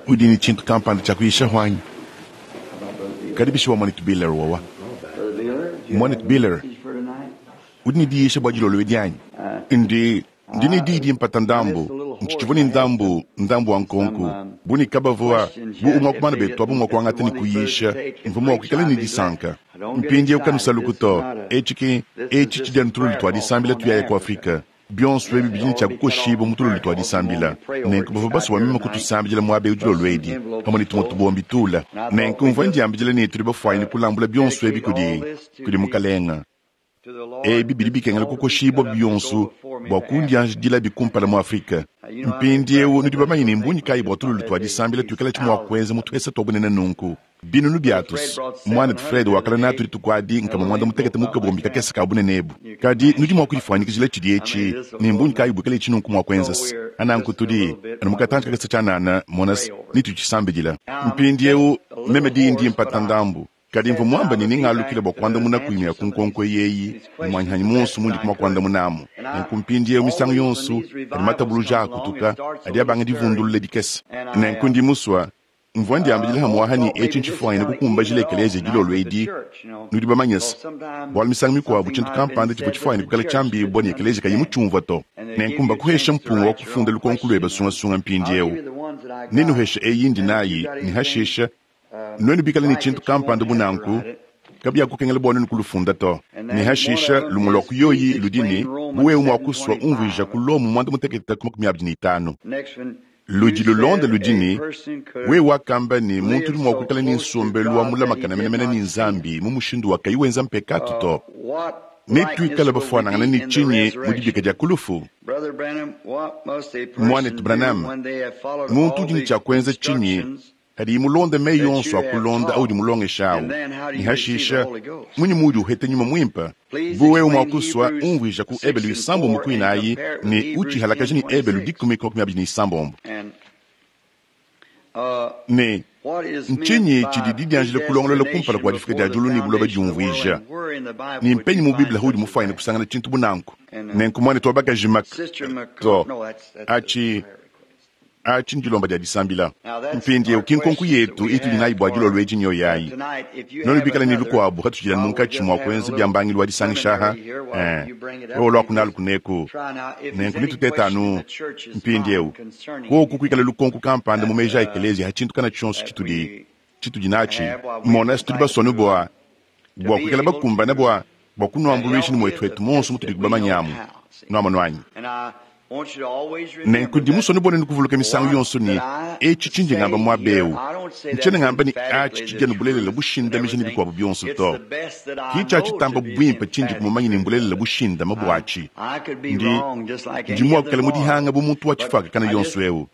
Udi ne tshintu kampanda tshia kuyishahu anyi? Kadi bishi bua Muanetu Beeler wawa? Muanetu Beeler, udi ne diyisha bua dilolo edi anyi? Ndi, ndi ne diyi dimpata ndambu. Ntshitshivua ne ndambu, ndambu wa nkonku. Bu ne kabavua, bu umue wa ku bana betu abu mua kuangata ne kuyisha, mvua mua kuikala ne disanka. Mpindieu kanusaluku to. Etshi ki, etshi tshidi anu tululu tua disambila tuyaya ku Afrike. Bionso ebi bidi ne tshia kukoshibua mu tululu tua disambila. Nenku bavua basue bua meme kutusambidila muaba eu dilolo edi, pamue ne tumue tubombi tula. Nenku mvua ndiambidila ne tudi bafuanyine kulambula bionso ebi kudi, kudi Mukalenga. Ebi bidi bikengela kukoshibua bionso bua kundianjidilabi kumpala mu Afrike. Mpindieu nudi bamanye ne mbungi kayi bua tululu tua disambila tuikalatshi mua kuenza mu tuhesa tua bunene nunku. Binunu biatus. Muanetu Fred wakala natu dituku adi nkama muanda mutekete mu kabombi kakese ka bunene ebu. Kadi nudi mua kudifuanyikijila tshidi etshi, ne mbungi kayi buikala etshi nunku mua kuenza's? Nanku tudi anu mu katantshi kakese tshianana, mona's, ne tudi tshisambidila. Mpindiewu, meme diyi ndi mpata ndambu, kadi mvua muamba ne nengalukile bua kuandamunaku imue ya ku nkonko eyi eyi ne muanyihanyi muonso mundi mua kuandamunamu. Nenku mpindiewu misangu yonso padi matabuluja akutuka, adi abanga divundulula dikese. Nenku ndi musua Mvua ndiambidila hamuaha ne etshi ntshifuanyine kukumbajila ekeleziya dilolo edi, nudi bamanye's, bualu misangu mikuabu tshintu kampanda tshivua tshifuanyine kuikala tshiambibua ne ekeleziya kayi mutshiumvua to. Nenku mbakuhesha mpunga wa kufunda lukonko lueba sungasunga mpindieu. Nennuheshe eyi indi nayi, ne hashisha, nuenu bikale ne tshintu kampanda bu nanku, kabiakukengela bua nuenu kulufunda to. Ne hashisha, lumue lua ku yoyi ludi ne, bu wewe mua kusua umvuija ku Lomo muanda mutekete ku 25. Ludi lulonda ludi ne, Wewe wakamba ne, muntu udi mua kuikala ne nsombelu wa mulamakane menemene ne Nzambi mu mushindu wa kayi wenza mpekatu to. Netuikale bafuanangane ne tshinyi mu dibika dia ku lufu? Muanetu Branham, muntu udi ne tshia kuenza tshinyi Kadi mulonde meyi onso a kulonda audi mulongesha au, ne hashisha, munyi muudi uheta Nyuma Muimpe? Bu wewe mua kusua, unvuija ku Ebelu isambombo ku inayi ne utshihalakaje ne Ebelu dikumi ku makumi abidi ne isambombo. Ne ntshinyi tshidi didianjila kulongolola kumpala kua difuka dia diulu ne buloba diumvuija? Ne mpenyi mu Bible haudi mufuanyine kusangana tshintu bu nanku? Nenku muanetu wa bakaji Mc, to, atshi Atshi ndilomba dia disambila. Mpindieu ki nkonku yetu itudi nayi bua dilolo edi nyoyi ayi. Nuenu bikale ne bikuabu katutshidi anu munkatshi mua kuenza bia mbangilu wa disangisha aha, eh, wewe luaku nalu kuneku. Nenku netutete anu mpindieu. Kuoku kuikale lukonku kampanda mu meji a ekeleziya ha tshintu kana tshionso tshitudi tshitudi natshi, mona tudi basue anu bua bua kuikala bakumbane bua bua kunuambuluisha ne muetuetu muonso mutudi bamanye amu. Nuamonu anyi? Nenku ndi musue bua nuenu kuvuluka misangu yonso ne, etshi tshindi ngamba muaba eu, ntshiena ngamba ne atshi tshidi anu bulelela bushindamija ne bikuabu bionso to. Ki tshia tshitamba buimpe tshindi mumanye ne mbulelela bushindame buatshi. Ndi, ndi mua kuikala mu dihanga bu muntu wa tshifuakakana yonso eu.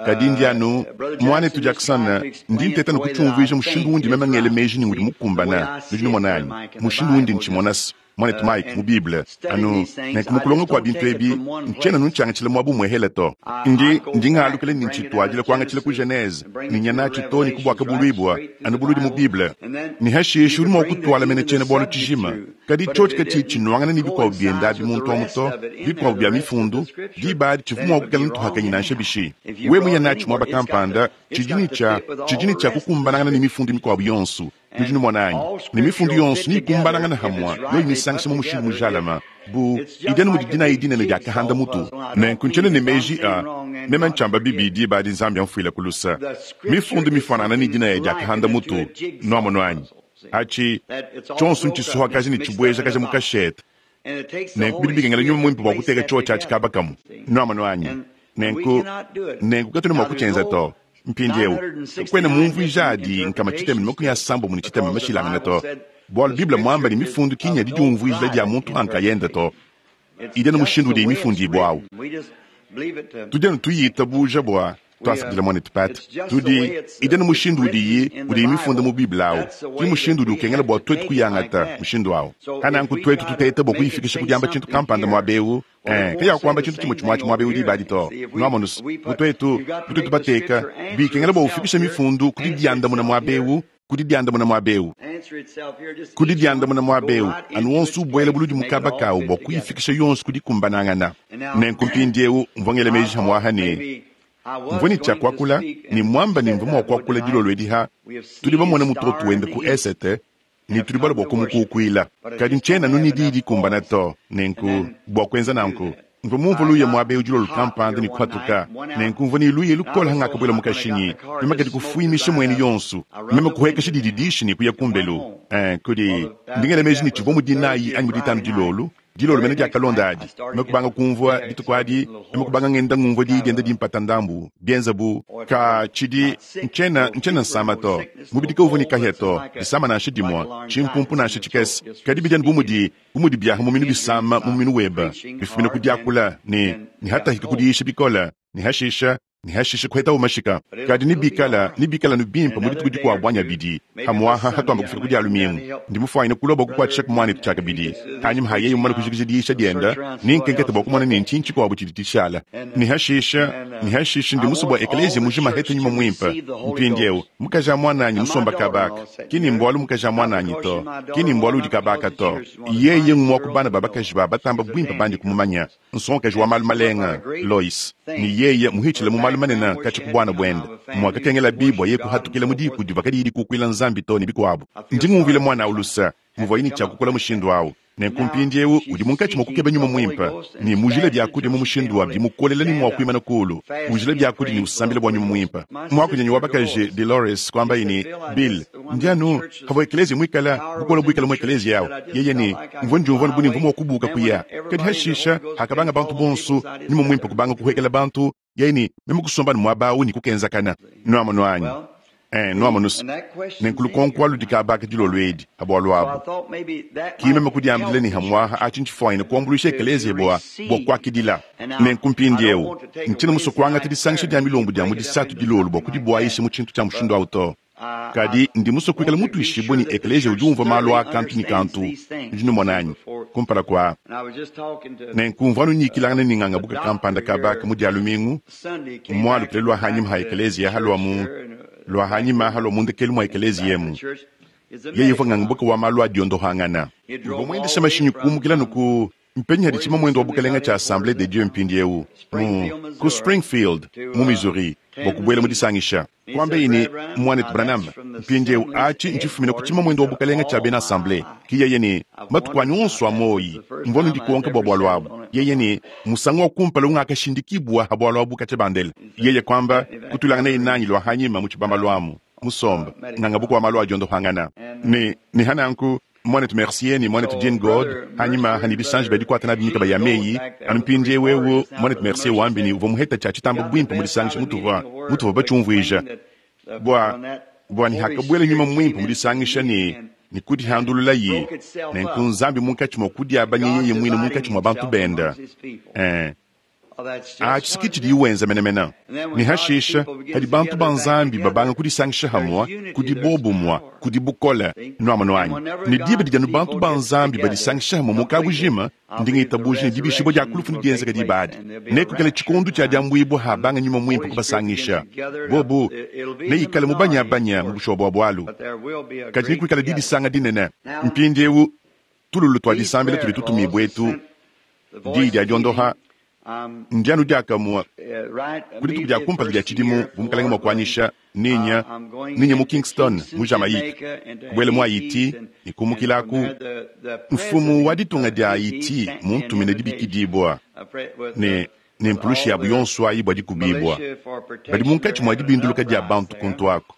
Kadi ndi anu, Muanetu Jackson, ndi nteta ne kutshiumvuija mushindu undi meme ngela meji ne udi mukumbana, nudi numona anyi? Mushindu undi ntshimona-s, Muanetu Mike, mu Bible. Anu nenku mu kulonga kua bintu ebi, ntshiena anu ntshiangatshila muaba umuehele to. Ndi, ndi ngalukila ne ntshituadila kuangatshila ku Genese, ne nya natshi too ne ku Buakabuluibua, anu buludi mu Bible. Ne hashishe udi mua kutuala mene tshiena-bualu tshijima. Kadi tshiotshi katshiyi tshinuangana ne bikuabu biende abi muntu amu to, bikuabu bia mifundu, diba adi tshivua mua kuikala ntuhakanyi nansha bishi. Wewe muye natshi muaba kampanda, tshidi ne tshia, tshidi ne tshia kukumbanangana ne mifundu mikuabu yonso. Nudi numona anyi? Ne mifundu yonso neyikumbanangane hamue, yoyi misangisha mu mushindu mujalame, bu idi anu mudi dinaya dinene dia kahanda mutu. Nenku ntshiena ne meji a meme ntshiamba bibi, diba adi Nzambi amfuileku luse. Mifundu mifuanangane ne dinaya dia kahanda mutu. Nuamonu anyi? Atshi tshionso ntshisuhakaja ne tshibuejakaja mu kashete. Nenku bidi bikengela Nyuma Muimpe bua kuteka tshiotshi atshi kaba kamue. Nuamonu anyi? Nenku, nenku katuena mua kutshienza to. Mpindieu, kakuena mumvuija adi 360 mashilangane to, bualu Bible muamba ne mifundu ki nya didiumvuijila dia muntu pa nkayende to. Idi anu mushindu udiyi mifundibue au. Tudi anu tuyitabuja bua Tuasakidila muanetu Pat. Tudi, idi anu mushindu udiyi, udiyi mifunda mu Bible awu. Ki mushindu udi ukengela bua tuetu kuyangata, mushindu awu. Pa nanku tuetu tuteta bua kuyifikisha ku diamba tshintu kampanda muaba ewu, ee, kayakuamba tshintu tshimue tshimue atshi muaba ewu diba adi to. Nuamonu's, bu tuetu, bu tuetu bateka, bikengela bua ufikishe mifundu ku didiandamuna muaba ewu, ku didiandamuna muaba eu, ku didiandamuna muaba eu, anu wonso ubuela buludi mu kaba kawu bua kuyifikisha yonso ku dikumbanangana. Nenku mpindieu mvua ngela meji hamuaha ne, Mvwa ne cya kwakula, ne mwamba ne mvwa mwa kwakula dilolo edi ha tudi bamone mutoto wende ku esete, ne tudi balue bwa kumukuukwila. Kadi ncyena anu ne diyi dikumbana to, nenku, bwa kwenza nanku. Mvwa mumvwe luya mwaba ewu dilolo kampanda ne kuhatuka, nenku mvwa ne luya lukole hangakabwela mu kashinyi, meme kadi kufwimisha mwenu yonso, meme kuhwekesha dididishi ne kuya kumbelu. Ee, kudi, ndi ngela meji ne civwa mu Dinayi anyi mu Ditanu dilolo, Dilolo mene diakalonda adi, meme kubanga kumvua, dituku adi, meme kubanga ngenda ngumvua diyi dienda dimpata ndambu, bienza bu, Ka, tshidi, ntshiena, ntshiena nsama to. Mubidi kauvua ne kahia to, disama nansha dimue, tshimpumpu nansha tshikese. Kadi bidi anu bu mudi, bu mudi biaha muminu bisama mu muminu webe, bifumina ku diakula, ne, ne hatahika ku diyisha bikole, ne hashisha, ne hashishe kuhetawu mashika. Kadi nebikala, nebikala anu bimpe mu dituku dikuabu anyi abidi, hamuaha hatuamba kufika ku dia Lumingu. Ndi mufuanyine kulua bua kukuatshishaku muanetu tshiakabidi. Hanyima ha yeye mumane kujikija diyisha diende, nenkenkete bua kumona ne ntshinyi tshikuabu tshidi tshishala. Ne hashishe, ne hashishe ndi musue bua ekeleziya mujima ahete Nyuma Muimpe. Mpindieu, mukaji a muananyi musomba kaba aka, ki ni mbualu mukaji a muananyi to, ki ni mbualu udi kaba aka to. Yeye ngumue wa ku bana ba bakaji ba batamba buimpe bandi kumumanya. Nsongakaji wa malu malenga, Lois, ne yeye muhitshile mu malu manene katshia ku buana buende, muakakengelabi bua yeye kuhatukila mu diku divua kadiyi dikukuila Nzambi to ne bikuabu. Ndi ngumvuila muana au luse muvuaye ne tshia kukola mushindu au. Nenku mpindieu udi munkatshi mua kukeba nyuma muimpe ne mujila biakudia mu mushindu wa bimukolela ne mua kuimana kulu, ujila biakudia ne usambila bua nyuma muimpe. Muakunyanyi wa bakaji Delores kuambaye ne, Bill, ndi anu pavua ekeleziya muikale bukole buikale mu ekeleziya au, yeye ne, Mvua ndiumvua anu bu ne mvua mua kubuuka kuya. Kadi hashisha, hakabanga bantu bonso, nyuma muimpe kubanga kuhuekela bantu, yeye ne, meme kusomba anu muaba au ne kukenzakana. Nuamonu anyi? Eh, nuamonu's. Nenku lukonko alu dikabaka dilolo edi ha bualu abu. Ki meme kudiambila ne hamuaha atshi ntshifuanyine kuambuluisha ekeleziya bua, bua kuakidila. Nenku mpindieu, ntshiena musue kuangata disangisha dia milombu dia mu Disatu dilolo bua kudibuayisha mu tshintu tshia mushindu au to. Kadi ndi musue kuikala mutuishibue ne ekeleziya udi umvua malu aa kantu ne kantu, nudi numona anyi, kumpala kua. Nenku mvua anu nyikilangana ne ngangabuka kampanda kaba aka mu Dia lumingu, mualukile lua hanyima ha ekeleziya halua mu, lua hanyima halua mu ndekelu mua ekeleziya emu. Yeye uvua ngangabuka wa malu a diondohangana. Uvua muendesha mashinyi kumukila anu ku Mpenyi hadi tshimamuende wa bukelenge tshia Assemblee de Dieu mpindieu? Mu, ku Springfield, mu Missouri, bua kubuela mu disangisha. Kuambeyi ne, Muanetu Branham, mpindieu atshi ntshifumina ku tshimamuende wa bukelenge tshia bena Assemblee. Ki yeye ne, Matuku anyi onso a muoyi, mvua anu ndikonka bua bualu abu. Yeye ne, Musangu wa kumpala ungakashindikibua ha bualu abu katshia bandela. Yeye kuamba, Kutuilanganaye nanyi lua hanyima mu tshibambalu amu, musomba, nganga bukua malu a diondohangana. Ne, ne ha nanku, Muanetu Mercier ne Muanetu Gene Goad, hanyima ha ne bisanji bia dikuata nabi mikaba ya meyi, anu mpindieu eu, Muanetu Mercier wambi ne uvua muheta tshia tshitamba buimpe mu disangisha mutuvua, mutuvua batshiumvuija, bua, bua ne hakabuela Nyuma Muimpe mu disangisha ne, ne kudihandululaye, nenku Nzambi munkatshi mua kudiabanya yeye muine munkatshi mua bantu bende. Ee. Atshi ke tshidiye wenza menemene. Ne hashisha, padi bantu ba Nzambi babanga kudisangisha hamue, kudi bobumue, kudi bukole. Nuamonu anyi? Ne diba didi anu bantu ba Nzambi badisangisha hamue mu kabujima, ndi ngitabuja ne dibishibua dia ku lufu nedienzeke diba adi. Nekuikale tshikondo tshia diambuibua habanga Nyuma Muimpe kubasangisha. Bobu neikale mubanyabanya mu bushuwa bua bualu, kadi nekuikale didisanga dinene. Mpindieu, tululu tua disambila tudi tutumibua etu, Diyi dia diondoha ndi anu diakamue ku dituku dia kumpala dia tshidimu bu Mukalenge mua kuanyisha, ninya, ninya mu Kingston, mu Jamaïque, kubuela mu Haïti ne kumukilaku. Mfumu wa ditunga dia Haïti muntumine dibikidibua ne, ne mpulushi yabu yonso ayi bua dikubibua. Badi munkatshi mua dibinduluka dia bantu kuntu aku.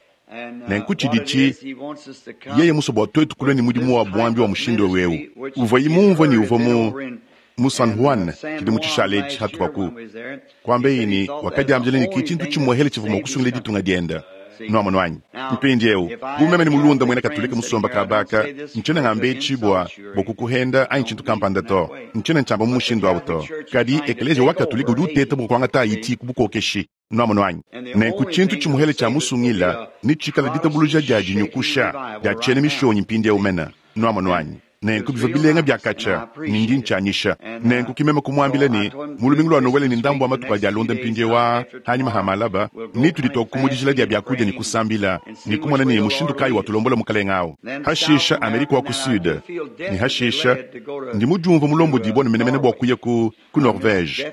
Nenku tshidi tshi, yeye musue bua tuetu kulua ne mudimu wa buambi wa mushindu eu uvuaye mumvue ne uvua mu, mu San Juan tshidimu tshishale etshi hatupa ku kuambeyi ne wakadiambila ne ki tshintu tshimuehele tshivua mua kusungila ditunga diende. Nuamonu anyi? Mpindieu, bu meme ne mulunda muena Katolike musomba kaba aka, ntshiena ngamba etshi bua, bua kukuhenda anyi tshintu kampanda to. Ntshiena ntshiamba mu mushindu au to. Kadi Ekeleziya wa Katolike udi uteta bua kuangata Haïti ku bukokeshi. Nuamonu anyi? Nenku tshintu tshimuhele tshia musungila netshikale ditabuluja dia dinyukusha dia tshiena mishonyi mpindieu mene. Nuamonu anyi? Nenku bivua bilenga bia katshia, ne ndi ntshianyisha. Nenku ki meme kumuambila ne, mu lumingu lua Nowele ne ndambu wa matuku adi alonda mpindieu aa, panyima pa malaba, ne tudi tuaku mu dijila dia biakudia ne kusambila, ne kumona ne mushindu kayi watulombola Mukalenga au. Hashisha Amerika wa ku Sud, ne hashisha ndi mudiumvue mulombodibue ne menemene bua kuya ku, ku Norvege.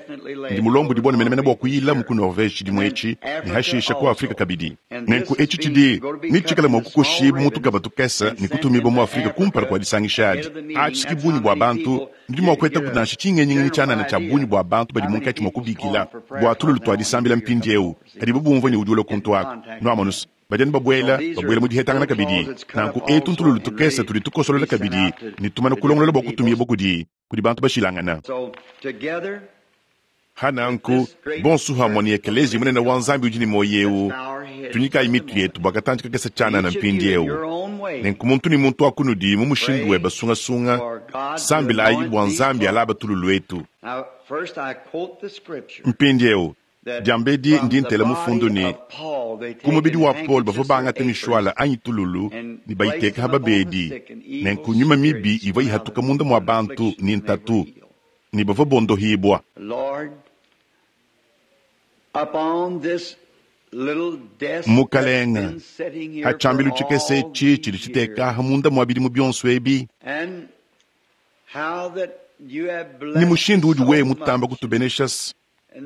Ndi mulombodibue ne menemene bua kuyilamu ku Norvege tshidimu etshi, ne hashisha ku Afrika kabidi. Nenku etshi tshidi netshikale mua kukoshibua mu tukaba tukese ne kutumibua mu Afrika kumpala kua disangisha adi. Atshi ki bungi bua bantu, nudi mua kuetaku nansha tshingenyingenyi tshianana tshia bungi bua bantu badi munkatshi mua kubikila bua tululu tua disambila mpindieu padibu bumvua ne udi ulua kuntu aku. Nuamonus, badi anu babuela, babuela mu dihetangana kabidi. Nanku etu ntululu tukese tudi tukosolola kabidi ne tumana kulongolola bua kutumibua kudi, kudi bantu bashilangana. Ha nanku, bonso hamue ne Ekeleziya munene wa Nzambi udi ne muoyo eu, tunyikayi mitu yetu bua katantshi kakese tshianana mpindieu. Nenku muntu ne muntu wa kunudi mu mushindu weba sungasunga, sambilayi bua Nzambi alaba tululu etu. Mpindieu, diambedi ndi ntela mufundu ne, ku mubidi wa Paulo bavua bangata mishuala anyi tululu ne bayiteka ha babedi, nenku nyuma mibi ivua ihatuka munda mua bantu ne ntatu, ne bavua bondohibua. Mukalenga, ha tshiambilu tshikese etshi tshidi tshiteka munda mua bidimu bionso ebi, ne mushindu udi wewe mutamba kutubenesha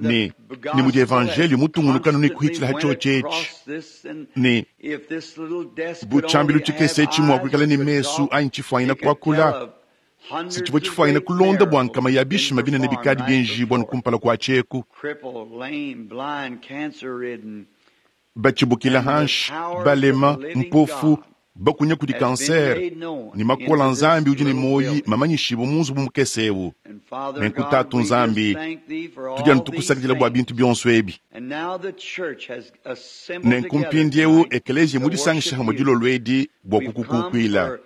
ne ne mudi evanjelio mutungunukanu ne kuhitshila ha tshiotshi etshi, ne bu tshiambilu tshikese etshi mua kuikala ne mesu anyi tshifuanyina kuakula, si tshivua tshifuanyina kulonda bua nkama ya bishima binene bikadi bienjibua ne kumpala kua tshieku. Batshibukila hanshi, balema, mpofu, bakunya kudi kansere, ne makola Nzambi udi ne muoyi mamanyishibue mu nzubu mukese eu. Nenku Tatu Nzambi, tudi anu tukusakidila bua bintu bionso ebi. Nenku mpindieu ekeleziya mudisangishe hamue dilolo edi bua kukukukuila.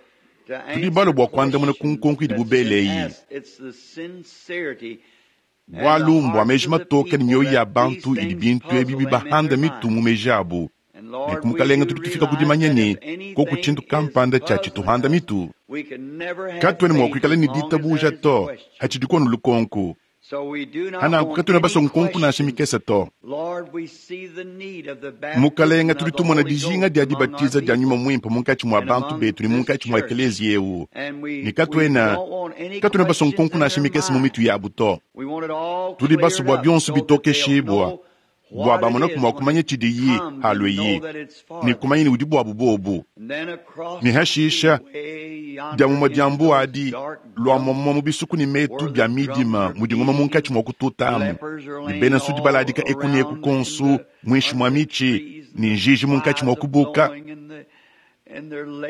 Tudi balue bua kuandamuna ku nkonko idibu bele eyi. Bualu mbua meji matoke ne mioyo ya bantu idi bintu ebi bibahanda mitu mu meji abu. Nenku Mukalenga, tudi tufika ku dimanya ne, koku tshintu kampanda tshia tshituhanda mitu, katuena mua kuikala ne ditabuja to, hatshidi kuonu lukonku. Hananku katuena basue nkonku nansha mikese to. Mukalenga, tudi tumona dijinga dia dibatiza dia Nyuma Muimpe munkatshi mua bantu betu ne munkatshi mua ekeleziya eu, ne katuena, katuena basue nkonku nansha mikese mu mitu yabu to. Tudi basue bua bionso bitokeshibua, bua bamonaku mua kumanya tshidiyi halueyi, ne kumanya ne udi buabu bobu. Ne hashisha, dia mumue dia mbu adi, lua muamua mu bisuku ne metu bia midima mudi ngoma munkatshi mua kututamu, ne bena nsudi baladika eku ne eku konsu muinshi mua mitshi, ne njiji munkatshi mua kubuka,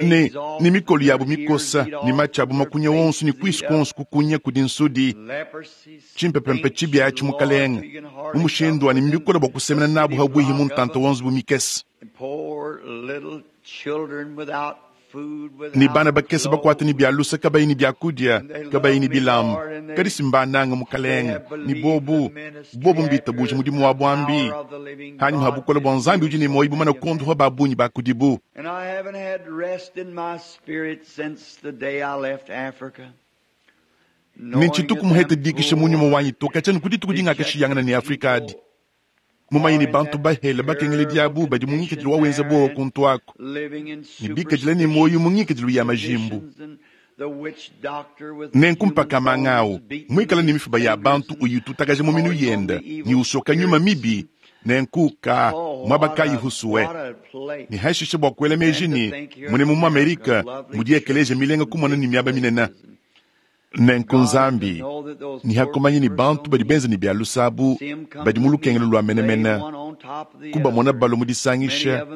ne, ne mikolo yabu mikosa, ne matshi abu makunya wonso, ne kuisu kuonso kukunya kudi nsudi. Tshimpepempe tshibi atshi, Mukalenga, mu mushindu wa ne mbikole bua kusemena nabu habuihi mu ntanta wa nzubu mikese. Ne bana bakese bakuata ne bia lusa, kabayi ne biakudia, kabayi ne bilamba, kadi si mbananga Mukalenga, ne bobu, bobu mbitabuje mudimu wa buambi hanyima ha bukole bua Nzambi udi ne muoyo bumana kuondopa ba bungi ba kudibu. Ne ntshituku muhete dikisha mu nyuma wanyi to katshia ne ku dituku dingakashiyangana ne Afrika adi. Mumanye ne bantu bahele bakengeledi abu badi mu ngikadilu wa wenza buowa kuntu aku, ne bikadila ne muoyo mu ngikadilu ya majimbu. Nenku mpaka manga au muikale ne mifuba ya bantu uyitutakaja mu minu yenda ne usoka nyuma mibi, nenku ka muaba kayi husue. Ne hashishe bua kuela meji ne mune mu Amerika mudi ekeleziya milenga kumona ne miaba minene. Nenku Nzambi, ne hakumanya ne bantu badi benza ne bia lusa abu badi mu lukengelo lua menemene, kubamona balua mu disangisha,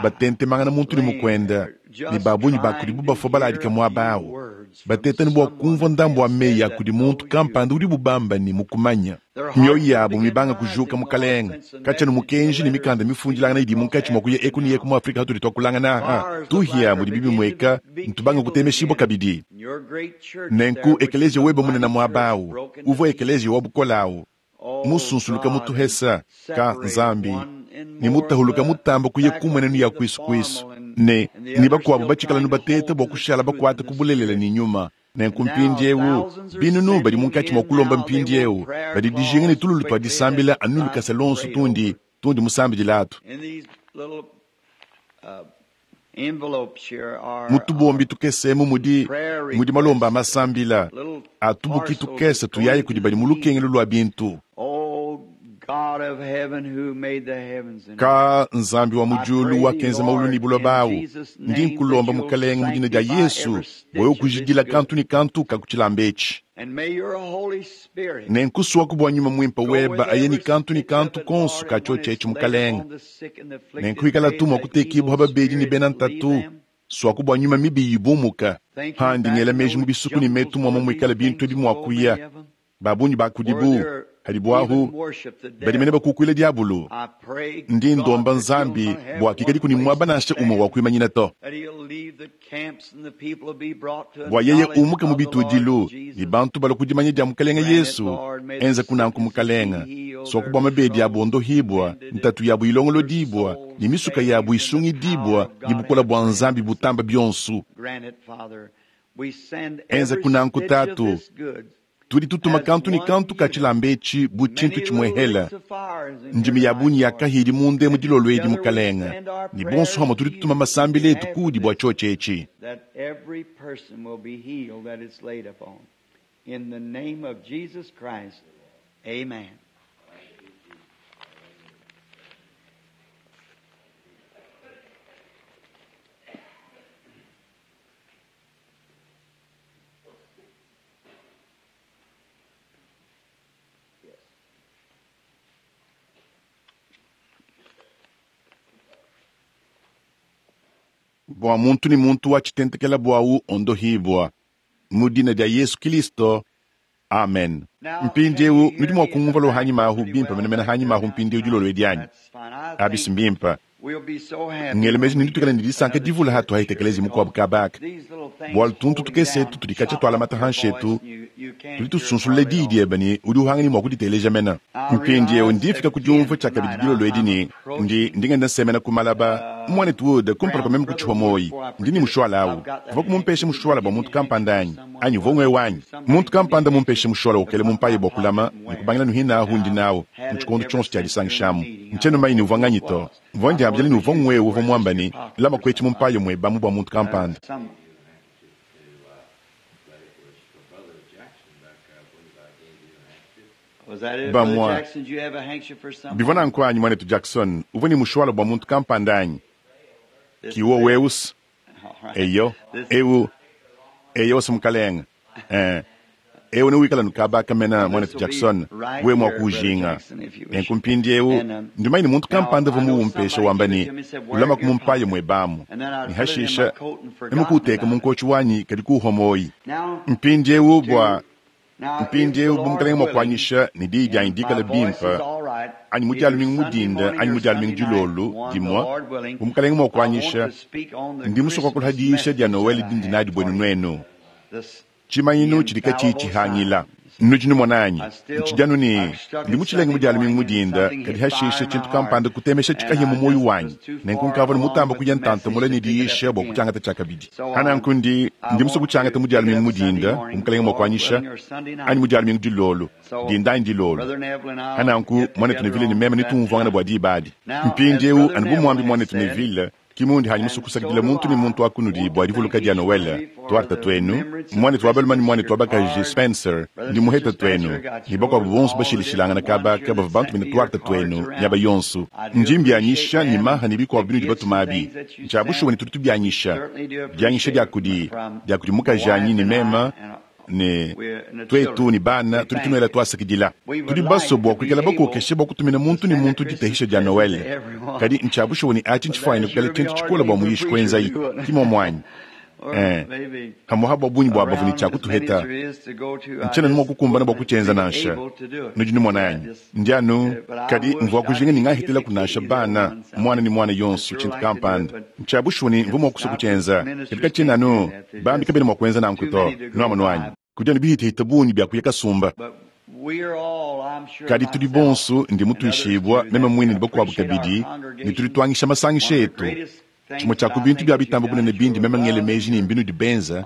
batentemangana muntu ne mukuenda, ne ba bungi ba kudibu bafua baladika muaba au, bateta ne bua kumvua ndambu wa meyi a kudi muntu kampanda udibu bamba ne mukumanya. Mioyo yabu mibanga kujuka Mukalenga, katshia ne mukenji ne mikanda mifundilangana idi munkatshi mua kuya eku ne eku mu Afrika hatudi tuakulangana aha, tuhia mudi bibimueka, ntubanga kutemeshibua kabidi. Nenku ekeleziya webe munene muaba au, uvua ekeleziya wa bukole au, musunsuluka mutuhesa ka Nzambi, ne mutahuluka mutamba kuya kumwenenu ya kuisu kuisu, ne, ne bakuabu batshikala nu bateta bua kushala bakuata ku bulelela ne nyuma. Nenku mpindiewu, binunu badi munkatshi mua kulomba mpindiewu badi dijinga ne tululu tua disambila anu lukasa luonso tundi tundi musambidila atu. Mu tubombi tukese emu mudi mudi malomba a masambila a tubuki tukese tuyayi kudi badi mu lukengelu lua bintu. Ka Nzambi wa mu diulu wakenza maulu ne buloba awu, ndi nkulomba Mukelenge mu dina dia Yesu bua wewe kujidila kantu ne kantu ka ku tshilamba etshi. Ne nkusuaku bua Nyuma Muimpe weba aye ne kantu ne kantu konso ka tshiotshi etshi, Mukelenge. Nenku ikala tu mua kutekibua babedi ne bena ntatu, suaku bua nyuma mibi ibumuka. Pandi ngela meji mu bisuku ne metu muamua muikale bintu ebi mua kuya, ba bungi ba kudibu hadibu ahu badi mene bakukuila diabulu. Ndi ndomba Nzambi bua kikadiku ne muaba nansha umue wa kuimanyina to, bua yeye umuke mu bitudilu ne bantu balua ku dimanya dia Mukelenge Yesu. Enza kunanku Mukelenge, suaku bua mabedi abu ondohibua, ntatu yabu ilongolodibua, ne misuka yabu isungidibua ne bukole bua Nzambi butamba bionso. Enza kunanku Tatu, tudi tutuma kantu ne kantu ka tshilamba etshi bu tshintu tshimuehela. Ndimi ya bungi ya kahidi munda emu dilolo edi Mukelenge, ne bonso hamue tudi tutuma masambila etu kudi bua tshiotshi etshi. In the name of Jesus Christ, amen. Bua muntu ne muntu wa tshitentekela buawu ondohibua mu dina dia Yesu Kilisto, amen. Mpindiewu nudi mua kungumva lo hanyima ahu bimpe menemene hanyima ahu mpindiewu dilolo edi anyi? Abisi mbimpe. Ngele meji ne nditukale ne disanka divula hatu haitekelezi mukuabu kabaka. Bualu tuntu tukese etu tudi katshia tualamata hanshi etu, tudi tusunsulula diyi diebe ne udi uhanga ne mua kuditeleja mena. Mpindiewu ndi mfika ku diumvua tshiakabidi dilolo edi ne ndi ndi ngenda nsemena ku malaba. Muanetu Wood, kumpala kua meme kutshihua muoyi, ndi ne mushuala awu. Uvua kumumpesha mushuala bua muntu kampanda anyi? Anyi uvua ng'wewe anyi? Muntu kampanda mumpeshe mushuala ukele mumpaye bua kulama ne kubangila nuhina ahu ndi nawu mu tshikondo tshionso tshia disangishamu. Ntshiena mumanye ne uvua nganyi to. Mvua ndiambila ne uvua ng'wewe uvua muamba ne, lama kuetshi mumpaye muebamu bua muntu kampanda. Bamua, bivua nanku anyi, muanetu Jackson? Uvua ne mushuala bua muntu kampanda anyi? Ki wowu ewu-se? Eyo, ewu, eyo-se mukalenga. Eh, ewu newikala nukabaka mena, muanetu Jackson, wewe mua kuujinga. Nenku mpindiewu, ndi mumanye ne muntu kampanda uvua muwumpesha wamba ne, ulamaku mumpaye muebamu. Ne hashisha, meme kuuteka mu nkotshi wanyi kadi kuuhua muoyi. Mpindiewu bua Mpindiewu bu Mukelenge mua kuanyisha ne diyi dianyi dikale bimpe, anyi mu dia lumingu mu dinda anyi mu dia lumingu dilolo dimue, bu Mukelenge mua kuanyisha, ndi musue kuakula ha diyisha dia Noele dindi nadi buenu nuenu, tshimanyinu tshidi katshiyi tshihangila. Nudi numona anyi? Ntshidi anu ne ndi mutshilenge mu dia lumingu mu dinda, kadi hashisha tshintu kampanda kutemesha tshikahia mu muoyo wanyi, nenku nkavua ne mutamba kuya ntanta mule ne diyisha bua kutshiangata tshiakabidi. Hananku ndi ndi musue kutshiangata mu dia lumingu mu dinda, bu Mukelenge mua kuanyisha, anyi mu dia lumingu dilolo, dinda anyi dilolo. Hananku muanetu Neville ne meme netumvuangane bua diba adi. Mpindiewu, anu bu muambi muanetu Neville, ki mundi hanyi musue kusakidila muntu ne muntu wa kunudi bua divuluka dia Noele, tuarta tuenu, muanetu wa balume ne muanetu wa bakaji Spencer, ndi muheta tuenu, ne bakuabu bonso bashilashilangana kaba ka bavua bantumine tuarta tuenu miaba yonso. Ndi mbianyisha ne maha ne bikuabu binudi batuma abi. Ntshia bushuwa ne tudi tubianyisha. Dianyisha dia kudi, dia kudi mukajanyi ne mema, ne tuetu ne bana tudi tunuela tuasakidila. Tudi basue bua kuikala bakokeshe bua kutumina muntu ne muntu ditahisha dia Noele, kadi ntshia bushuwa ne atshi ntshifuanyine kuikala tshintu tshikole bua muyishi kuenzayi, ki muomu anyi? Eh, pamuapa bua bungi bua bavua ne tshia kutuheta, ntshiena mua kukumbana bua kutshienza nansha. Nudi numona anyi? Ndi anu, kadi mvua kujinga ne ngahetelaku nansha bana, muana ne muana yonso tshintu kampanda. Ntshia bushuwa ne mvua mua kusua kutshienza, kadi katshiena anu, bambi kabena mua kuenza nanku to. Nuamonu anyi? Kudi anu bihitahita bungi bia kuya kasumba. Kadi tudi bonso, ndi mutuishibua, meme muine ne bakuabu kabidi, ne tudi tuangisha masangisha etu. Tshimue tshia ku bintu bia bitamba bunene bindi meme ngele meji ne mbinudi benza,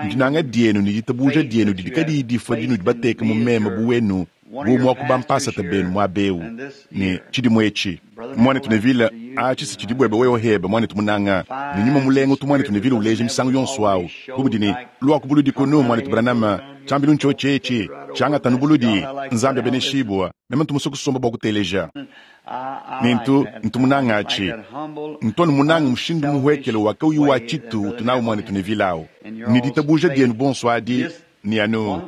ndinanga dienu ne ditabuja dienu didi kadiyi difua dinudi bateke mu meme bu wenu bu umue wa ku bampasata benu muaba eu ne tshidimu etshi. Muanetu Neville, atshi si tshidi buebe wewe hebe, muanetu munanga, ne nyuma mulenga utu muanetu Neville uleja misangu yonso awu, bu mudi ne, Luaku buludi kunu, muanetu Branham, tshiambilu ntshiotshi etshi, tshiangata anu buludi. Nzambi abeneshibua. Meme ntu musue kusomba bua kuteleja. Ne ntu, ntu munange atshi. Ntu anu munange mushindu muhuekele wa kauyi wa tshitu utu nawu muanetu Neville awu, ne ditabuja dienu bonso adi, ne anu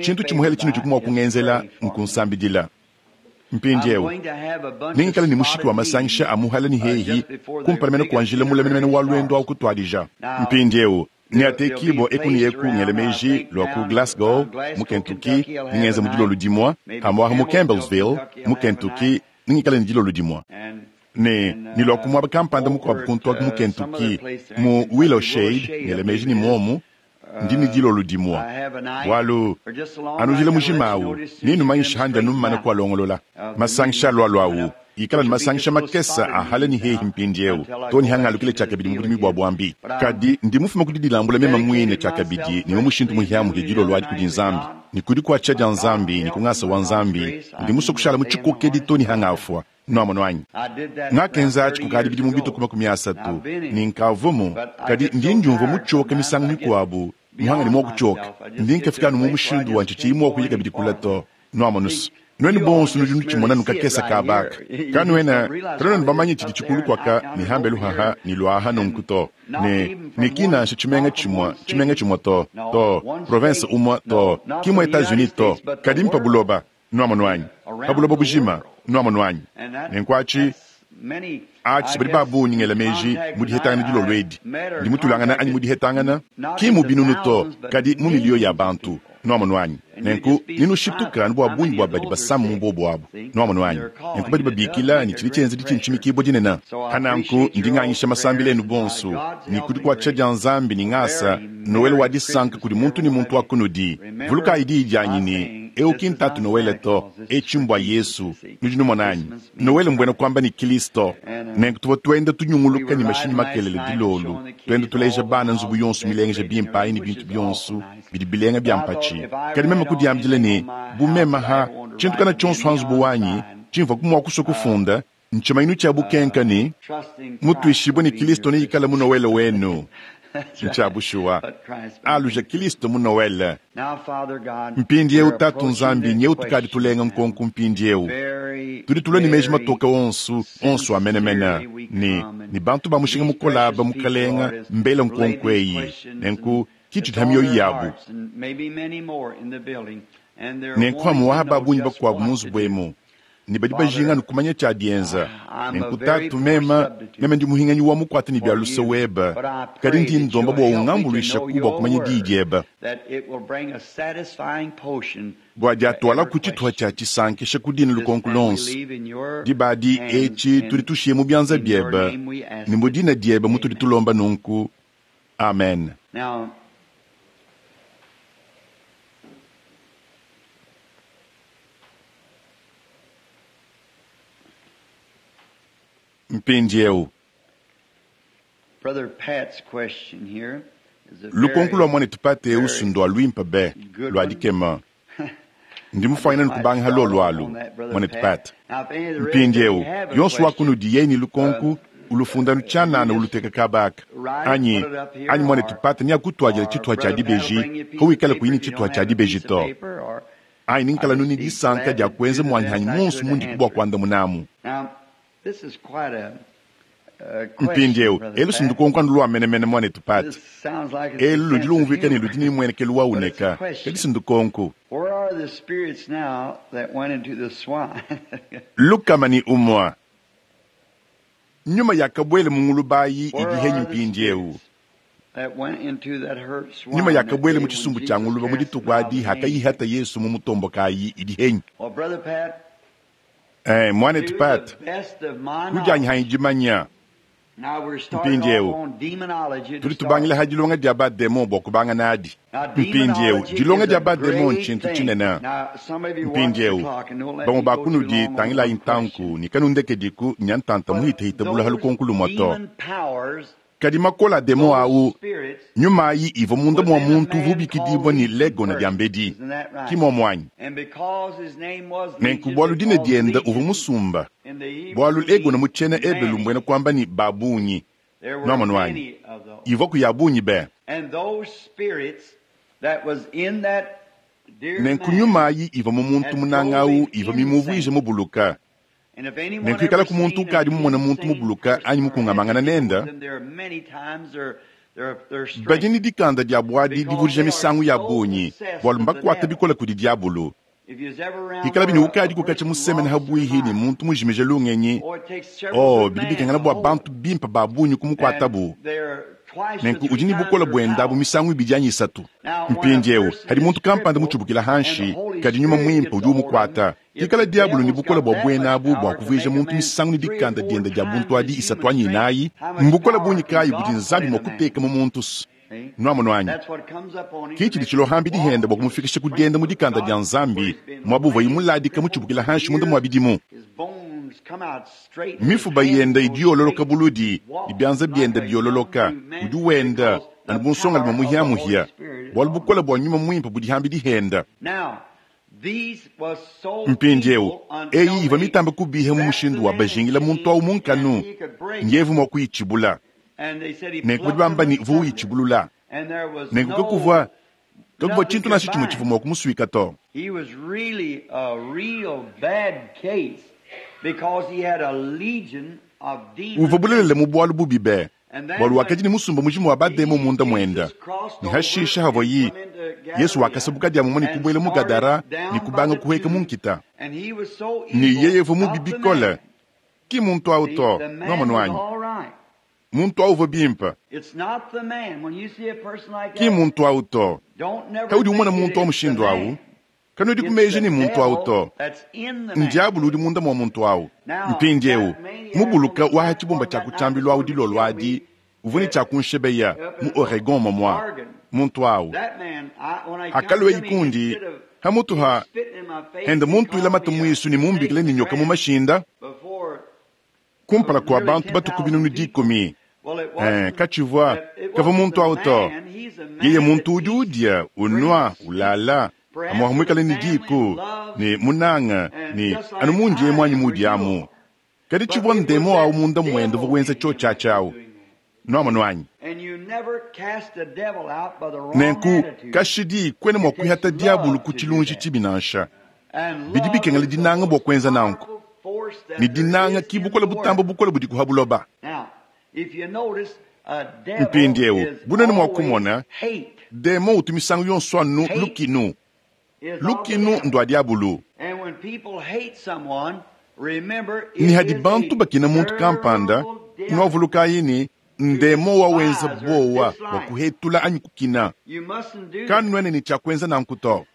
tshintu tshimuhele tshinudi mua kungenzela nkunsambidila. Mpindieu, nengikale ne mushiki wa masangisha a muhala ne hehi kumpala mene kua njila mule menemene wa luendu au kutuadija. Mpindieu, neatekibua eku ne eku ngela meji lua ku Glasgow mu Kentucky, ningenza mu dilolo dimue, pamuapa mu Campbellsville mu Kentucky, nengikale ne dilolo dimue. Ne, ne lua ku muaba kampanda mukuabu kuntu aku mu Kentucky, mu Willow Shade, ngela meji ne muomu, ndi ne dilolo dimue. Bualu, anu njila mujima awu, nenumanyishe handi anu mmana kualongolola. Masangisha alualua awu ikala ne masangisha makese a hala ne hehi mpindieu, too ne hangalukile tshiakabidi mu budimi bua buambi. Kadi ndi mufume ku didilambula meme muine tshiakabidi ne mu mushindu muhiamuhia dilolo adi kudi Nzambi, ne ku dikuatshisha dia Nzambi ne ku ngasa wa Nzambi, ndi musue kushala mu tshikokedi too ne hangafua. Nuamonu anyi? Ngakenza atshi kukadi bidimu bitue ku 30, ne nkavuamu, kadi ndi ndiumvua mutshioke misangu mikuabu, muhangane mua kutshioka. Ndi nkafika anu mu mushindu wa ntshitshiyi mua kuya kabidi kule to. Nuamonu se, nuenu bonso nudi nutshimona anu kakese kabaka. Kanuena, kanuena bamanye tshidi tshikulu kuaka ne hambelu haha ne luaha nunku to. Ne, ne ki nansha tshimenga tshimue, tshimenga tshimue to, to, province umue to, ki mu Etats-Unis to, kadi mpa buloba. Nuamonu anyi? Pa buloba bujima. Nuamonu anyi? Nenku atshi, atshi badi ba bungi ngela meji mu dihetangana dilolo edi. Ndi mutulangana anyi mu dihetangana? Ki mu binunu to, kadi mu miliyo ya bantu. Nuamonu anyi? Nenku nenushituka anu bua bungi bua badi basama mu bobo abu. Nuamonu anyi? Nenku badi babikila ne tshidi tshienza ditshintshimikibua dinene. Hananku ndi nganyisha masambila enu bonso, ne ku dikuatshisha dia Nzambi ne ngasa, Noele wa disanka kudi muntu ne muntu wa kunudi. Vulukayi diyi dianyi ne, eu ki ntatu Noele to, etshi mbua Yesu. Nudi numona anyi? Noele mbuena kuamba ne Kilisto. Nenku tuvua tuenda tunyunguluka ne mashinyi makelele dilolo, tuenda tuleja bana nzubu yonso milengeja bimpe ayi ne bintu bionso bidi bilenga bia mpatshi. Kadi meme kudiambila ne, bu meme ha tshintu kana tshionso ha nzubu wanyi tshimvua mua kusua kufunda, ntshimanyinu tshia bukenka ne mutuishibue ne Kilisto neikale mu Noele wenu. Ntshia bushuwa, aluja Kilisto mu Noele. Mpindieu Tatu Nzambi nyeu tukadi tulenga nkonko mpindieu. Tudi tulua ne meji matoke onso, onso a menemene, ne, ne bantu ba mushinga mukole aba mukalenga mbela nkonko eyi. Nenku ki tshidi ha mioyo yabu. Nenku amu ba bungi bakuabu mu nzubu emu, ne badi bajinga anu kumanya tshia dienza. Nenku Tatu, meme, meme ndi muhinganyi wa mukuate ne bia luse webe, kadi ndi ndomba bua ungambuluishaku bua kumanya diyi diebe, bua diatualaku tshituha tshia tshisankisha ku dina lukonko luonso. Diba adi etshi tudi tushiye mu bianza biebe, ne mu dina diebe mutudi tulomba nunku. Amen. Mpindieu, lukonko lua muanetu Pat eu ndua luimpe be, lua dikema. Ndi mufuanyine kubanga ha lolu alu, muanetu Pat. Mpindieu, yonso wa kunudi yeye ne lukonko ulufunda tshianana uluteka kabaka anyi anyi muanetu Pat neakutuadila tshituha tshia dibeji hawikala kuyi ne tshituha tshia dibeji to. Anyi ninkala nuni disanka dia kuenza muanyi monso mundi bua kuandamunamu. Mpindieu, elu si ndukonko anu lua menemene muanetu Pat. Elu ludi lumvuika ne ludi ne muenekelu wa uneka, kadi si ndukonko. 101. Nyuma yakabuela mu ngulubayi idi henyi mpindieu. Nyuma yakabuela mu tshisumbu tshia nguluba mu dituku adi hakayihata Yesu mu mutombokayi idi henyi. Muanetu Pat, kudianyi hanyi dimanya. Mpindiewu tudi tubangila ha dilonga dia bademon bua kubanga nadi. Mpindiewu dilonga dia bademon ntshintu tshinene. Mpindiewu bamue ba kunudi tangilayi ntanku ne kanundekediku nya ntanta muhitehite bula ha lukonku lumue to. Kadi makola a demon au, nyuma ayi ivua munda mua muntu uvua ubikidibua ne Legona diambedi. Ki muomu anyi? Nenku bualu dina diende uvua musumba, bualu Legona mu tshiena Ebelu mbuena kuamba ne ba bungi. Nuamonu anyi? Ivuaku ya bungi be. Nenku nyuma ayi ivua mu muntu munanga au ivua mimuvuije mubuluka. Nenku ikalaku muntu ukadi mumone muntu mubuluka anyi mukungamangana nende, badi ne dikanda dia buadi divudija misangu ya bungi, bualu mbakuate bikole kudi diabulu. Ikalabi ne ukadi kukatshia musemene habuihi ne muntu mujimije lungenyi, oh, bidi bikengela bua bantu bimpe ba bungi kumukuatabu. Nenku udi ne bukole buenda abu misangu ibidi anyi isatu. Mpindiewu hadi muntu kampanda mutshibukila hanshi, kadi nyuma muimpe udi umukuata. Pikala diabulu ne bukole bua buena abu bua kuvuija muntu misangu ne dikanda diende dia buntu adi isatu anyi inayi, mbukole bungi kayi budi Nzambi mua kuteka mu muntu? Nuamonu anyi? Ke tshidi tshilohambi dihenda bua kumufikisha ku dienda mu dikanda dia Nzambi, muaba uvuaye muladika mutshibukila hanshi munda mua bidimu. Mifuba yende idi yololoka buludi, ne bianza biende biololoka. Udi wenda anu bu nsongalume muhiamuhia, bualu bukole bua nyuma muimpe budi hambi dihenda. Mpindiewu eyi ivua mitambe kubiha mu mushindu wa bajingila muntu awu mu nkanu, ngevu mua kuyitshibula. Nenku badi bamba ne uvua uyitshibulula. Nenku kakuvua kakuvua tshintu nansha tshimue tshivua mua kumusuika to. Uvua bulelela mu bualu bubi be, bualu wakadi ne musumba mujima wa bademon munda muende. Ne hashisha havoyi, Yesu wakasabuka diamumue ne kubuela mu Gadara ne kubanga kuhueka mu nkita. Ne yeye uvua mubi bikole, ki muntu awu to, nuamonu anyi? Muntu awu uvua bimpe. Ki muntu awu to. Kaudi umona muntu wa mushindu awu, kanuedi ku meji ne muntu awu to. Ndiabulu udi munda mua muntu awu. Mpindiewu, mubuluka wa ha tshibumba tshia ku tshiambilu awu dilolo adi, uvua ne tshia kunshebeya mu Oregon momua. Muntu awu hakalueyi kundi, hamutu ha henda muntuila mate muisu ne mumbikile ne nyoka mu mashinda, kumpala kua bantu batuku binunu 10. Katshivua kavua muntu awu to. Yeye muntu udi udia, unua, ulala, amuaha muikale ne diku ne munanga ne anu mundiye muanyi mudi amu. Kadi tshivua ndemo awu munda muende uvua wenza tshotshatshi awu. Nuamonu anyi? Nenku kashidi kuena mua kuihata diabulu ku tshilunji tshibi nansha. Bidi bikengela dinanga bua kuenza nanku. Ne dinanga ki bukole butamba bukole budi kuha buloba. Mpindiewu bunene mua kumona, demon utu misangu yonso anu lukinu. Lukinu ndua diabulu. Ne hadi bantu bakina muntu kampanda, nuavulukayi ne ndemo wawenza bowa bua kuhetula anyi kukina. Kanuena ne tshia kuenza nanku to.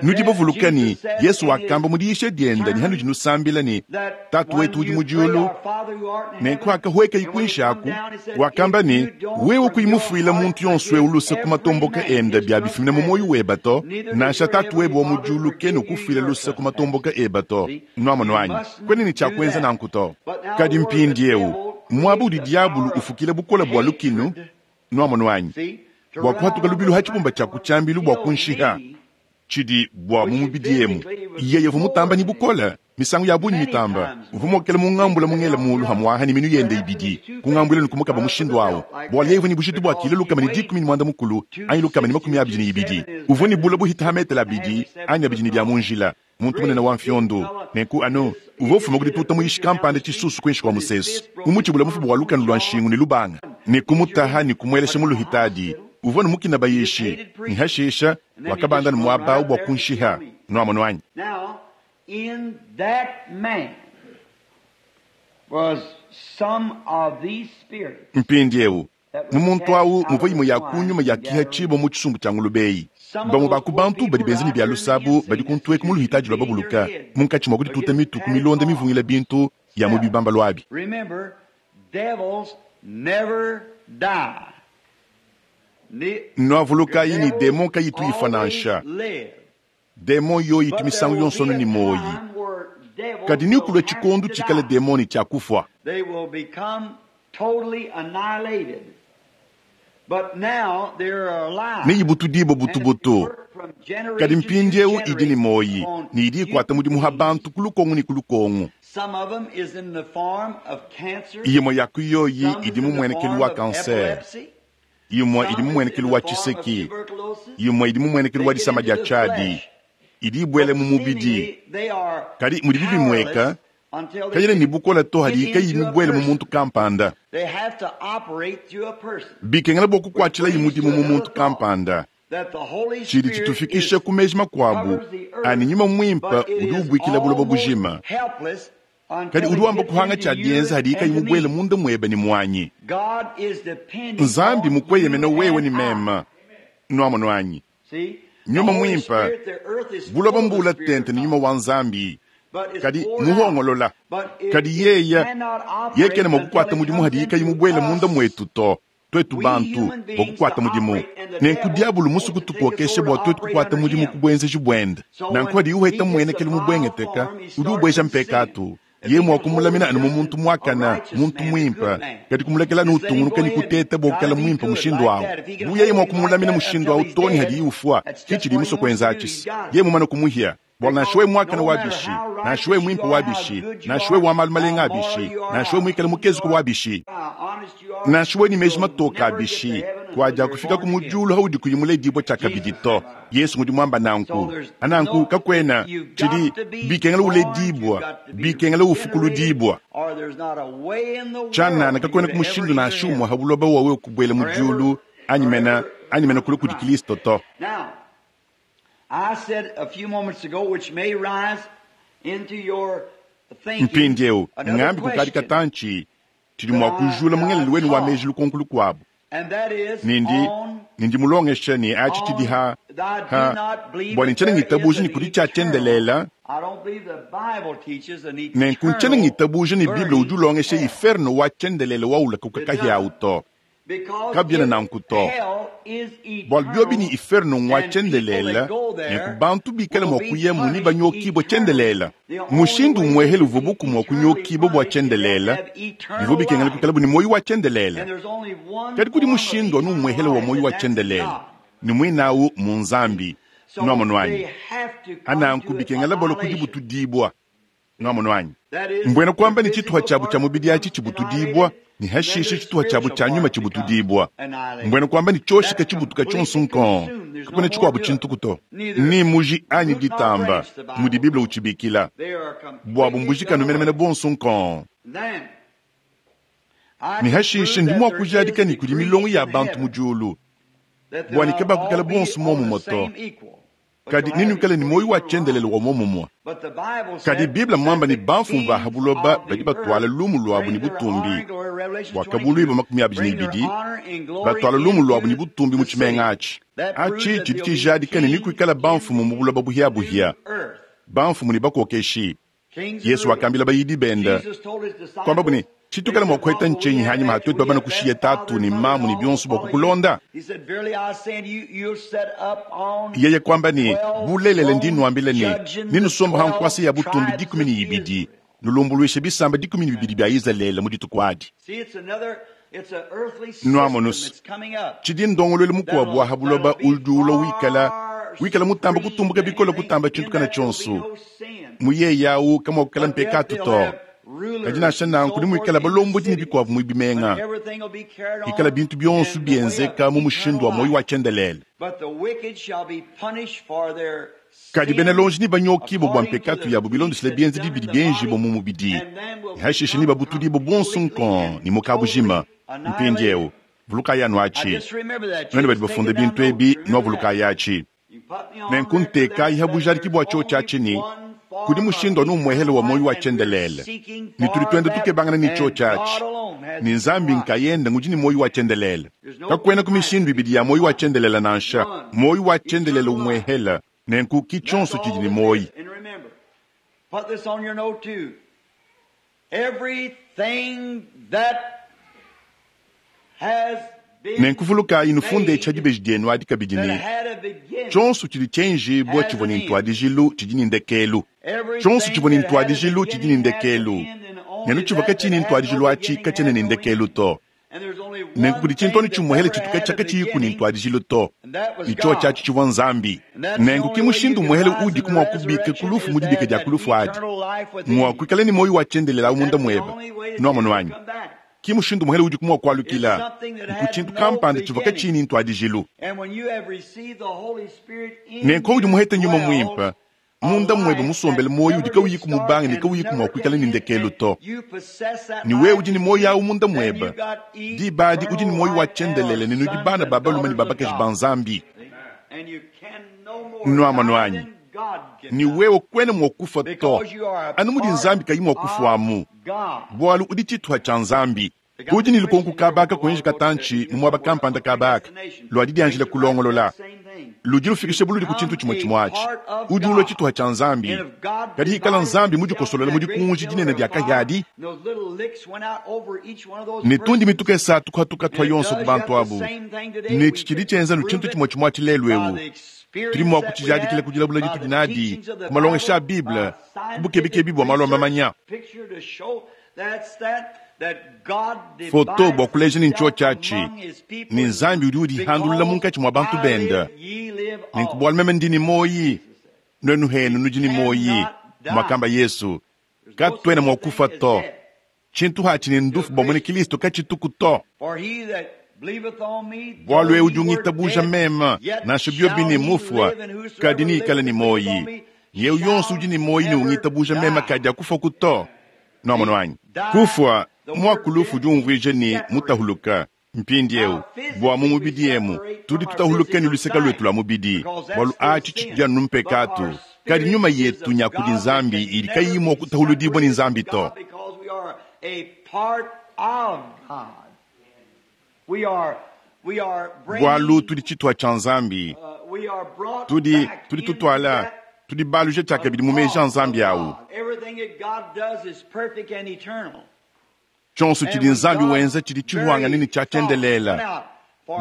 Nudi bavuluka ne Yesu wakamba mu diyisha diende ne hanudi nusambila ne Tatu wetu udi mu diulu, nenku akahueka ikuinshi aku, wakamba ne wewe kuyi mufuila muntu yonso eu luse ku matomboka ende bia bifumina mu moyo weba to, nansha Tatu webe wa mu diulu kena ukufuila luse ku matomboka eba to. Nuamonu anyi? Kuena ne tshia kuenza nanku to. Kadi mpindiewu muaba udi diabulu ufukila bukole bua lukinu, nuamonu anyi? Bua kuhatuka lubilu ha tshibumba tshia ku tshiambilu bua kunshiha, tshidi bua mu mubidi emu. Yeye uvua mutamba ne bukole misangu ya bungi mitamba, uvua muokele mungambula mungele mulu hamuaha ne minu yende ibidi, kungambula ne kumukaba mushindu awu, bualu yeye uvua ne bujitu bua kilo 160 anyi 122. Uvua ne bula buhita ha metele 2 anyi 2 ne bia mu njila, muntu munene wa mfiondo. Nenku anu uvua ufuma ku dituta muishi kampanda tshisusu kuinshi kua musesu, mumutshibula mufuba wa lukanu lua nshingu ne lubanga, ne kumutaha ne kumuelesha mu luhitadi. Uvua ne mukina bayishi, ne hashisha wakabanda ne muaba awu bua kunshiha. Nuamonu anyi? Mpindiewu mu muntu awu muvua imue ya kunyuma ya kiha tshibua mu tshisumbu tshia ngulube eyi. Bamue ba ku bantu badi benza ne bia luse abu badi kuntu eku mu luhitadi lua babuluka, munkatshi mua kudituta mitu ku milonda mivungila bintu ya mu bibambalu abi. Nuavulukayi ne, demon kayitu ifua nansha. Demon yoyi itu misangu yonso anu ne muoyi. Kadi nekulue tshikondo tshikala demon ne tshia kufua. Neyibutudibue butubutu. Kadi mpindieu idi ne muoyi ne idi ikuata mudimu ha bantu ku lukongu ne ku lukongu. Imue ya ku yoyi idi mu muenekelu wa kansere, imue idi mu muenekelu wa tshiseki, imue idi mu muenekelu wa disama dia tshiadi, idi ibuela mu mubidi. Kadi mudibi bimueka, kayena ne bukole to hadiyi kayiyi mibuele mu muntu kampanda. Bikengela bua kukuatshilayi mudimu mu muntu kampanda. Tshidi tshitufikisha ku meji makuabu a ne, nyuma muimpe udi ubuikila buloba bujima, kadi udi wamba kuhanga tshia dienza hadiyi kayi mubuele munda muebe ne muanyi. Nzambi mukueyemena wewe ne meme. Nuamonu anyi? Nyuma muimpe, buloba mbuula tente ne nyuma wa Nzambi, kadi muhongolola. Kadi yeye, yeye kena mua kukuata mudimu hadiyi kayi mubuele munda muetu to, tuetu bantu, bua kukuata mudimu. Nenku diabolo musue kutukokesha bua tuetu kukuata mudimu ku buenzeji buende. Nanku hadiye uheta muenekelu mubuengeteka, udi ubueja mpekatu. Yeye mua kumulamina anu mu muntu muakane, muntu muimpe, kadi kumulekela anu utungunuka ne kuteta bua kuikala muimpe mushindu au. Bu yeye mua kumulamina mushindu au too ne hadiye ufua, ke tshidiye musue kuenza atshi. Yeye mumane kumuhia, bualu nansha wewe muakane wa bishi, nansha wewe muimpe wa bishi, nansha wewe wa malu malenga a bishi, nansha wewe muikale mukezuke wa bishi, nansha wewe ne meji matoke a bishi, kuadiakufikaku mu diulu haudi kuyi muledibue tshiakabidi to. Yesu ngudi muamba nanku. Nanku kakuena tshidi bikengela uledibua, bikengela ufukuludibua. Tshianana kakuena ku mushindu nansha umue ha buloba wa wewe kubuela mu diulu anyi mena, anyi mena kule kudi Kilisto to. Mpindieu ngambi kukadi katantshi tshidi mua kujula mu ngelelu wenu wa meji lukonko lukuabu. Ne ndi, ne ndi mulongesha ne atshi tshidi ha, ha, bua ne ntshiena ngitabuja ne kudi tshia tshiendelela, nenku ntshiena ngitabuja ne Bible udi ulongesha iferno wa tshiendelele wa ulakuka kahiawu to. Kabiena nanku to. Bualu biobi ne iferno ngua tshiendelele, nenku bantu bikale mua kuyamu ne banyokibue tshiendelele. Mushindu umuehele uvua buku mua kunyokibua bua tshiendelele, bivua bikengela kuikalabu ne muoyo wa tshiendelele. Kadi kudi mushindu anu umuehele wa muoyo wa tshiendelele, ne muinawu mu Nzambi. Nuamonu anyi? Ananku bikengela balua ku dibutudibua. Nuamonu anyi? Mbuena kuamba ne tshituha tshiabu tshia mubidi atshi tshibutudibua, ne hashishe tshituha tshiabu tshia nyuma tshibutudibua. Mbuena kuamba ne tshioshika tshibutuka tshionso nkong, kakuena tshikuabu tshintuku to. Ni muji anyi ditamba, mudi Bible utshibikila. Buabu mbujikanu menemene buonso nkong. Ne hashishe ndi mua kujadika ne kudi milongo ya bantu mu diulu, bua ne kabakuikala bonso muomumue to, kadi nenuikale ne muoyo wa tshiendelele wa muomumue. Kadi Bible mmuamba ne bamfumu ba ha buloba badi batuala lumu luabu ne butumbi, Buakabuluibua 22, batuala lumu luabu ne butumbi mu tshimenga atshi. Atshi tshidi tshijadika ne nekuikale bamfumu mu buloba buhiabuhia, bamfumu ne bakokeshi. Yesu wakambila bayidi bende, kuambabu ne, tshitukala mua kuheta ntshinyi hanyima ha tuetu babana kushiya tatu ne mamu ne bionso bua kukulonda? Yeye kuamba ne, bulelela ndi nuambila ne, nenusombe ha nkuasa ya butumbi 12, nulumbuluishe bisamba 12 bia Izalele mu dituku adi. Nuamonu, tshidi ndongoluelu mukuabu wa ha buloba udi ulua wikala, wikala mutamba kutumbuka bikole kutamba tshintu kana tshionso. Mu yeye au kamuakukala mpekatu to. Kadi nansha nanku nemuikale balombodi ne bikuabu mu bimenga, ikala bintu bionso bienzeka mu mushindu wa muoyo wa tshiendelele. Kadi bena lonji nebanyokibue bua mpekatu yabu bilondeshile bienzedi bidi bienjibua mu mubidi, ne hashishe nebabutudibue bonso nkong ne mu kabujima. Mpindieu vulukayi anu atshi, nuenu badi bafunda bintu ebi, nuavulukayi atshi. Nenku ntekayi ha bujadiki bua tshiotshi atshi ne, Kudi mushindu anu umuehele wa muoyo wa tshiendelele, ne tudi tuenda tukebangana ne tshiotshi atshi, ne Nzambi nkayende ngudi ne muoyo wa tshiendelele. Kakuenaku mishindu ibidi ya muoyo wa tshiendelele nansha, muoyo wa tshiendelele umuehele, nenku ki tshionso tshidi ne muoyo. And remember, put this on your note too. Everything that has been Nenku vulukayi nufunde tshia dibeji dienu adi kabidi that ne, had a beginning, tshionso tshidi tshienjibua tshivua ne ntuadijilu tshidi ne ndekelu. Tshionso everything tshivua ne that had a ntuadijilu tshidi ne beginning has an ndekelu. end, and only Nenu tshivua that katshiyi ne that had no ntuadijilu atshi beginning katshiena had ne no ndekelu end. to. And there's only Nenku one kudi tshintu thing anu that tshimuehele ever tshitu had a katshiyi ku ne beginning, ntuadijilu to. and that was Ne tshiotshi God. atshi tshivua Nzambi. And that's the Nenku only ki way you mushindu can umuehele rise udi in the kumua kubika resurrection kulufu is mu to dibika have dia that kulufu adi. eternal life within Mua you. kuikala ne muoyo wa tshiendelele awu munda That's the muebe. only way that Nuamonu you can anyi? come back. Ki mushindu umuhele udi kumua It's kualukila. something that Nku had tshintu no kampanda tshivua katshiyi beginning. ne ntuadijilu. And when you have received the Holy Spirit in Nenku udi you muhete nyuma dwells muimpe, a munda muebe life that musombele muoyo udi never did kauyi start kumubanga ne and kauyi kumua never kuikala can ne end, ndekelu and to. you possess that Ne wewe life udi ne in muoyo you, awu munda then muebe. you got Diba adi udi ne eternal muoyo wa life and are tshiendelele ne nudi sons bana and ba balume ne daughters ba of bakaji ba God. Nzambi. And you can no more Nuamonu die anyi? than God can Ne die. wewe kwena mua kufa to. Because you are a Anu mudi part Nzambi kayi mua of kufuamu. God. Bualu udi tshituha tshia Nzambi. Udi ne lukonko kabaka kuenji katantshi mu muaba kampanda kabaka lua didianjila kulongolola. Ludi lufikisha buludi ku tshintu tshimue tshimue atshi. Udi ulua tshituha tshia Nzambi. Kadi ikala Nzambi mudikosolola mu dikunji dinene dia kahia ne tundi mituka esatu kuhatuka tua yonso ku bantu abu. Ne tshidi tshienza nu tshintu tshimue tshimue atshi lelu ewu. Tudi mua kutshijadikila ku dilabula ditudi nadi, ku malongesha a Bible, ku bukebikebi bua malu a mamanya. Foto bua kuleja ne ntshio tshiatshi, ne Nzambi udi udihandulula munkatshi mua bantu bende. Nenku bualu meme ndi ne muoyi, nuenu henu nudi ne muoyi, muakamba Yesu. Katuena mua kufa to. Tshintu hatshi ne ndufu bua muena Kristo katshituku to. Bualu ewu udi ungitabuja meme, nansha biobi ne mufua, kadi niikale ne muoyi. Yewu yonso udi ne muoyi ne ungitabuja meme kadi akufaku to. Nuamonu anyi? Kufua, muaku lufu udi umvuija ne mutahuluka. Mpindiewu, bua mu mubidi emu, tudi tutahuluka ne luseka luetu lua mubidi, bualu atshi tshidi anu mpekatu. Kadi nyuma yetu nya kudi Nzambi idi kayiyi mua kutahuludibua ne Nzambi to. Because we are a part of God. We are Bualu bringing, tudi tshituha tshia Nzambi, we are brought tudi back tudi into tutuala, that tudi baluja tshiakabidi mu meji a Nzambi awu. God. Everything that God does is perfect and eternal. Tshionso tshidi Nzambi wenza tshidi tshihuangane ne tshia tshiendelela.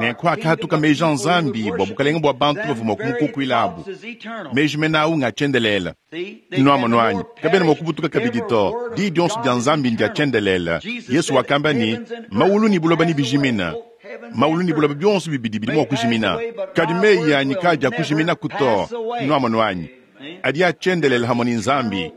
Nenku hakahatuka meji a Nzambi bua bukalenge bua bantu bavua mua kumukukuila abu. Meji mene awu nga tshiendelela. Nuamonu anyi? Kabena mua kubutuka kabidi to. Diyi dionso dia Nzambi ndia tshiendelela. Yesu wakamba ne, maulu ne buloba nebijimina. Maulu ne buloba bionso bibidi bidi mua kujimina. Kadi meyi anyi kadi akujiminaku to. Nuamonu anyi? Adi atshiendelela hamwe ne Nzambi.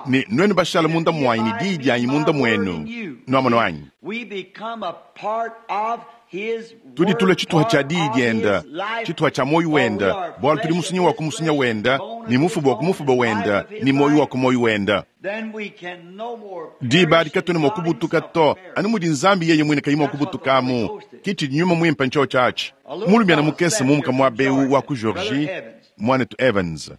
Ne nuenu bashala munda muanyi ne diyi dianyi munda muenu. Nuamonu anyi? We become a part of his Tudi tula word, tshituha tshia part diyi of dienda, his life, tshituha tshia muoyo for we wenda, are bualu tudi flesh of musunya wa his ku musunya flesh, wenda, bone ne of his mufuba wa ku bone, mufuba life wenda, of his ne muoyo wa life. ku muoyo wenda. Then we can no more Diba perish adi katuena than mua God kubutuka himself to, can perish. anu mudi Nzambi yeye mwine kayi mua kubutukamu. Ki tshidi nyuma muimpe ntshio tshiatshi. Mulumiana mukese mumuka muaba ewu wa ku Georgie, muanetu Evans.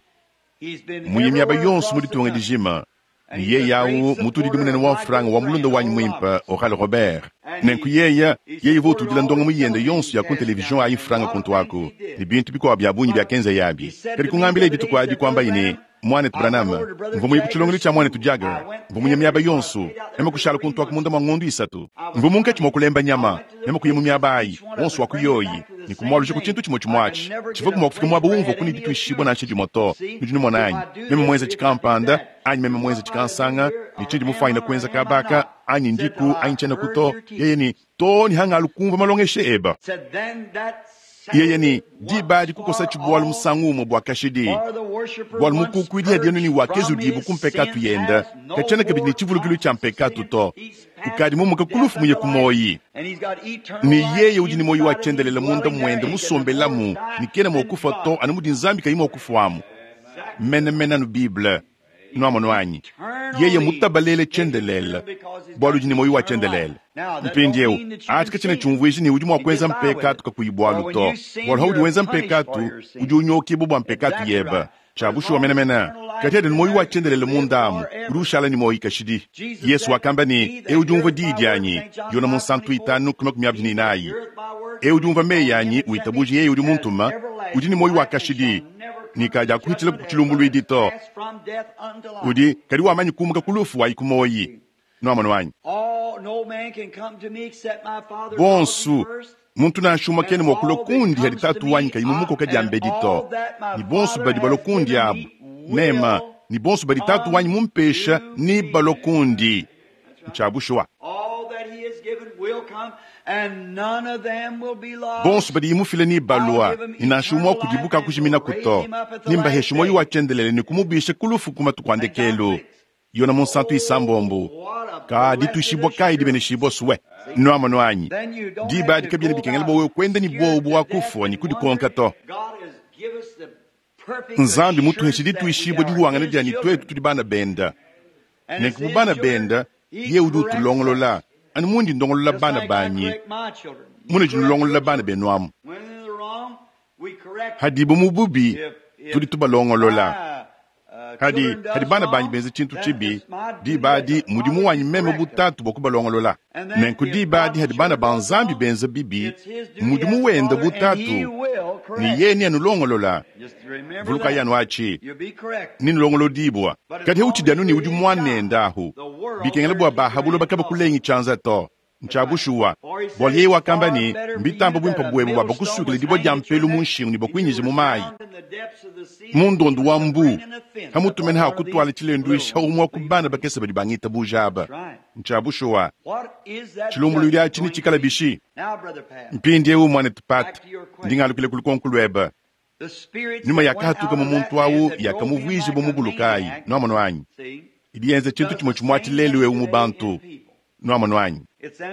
He's been Muye miaba everywhere yonso across mu the ditunga country. dijima. And Ne he's a yeye awu great mutudidi supporter munene of wa my mfranga good wa mulunda friend, wanyi Oral muimpe Roberts. Oral Robert. And Nenku he, yeye he yeye supported votudila all ndonga his muyende television yonso ya ku tests down television ayi there and a mfranga lot of kuntu things aku he did. ne bintu bikuabu bia bungi But biakenza he yabi. said Kadi to me the kungambila other day, dituku he adi said, kuamba Brother ine Branham, mwanetu I went Branham over to Brother mvua muye ku tshilongelu Jagger's tshia mwanetu school. I Jagger went mvua muye miaba everywhere. I yonso stayed out there meme for kushala three kuntu aku months. munda mua ngondu isatu I was mvua munkatshi mua hunting. kulemba I nyama went to the meme kuya mu places, miaba ayi each one of wonso them, wa bring it kuyoyi back to the ne same kumwaluja ku thing. tshintu tshimue tshimue I could atshi never tshivua get a kumua kufika place muaba where I umvua had kuni any dituishibua nansha assurance. dimue to See, nudi numona if anyi I do meme this, muenze if I do tshikampanda that, anyi meme muenze what might I do tshikansanga here, ne or tshidi am mufanyina I or kuenza am I kabaka not? anyi Said ndiku till I anyi tshiena heard kuto your yeye teaching. ni to ni hanga alukumva malongeshe eba Said then that yeye settled ni it diba once adi kukosa for tshibualu all. musangu umue bua kashidi For the worshiper bualu once mukukuidi adienu ni purged from wakezudibu his ku mpekatu sins yenda has no katshiena kabidi more ne tshivulukilu thoughts tshia of mpekatu sin. to He's passed ukadi from mumuka death kulufu muye unto ku life, moyi and he's got eternal ne life yeye udi ne moyi wa inside of him, tshiendelele munda dwelling there. muende He can no more musombelamu die ne kena mua than kufa God to can. anu mudi Nzambi kayi mua kufuamu Exactly. mene mene anu Bible nuamonu anyi yeye Eternally mutabalele made eternal tshiendelele because he's bualu got udi ne moyi wa eternal life. tshiendelele Now, that don't mpindiewu mean that you can atshi katshiena sin tshiumvuija ne udi mua and get kuenza by with it. mpekatu kakuyi For bualu when to you sin, bualu haudi you're wenza punished for mpekatu your udi sin. unyokibua bua mpekatu Exactly yeba right. Tshia bushuwa menemene. Kadi adi ne muoyo wa tshiendelele munda amu, udi ushala ne muoyo kashidi. Yesu wakamba ne, Eu udi umvua diyi dianyi, Yone Munsantu 5:24. Eu udi umvua meyi anyi, witabuja yeye udi muntuma, udi ne muoyo wa kashidi, ne kadiakuhitshila ku tshilumbuluidi to. Udi kadi wamanyi kumuka ku lufu wayi ku muoyi. Nuamonu anyi? Bonsu, muntu nansha umue kena mua kulua kundi hadi Tatu wanyi kayi mumukoka diambedi to. Ne bonsu badi balua kundi abu, mema, ne bonsu badi Tatu wanyi mumpesha ne balua kundi. Ntshia bushuwa. Bonsu badiye mufile ne balua, ne nansha umue wa kudibu kakujiminaku to. Nembaheshe muoyo wa tshiendelele ne kumubisha ku lufu ku matuku a ndekelu. Yona Munsantu isambombo. Ka dituishibua kayi dibeneshibua sue! Nuamonu anyi? Diba adi kabiena bikengela bua wewe kuenda ne buowa bua kufua ne kudikonka to. Nzambi mutuheshe dituishibua dihuangana dia ne tuetu tudi bana benda. Nenku bu bana benda, yeye udi utulongolola, anu mundi ndongolola bana banyi, munudi nulongolola bana benu amu. Hadibu mu bubi, tudi tubalongolola. Hadi, hadi bana banyi benza tshintu tshibi, diba adi mudimu wanyi meme bu tatu bua kubalongolola. Nenku diba adi hadi bana ba Nzambi benza bibi, mudimu wende bu tatu, ne yeye neanulongolola. Vulukayi anu atshi, nenulongolodibua. Kadi hautshidi anu ne udi muanende ahu, bikengela bua ba ha buloba kabakulengi tshianza to. Ntshia bushuwa, bualu yeye wakamba ne, Mbitamba buimpe buebe bua bakusukile dibue dia mpelu mu nshingu ne bakuinyije mu mayi, mu ndondu wa mbu, pamutu mene ha kutuala tshilenduisha umue wa ku bana bakese badi bangitabuja aba. Ntshia bushuwa. Tshilumbuluidi atshi netshikale bishi? Mpindieu, muanetu Pat, ndi ngalukila ku lukonko luebe. Nyuma yakahatuka mu muntu au yakamuvuija bu mubulukayi. Nuamonu anyi? Idi yenza tshintu tshimue tshimue atshi lelu eu mu bantu. Nuamonu anyi?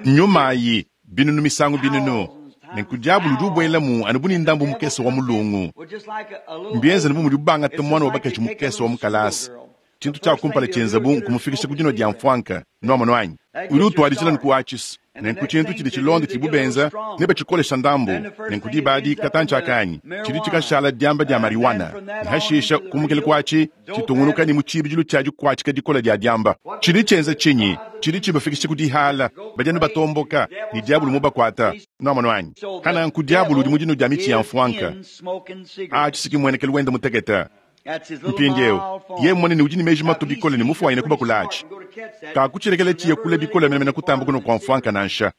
Nyuma ayi, binunu misangu binunu. Nenku diabolo udi ubuelamu anu bu ne ndambu mukese wa mulungu. Mbienze anu bu mudibu bangata muana wa bakaji mukese wa mu kalasa. Tshintu tshia kumpala tshienzabu nkumufikisha ku dinua dia mfuanka. Nuamonu anyi? Udi utuadijila ne kuatshisa. Nenku tshintu tshidi tshilonda tshidibu benza, nebatshikolesha ndambu. Nenku diba adi, katantshi aka anyi, tshidi tshikashala diamba dia marijuana. Ne hashisha, kumukila kuatshi, tshitungunuka ne mu tshibidilu tshia dikuatshika dikole dia diamba. Tshidi tshienza tshinyi? Tshidi tshibafikisha ku dihala. Badi anu batomboka, ne diabolo mubakuata. Nuamonu anyi? Pananku diabolo udi mu dinu dia mitshi ya mfuanka. Atshi si ki mmuenekelu wende mutekete. Mpindieu, yeye mmumone ne udi ne meji matue bikole ne mufuanyine kubakulatshi. Kakutshilekelela tshiye kule bikole menemene kutamba kunua kua mfuanka nansha.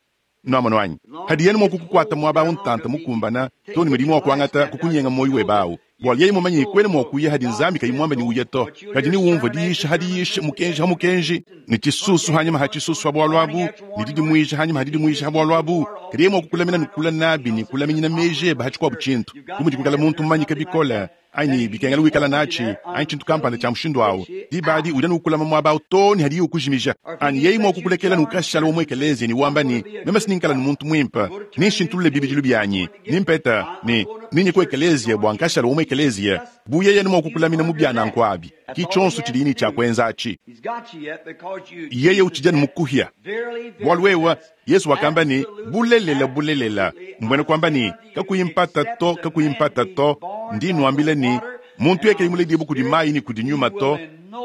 Nuamonu anyi? Padiye anu mua kukukuata muaba au ntanta mukumbana, too ne mudiye mua kuangata kukunyenga muoyo webe au. Bualu yeye mmumanye ne kuena mua kuya hadi Nzambi kayi muambe ne uye to. Kadi neumvue diyisha ha diyisha, mukenji ha mukenji, ne tshisusu hanyima ha tshisusu ha bualu abu, ne didimuija hanyima ha didimuija ha bualu abu. Kadi yeye mua kukulamina ne kula nabi ne kulaminyina meji ebe ha tshikuabu tshintu, bu mudi kuikala muntu mumanyike bikole, anyi bikengela wikala natshi, anyi tshintu kampanda tshia mushindu au. Diba adi udi anu ukulama muaba au too ne hadiye ukujimija. Anyi yeye mua kukulekela ne ukashala wa mu ekeleziya ne wamba ne, Meme si ningikala ne muntu muimpe, nenshintulule bibidilu bianyi, nempeta ne nenye ku ekeleziya bua nkashala wa mu ekeleziya. Bu yeye anu mua kukulamina mu bia nanku abi, ki tshionso tshidiye ne tshia kuenza atshi. Yeye utshidi anu mukuhia. Bualu wewe, Yesu wakamba ne, Bulelela, bulelela, mbuena kuamba ne, kakuyi mpata to, kakuyi mpata to, ndi nnuambila ne, muntu yeye kayi muledibue kudi mayi ne kudi nyuma to,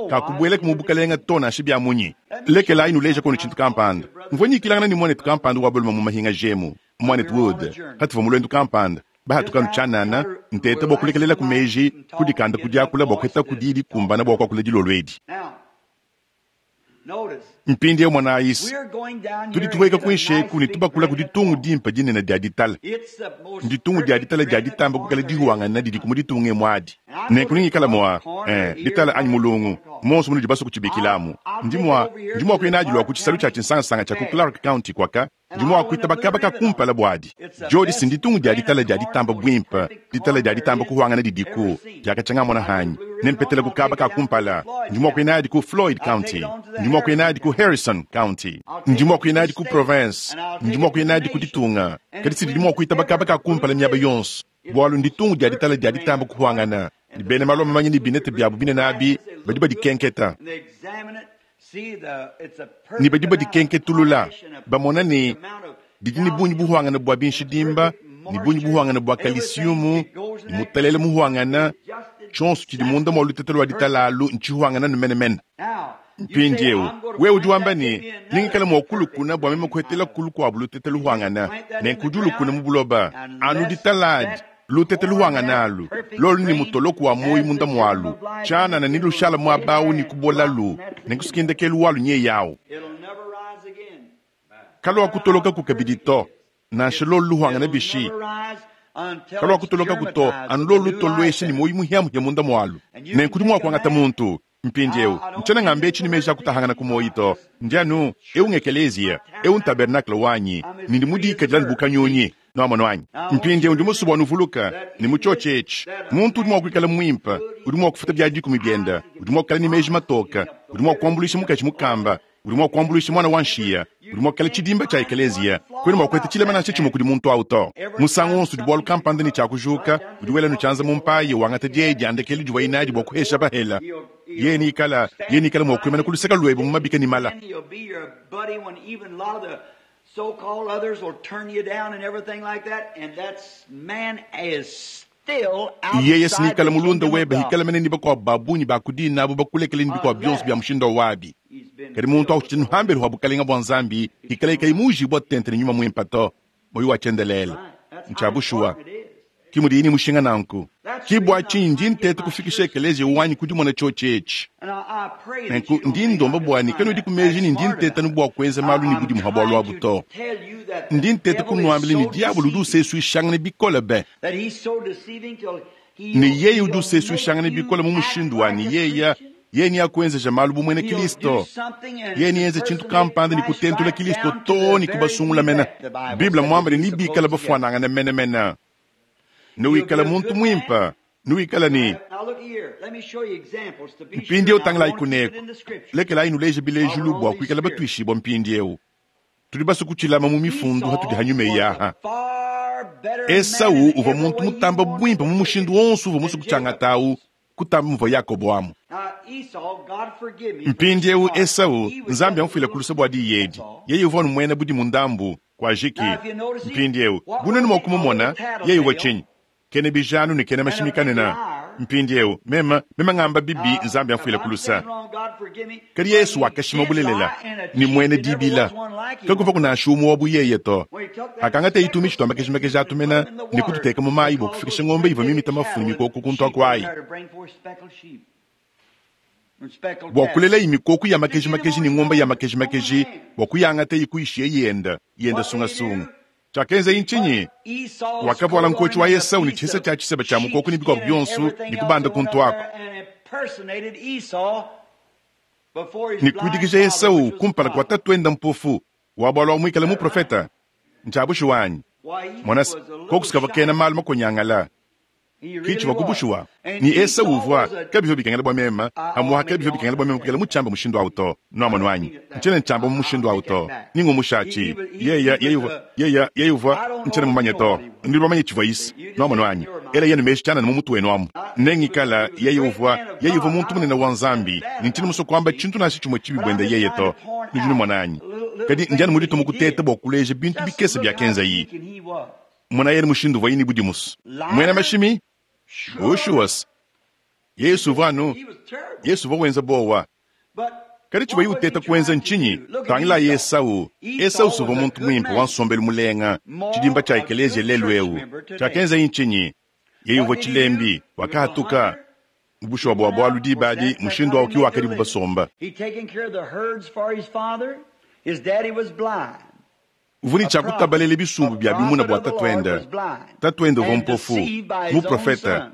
kakubueleka mu bukalenge to nansha bia munyi. Lekelayi nuleja kono tshintu kampanda. Mvua nyikilangana ne muanetu kampanda wa balume mu mahinga jemu, muanetu Wood, patuvua mu luendu kampanda. Bahatuka anu tshianana, nteta bua kulekelelaku meji, kudikanda ku diakula bua kuhetaku diyi dikumbana bua kuakula dilolo edi. Mpindieu monayi, tudi tuhueka kuinshi eku ne tubakula ku ditungu dimpe dinene dia ditala. Nditungu dia ditala dia ditamba kuikala dihuangana didiku mu ditunga emu adi. Nenku nengikala mua, eh, ditala anyi mulungu, monso munudi basue kutshibikilamu. Ndi mua, ndi mua kuya nadi lua ku tshisalu tshia tshinsangasanga tshia ku Clark County kuaka, Ndi mua kuitaba kaba ka kumpala buadi. Diodi si nditungu dia ditala dia ditamba buimpe, ditala dia ditamba kuhuangana didiku, diakatshia ngamona hanyi. Nempetele ku kaba ka kumpala. Ndi mua kuya nadi ku Floyd County. Ndi mua kuya nadi ku Harrison County. Ndi mua kuya nadi ku province. Ndi mua kuya nadi ku ditunga. Kadi si didi mua kuitaba kaba ka kumpala miaba yonso, bualu nditungu dia ditala dia ditamba kuhuangana. Ne bena malu mamanya ne binete biabu binene abi badi badikenketa. Ne badi badikenketulula, bamona ne, didi ne bungi buhuangane bua binshidimba, ne bungi buhuangane bua kalisiumu, ne mutalele muhuangane, Tshionso tshidi munda mua lutete lua ditala alu ntshihuangane nu menemene. Mpindieu wewe udi wamba ne, Nengikale mua kulukuna bua meme kuhetelaku lukuabu lutete luhuangana. Nenku udi ulukuna mu buloba anu ditala adi, lutete luhuangana alu, lolu ne mutoloko wa muoyo munda mualu, tshianana nelushala muaba au ne kubolalu, nenku ndekelu walu nyeye au. Kaluakutolokaku kabidi to, nansha lolu luhuangana bishi. Kaluakutolokaku to, anu lolu lutoluesha ne muoyo muhiamuhia munda mualu. Nenku udi mua kuangata muntu. Mpindieu, ntshiena ngamba etshi ne meji a kutahangana ku muoyo to. Ndi anu, eu ng'ekeleziya, eu ntabernakle wanyi, ne ndi mudikadile anu bu kanyunyi. Nuamonu anyi? Mpindieu ndi musue bua nuvuluke ne, mu tshiotshi etshi, muntu udi mua kuikala muimpe, udi mua kufuta bia dikumi biende, udi mua kuikala ne meji matoke, udi mua kuambuluisha mukaji mukamba, udi mua kuambuluisha muana wa nshiya, udi mua kuikala tshidimba tshia ekeleziya. Kuena mua kuheta tshilema nansha tshimue kudi muntu au to. Musangu wonso udi bualu kampanda ne tshiakujuka, udi wela nu tshianza mu mpayi, wangata dieyi dia ndekelu divuaye nadi bua kuhesha bahela. Yeye nikala, yeye nikala mua kuimana ku luseke luebe mu mabika ne mala. He'll be your buddy when even a lot of the so-called others will turn you down and everything like that. And that's man is still Yeye outside sinikala the mulunda kingdom of webe God. hikala mene ni bakuabu ba bungi ba kudina abo bakulekele ni bikuabu bionso bia mushindu wabi. He's been Kadi muntu akuchita nuhambelu hwa bukalenga bua Nzambi, hikala ikayi mujibwa tente ne nyuma muimpe to, moyo wa tshiendelele. Right. That's how Ntshiabushuwa. important it is. Ki mudi mushinga nanku. Ki bua tshinyi ndi ntete kufikisha ekeleziya wanyi ku dimona tshiotshi etshi. And I pray that Nenku you don't ndi think ndomba I'm bua just ne trying kanudi to ku meji act ne ndi smart nteta about nu it. bua kuenza malu ne I'm budimu ha bualu trying abu to to. tell you that the Ndi nteta devil is kunuambila ne so diabolo udi deceiving, usesuishangana bikole be. that he's so deceiving till Ne he'll, yeye udi he'll make usesuishangana bikole you mu act mushindu wa like ne a yeya Christian. yeye niakuenzeja malu bu muena He'll do Kristo. something and Yeye nienze tshintu impersonate kampanda ne Christ kutentula right Kristo down to to the ne very kubasungula mena. elect, the Bible Bible said muambile that ni he's bikala supposed to get. bafuanangana menemene. You'll be Nuikala a muntu good man. muimpe, nuikala ne Now look here. Let me show you examples to be sure. mpindieu Now, I tangilai want to keep it kuneku. in the scripture. Lekelayi nuleje While bilejilu we're on bua these kuikala spirits. batuishibwa mpindieu. Tudi basue kutshilama mu mifundu hatudi Esau hanyuma was a yaha. far better man Esau in uvua every muntu way you mutamba want buimpe to mu take mushindu it wonso uvua than musue Jacob kutshiangata was. kutamba muvua Yakobo amu. Now Esau, God forgive me for this Mpindieu remark. Esau He was Nzambi just a amufile little kulusa bua diyi that's edi. all. Yeye uvua numuena budi mu ndambu kwa jiki. Now if you notice he, Mpindieu what bunene was mua he? A kumumona little yeye uvua tattletale tshinyi? Kene bijanu ne kene and a mashimi big kanena. liar. Mpindieu mema mema ngamba bibi Now, Nzambi if amfuile I'm kulusa. saying wrong, God forgive me, Kadi but Yesu he wakashima did bulelela lie and a ni cheat. muene There never dibila. was one like him. Kakuva kunansha umwe wa buyeye to. When he took that Akangata speckled itumi chitwamba snake kechimekeja and put atumena him in the ne water kututeka mu mayi bua because kufikisha those ng'ombe great ivua big mimita mafu ne cattle and mikoko kuntu sheep went akwayi. there to bring forth speckled sheep and speckled Bua cattle. kulela imikoku ya To get makeji him makeji on ne his ng'ombe ya own, makeji own makeji land. bua kuyangata ikuyishiye yenda yenda What did he sungasunga. do? Chakenza He put inchinyi Esau's wakavuala coat on nkochi him wa and a Esau ne piece chihesa of cha chiseba cha mukoko ne sheepskin bikuabu and bionso everything ne else kubanda that went kuntu up ako. there and impersonated Esau before his Ne blind kuidikija father, Esau which was a kumpala kwa prophet. tatuenda mpofu wabwalwa wa mwikala Is that right? muprofeta. Nchabushi wanyi. Why, he Mwanasi was a little kokusika shy. kena malu makonyangala. He really Kichi wa was. kubushuwa. And Ni Esau Esau uvua was a kabivyo bikengela bua mema I, oh, hamuha maybe kabivyo I ought bikengela not bua mema say kukela that. muchamba mushindu auto. I Noamonu don't wanyi. mean it that Nchene way. nchamba mu I'll mushindu take auto. that back. Ningo He, he mushachi. was he, he Yeya was yeya a yeya yeya uvua I don't nchene know if mumanye you know to. what he was. Ndi bamanye chivua isi. See, you just Noamonu have in wanyi. your Ela mind. yenu meshi chana ne mumutu wenu amu. He was Nengikala he was a yeye great uvua man of yeye uvua God. muntu I munene don't wa want to say Nzambi. bad Ni nchini about him, musokwamba see, chintu nashi chimwe chibi but I'm bwenda just yeye trying to. to point Nujunu out mwananyi. little, little Kadi njani things that mudito he mukuteta did. bua kuleja bintu Just bikese look bya how kenza yi. sneaking he was. Mwana yeye mushindu uvua yini budimusu. Mwena Liar, mashimi? sure. Ushuwas. Yesu uvua anu He was terrible. Yesu uvua wenza bowa. But Kadi chivua what was he uteta kuenza trying to ntshinyi do? Look at tangila Esau. Esau. Esau Esau suvua was a muntu good muimpe wa man, nsombelu mulenga chidimba moral, cha a ekelezia good lelu church eu. member today. Chakenza ntshinyi yeye What uvua did he do? chilembi He was a wakahatuka hunter. mubushuwa He bua went bualu out. Of course, dibadi that's, that's mushindu how awu they ki made their wakadi living. bubasomba. He taken care of the herds for his father. His daddy was blind. Uvuni A cha prophet. kutabalela A bisumbu bya bimuna prophet bua of the Lord tatuenda. was blind Tatuenda uvua and mpofu deceived by his own muprofeta son.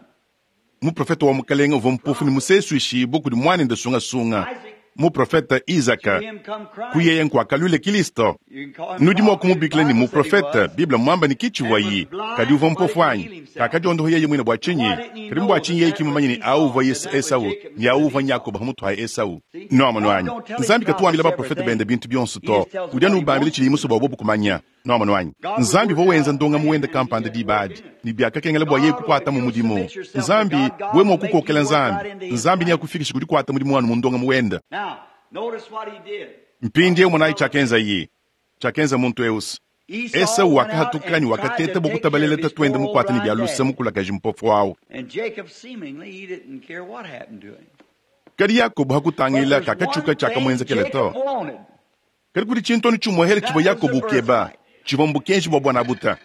muprofeta wa mukalenga uvua mpofu ne musesu ishibu kudi mwanende sungasunga Isaac, muprofeta to Isaka him come Christ. kuyeye nkuakalwile Kristo. You can call him Nudi mua prophet. The kumubikila ni Bible said he muprofeta was. Biblia mwamba ni kichivua And was yi kadi blind, uvua but he mpofu could heal anyi himself. kakadiondoho yeye mwine bua Now, tshinyi why didn't he kadi know mbua that tshinyi yeye that was kimumanye ni au Esau uvua and Yesu that was Esau Jacob ni au instead of uvua Esau? Yakobo hamutu ha Esau See, noamonu God anyi don't tell his Nzambi katuambila prophets baprofeta everything. bende bintu bionso He to just tells them udi what anu he ubambila wants tshili them to muso bua know. bobu kumanya noamonu anyi God would Nzambi work uvua out wenza a ndonga plan muwenda and he kampanda just worked dibadi in it. ni byakakengela bua yeye God will, kukwata if mu you'll mudimu submit yourself to Nzambi God, God we will mua make you kukokela work right Nzambi into his Nzambi plan. niakufikisha kudi kukwata mudimu wanu mu ndonga muwenda Now, notice what he did. mpindieu munayi Follow this. chakenza yi chakenza muntu eusi Esau wakahatuka ne wakateta bua kutabalela tatuende mukuate ne bia luse mukulakaji mpofu au. Kadi Yakobo hakutangila kakatshiuka tshiakamuenzekela to. Kadi kudi tshintu anu tshimuehele tshivua Yakobo ukeba, tshivua mbukenji bua buanabuta.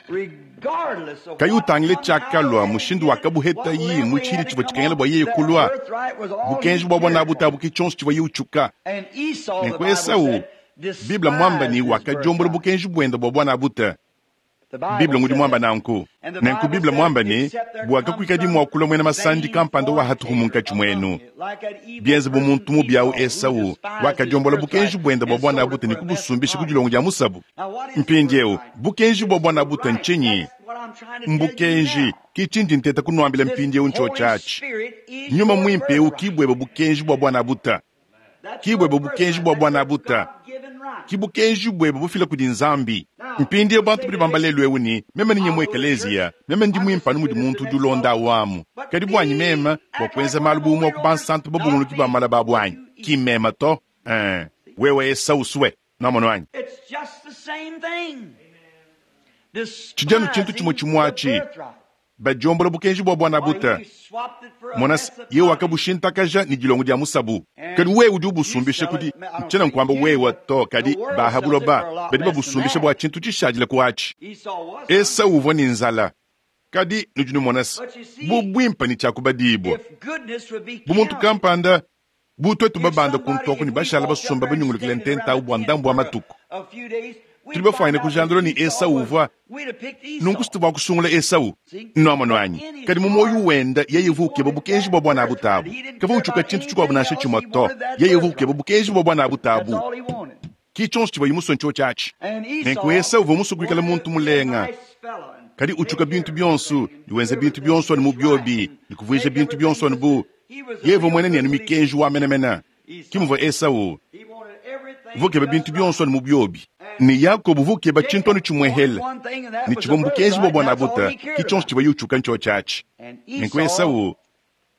Kayi utangile tshiakalua, mushindu wakabuhetayi mu tshidi tshivua tshikengela bua yeye kulua, bukenji bua buanabuta abu ke tshionso tshivuaye utshuka. Nenku Esau, Bible muamba ne wakadiombola bukenji buende bua buanabuta. Bible ngudi muamba nanku. Nenku Bible muamba ne, bua kakuikadi mua kulua muena masandi kampanda wa hatuhu munkatshi muenu, bienze bu muntu mubi au Esau wakadiombola bukenji buende bua buanabuta ne kubusumbisha ku dilongo dia musabu. Mpindieu, bukenji bua buanabuta ntshinyi? Mbukenji, ke tshindi nteta kunuambila mpindieu ntshiotshi atshi. Nyuma Muimpe eu ki buebe bukenji bua buanabuta. Ki buebe bukenji bua buanabuta. Ki bukenji buebe bufila kudi Nzambi. Mpindieu bantu badi bamba lelu eu ne, meme ninye mu ekeleziya, meme ndi muimpe anu mudi muntu udi ulonda awu amu. Kadi buanyi meme, bua kuenza malu bu umue wa ku bansantu babunguluki ba malaba abu anyi? Ki mmeme to. Ee, wewe Esau usue. Nwamonu anyi? Tshidi anu tshintu tshimue tshimue atshi. Badiombola bukenji bua buanabuta. Mona se, yeye wakabushintakaja ne dilongo dia musabu. Kadi wewe udi ubusumbisha kudi, ntshiena nkuamba wewe to, kadi ba ha buloba badi babusumbisha bua tshintu tshishadile ku atshi. Esau uvua ne nzala. Kadi nudi numona se, bu buimpe ne tshiakubadibua bu muntu kampanda, bu tuetu babanda ku ntuaku ne bashala basomba banyungulukile ntenta au bua ndambu wa matuku. Tudi bafuanyine kujandula ne Esau uvua nunku situvua kusungula Esau. Nwamonu anyi? Kadi mu muoyo wende yeye uvua ukeba bukenji bua buanabuta abu. Kavua utshiuka tshintu tshikuabu nansha tshimue to. Yeye uvua ukeba bukenji bua buanabuta abu. Ki tshionso tshivuaye musue ntshiotshi atshi. Nenku Esau uvua musue kuikala muntu mulenga, kadi utshiuka bintu bionso, ne wenza bintu bionso anu mu biobi, ne kuvuija bintu bionso anu bu yeye uvua muena ne anu mikenji wa menemene. Ki muvua Esau uvua ukeba bintu bionso anu mu biobi, ne Yakobo uvua ukeba tshintu anu tshimuehele, ne tshivua mbukenji bua buanabuta, ki tshionso tshivuaye utshiuka ntshiotshi atshi. Nenku Esau,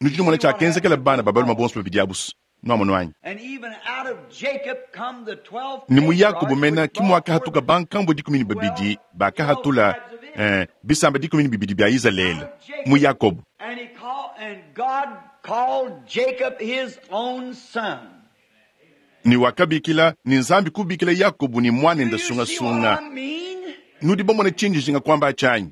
nudi numona tshiakenzekela bana ba balume bonso babidi abu. Nwamonu anyi? Ne mu Yakobo mena ki muakahatuka bankambua 12 bakahatula, bisamba 12 bia Izalele mu Yakobo. Ne wakabikila, ne Nzambi kubikila Yakobo ne muanende sungasunga. Nudi bamone tshindi njinga kuamba atshi anyi?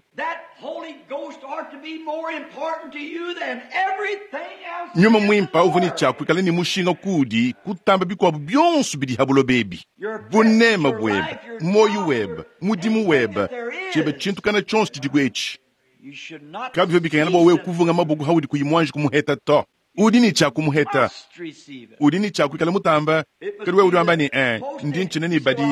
Nyuma Muimpe uvua ne tshia kuikala ne mushinga kuudi kutamba bikuabu bionso bidi ha buloba ebi. Buneme buebe, muoyo webe, mudimu webe, tshiebe tshintu kana tshionso tshidiku etshi. Kabivua bikengela bua wewe kuvunga maboko haudi kuyi muanji kumuheta to. Udi ne tshia kumuheta, udi ne tshia kuikala mutamba. Kadi wewe udi wamba ne, ndi ntshina ne badi,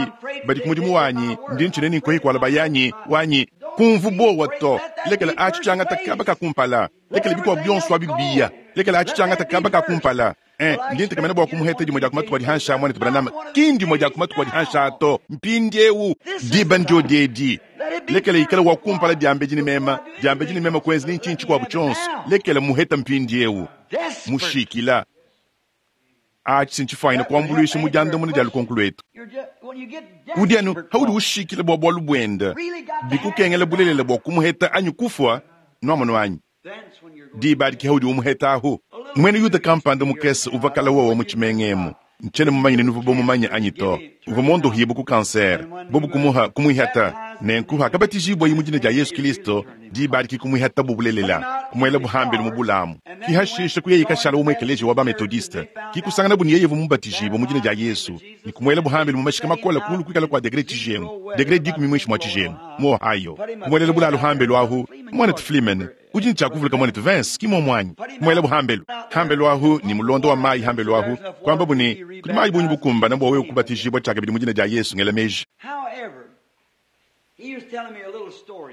badi ku mudimu wanyi, ndi ntshina ne nkoyi kuala bayanyi wanyi. Kumvu buowa to, lekela atshi tshiangata kaba ka kumpala, lekela bikuabu bionso abi biya, lekela atshi tshiangata kaba ka kumpala. Ndi ntekemena bua kumuheta dimue dia ku matuku adi hanshi a muanetu Branham, ki ndimue dia ku matuku adi hanshi a to. Mpindieu diba ndio edi, lekela ikala wa kumpala diambedi ne mema, diambedi ne mema kuenza ne ntshinyi tshikuabu tshionso, lekela muheta mpindieu. Mushikila. Atshi ntshifuanyine kuambuluisha mu diandamuna dia lukonko luetu. Udi anu haudi ushikila bua bualu buende, bikukengela bulelela bua kumuheta anyi kufua, nwamonu anyi? Diba adi ke haudi umuheta ahu. Muena Yuda kampanda mukese uvua kala wowa mu tshimenga emu. Ntshiena mumanye ne nuvua bamumanye anyi to. Uvua mondohibue ku kansere, bobu kumuha kumuihata. Nenku hakabatijibwaye mu dina dia Yesu Kristo, diba adi ke kumuihatabu bulelela, kumuelabu hambelu mu bulamu. Ki hashisha kuyeye kashala wa mu ekeleziya wa ba-Methodiste. Ki kusanganabu ne yeye uvua mubatijibue mu dina dia Yesu, ne kumuelabu hambelu mu mashika makole kulu kuikala kua degre tshijengu, degre 10 muinshi mua tshijengu, mu Ohio. Kumuelela bulalu hambelu ahu, muanetu Fleeman, udi ne tshia kuvuluka muanetu Vince, ki muomu anyi? Kumuelabu hambelu, hambelu ahu ne mulondo wa mayi hambelu ahu, kuambabu ne, kudi mayi bungi bukumbana bua wewe kubatijibua tshiakabidi mu dina dia Yesu, ngela meji.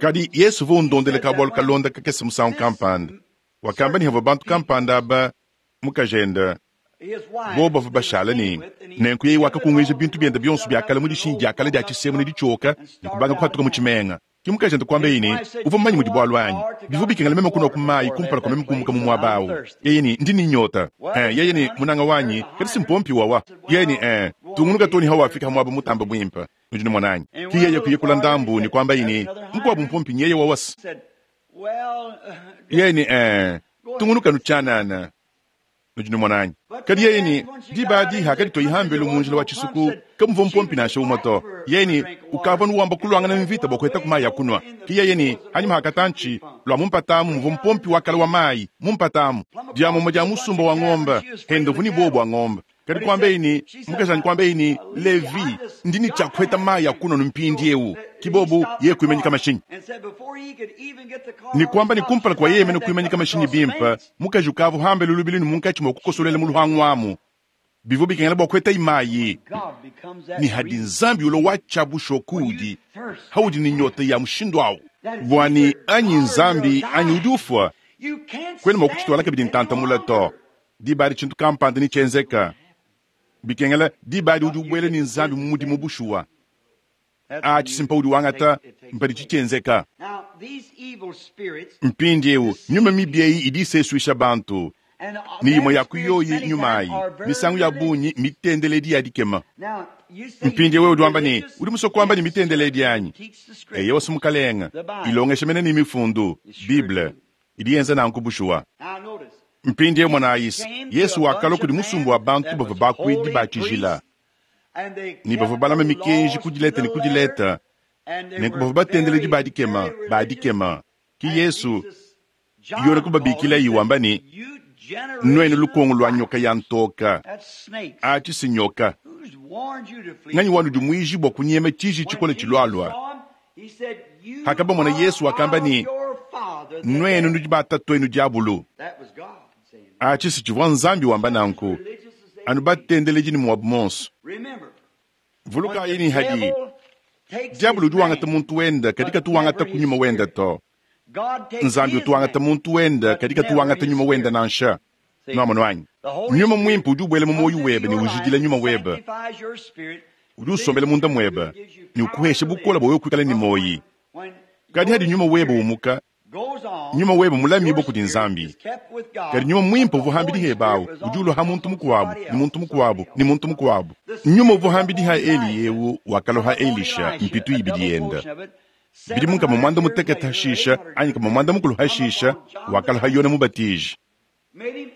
Kadi Yesu uvua undondela kabualu kalonda kakese musangu kampanda. Wakamba ne havua bantu kampanda aba mukajende bobu bavua bashala ne nenku yeye wakakunguija bintu biende bionso bia kale mu dishinyi dia kale dia tshisemu ne ditshioka ne kubanga kuhatuka mu tshimenga. Ke mukajende kuambaye ne, Uvua mumanye mudi bualu anyi? Bivua bikengela meme kunua ku mayi kumpala kua meme kumbuka mu muaba au. Yeye ne, Ndi ne nyota. Yeye ne, Munanga wanyi, kadi si mpompi wawa. Yeye ne, Tungunuka too ne hawafika ha muaba mutambe buimpe. Nudi numona anyi? Ki yeye kuya kula ndambu ne kuambaye ne, Mukuabu mpompi nyeye wawasa. Yeye ne, Ee, tungunuka nu tshianana. Nudi numona anyi? Kadi yeye ne, Diba adi hakaditoyi hambelu mu njila wa tshisuku, kamuvua mpompi nansha umue to. Yeye ne, Ukavua nuwamba kuluangana mvita bua kuhetaku mayi a kunua. Ke yeye ne, Hanyima ha katantshi, lua mu mpata amu muvua mpompi wa kale wa mayi, mu mpata amu, dia mumue dia musumba wa ngombe, hende uvua ne buowa bua ngombe. Kadi kuambeyi ne, mukajanyi kuambeyi ne, Levi, ndi ne tshia kuheta mayi a kunua nu mpindiewu. Ki bobu, yeye kuimanyika mashinyi. Ne kuamba ne kumpala kua yeye mene kuimanyika mashinyi bimpe, mukaji ukavua hambelu lubilu ne munkatshi mua kukosolela mu luhangu amu. Bivua bikengela bua kuhetayi mayi. Ne hadi Nzambi ulua wa tshia bushuwa kuudi, haudi ne nyota ya mushindu au, bua ne anyi Nzambi anyi udi ufua, kuena mua kutshituala kabidi ntanta mule to. Diba adi tshintu kampanda netshienzeka. Bikengela diba adi udi ubuela ne Nzambi mu mudimu bushuwa. Atshi si mpaudi wangata, mpadi tshienzeka. Mpindieu nyuma mibi eyi idi isesuisha bantu, ne imue ya ku yoyi nyuma ayi misangu ya bungi mitendeledi ya dikema. Mpindieu wewe udi wamba ne, udi musue kuamba ne mitendeledi anyi? Eyowa, si Mukalenge, ilongesha mene ne mifundu, Bible, idi yenza nanku bushuwa. Mpindieu monayi, Yesu wakalua kudi musumba wa bantu bavua bakuidi ba tshijila ne bavua balama mikenji ku dileta ne ku dileta, nenku bavua batendeledi ba dikema ba dikema. Ki Yesu Yone kubabikilayi wamba ne, Nuenu lukongo lua nyoka ya ntoka, atshi si nyoka. Nganyi wanudimuiji bua kunyema tshiji tshikole tshilualua? Hakabamona Yesu wakamba ne, Nuenu nudi ba tatuenu diabulu. Atshi si tshivua Nzambi wamba nanku, anu batendeledi ne muabu monso. Vulukayi ne hadi diabulu udi wangata muntu wenda, kadi katu wangata ku nyuma wenda to. Nzambi utu wangata muntu wenda, kadi katu wangata nyuma wenda nansha. Nuamonu anyi? Nyuma Muimpe udi ubuela mu muoyo webe ne ujidila nyuma webe. Udi usombela munda muebe ne ukuhesha bukole bua wewe kuikala ne muoyi. Kadi hadi nyuma webe umuka, nyuma webe mulamibue kudi Nzambi. Kadi nyuma Muimpe uvua hambidi hebe awu udi ulua ha muntu mukuabu ne muntu mukuabu ne muntu mukuabu. Nyuma uvua hambidi ha Eliya eu wakalua ha Elisha mpitu ibidi yenda. Bidimu nkama muanda mutekete hashisha anyi nkama muanda mukulu hashisha wakalua ha Yone Mubatiji.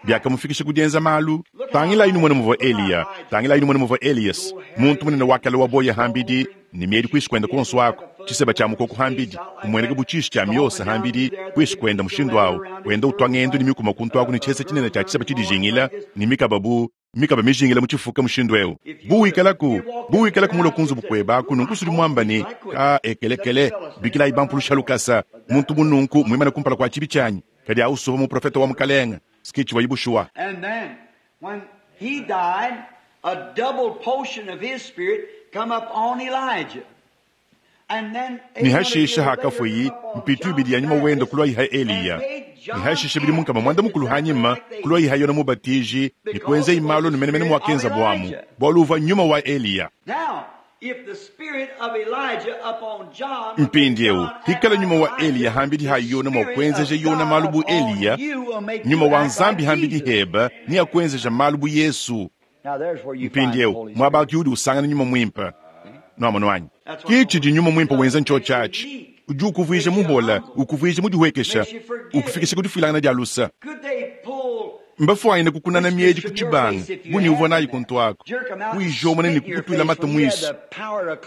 Biakamufikisha ku dienza malu. Tangilayi numone muvua Eliya, tangilayi numone muvua Elias, muntu munene wa kale wa boya hambidi ne miedi kuisu kuenda kuonso aku, tshiseba tshia mukoko hambidi, umueneka bu tshishi tshia miosa hambidi kuisu kuenda mushindu au, wenda utua ngendu ne mikuma kuntu aku ne tshiesa tshinene tshia tshiseba tshidijingila ne mikaba bu mikaba mijingila mu tshifuka mushindu eu. Bu wikalaku, bu wikalaku mulue ku nzubu kuebe aku, nunku sudi muamba ne, Ka ekelekele, bikilayi bampulusha lukasa, muntu bu nunku muimane kumpala kua tshibi tshianyi. Kadi au suvua muprofete wa Mukalenge, ski tshivuayi bushuwa. And then, when he died, a double portion of his spirit come up on Elijah. Ne hashisha hakafueyi, mpitu ibidi ya nyuma wende kuluayi ha Eliya. Ne hashisha bidimu nkama muanda mukulu hanyima, kuluayi ha Yone Mubatiji, ne kuenzeyi malu anu menemene muakenzabu amu, bualu uvua nyuma wa Eliya. Mpindieu, hikala nyuma wa Eliya hambidi ha Yone mua kuenzeja Yone malu bu Eliya, nyuma wa Nzambi hambidi hebe neakuenzeja malu bu Yesu. Mpindieu, muaba ki udi usangana nyuma muimpe. Nuamonu anyi? Ki tshidi nyuma muimpe wenza ntshiotshi atshi. Udi ukuvuija muhola, ukuvuija mudihuekesha, ukufikisha ku difuilangana dia lusa. Mbafuanyine kukunana miedi ku tshibanga bu ne uvua nayi kuntu aku, kuyijomona ne kukutuila mata muisu.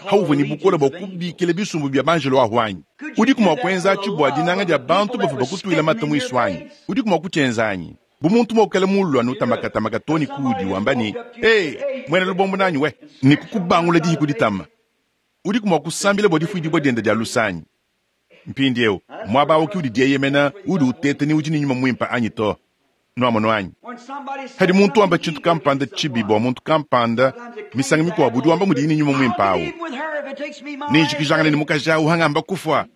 Hauvua ne bukole bua kubikila bisumbu bia banjelo ahu anyi? Udiku mua kuenza atshi bua dinanga dia bantu bavua bakutuila mata muisu anyi? Udiku mua kutshienza anyi? Bu muntu mua kuikala mulu anu utambakatamaka too ne kuudi wamba ne, Ee, muena lubombo nanyi we, ne kukubangula dihi ku ditama. Udiku mua kusambila bua difuidibua diende dia luse anyi? Mpindieu, muaba au ki udi dieyemena, udi uteta ni udi ne nyuma muimpe anyi to. Nuamonu anyi? Padi muntu wamba tshintu kampanda tshibi bua muntu kampanda, misangu mikuabu udi wamba mudiye ne nyuma muimpe au. Nenjikijangane ne mukaji au hangamba kufua.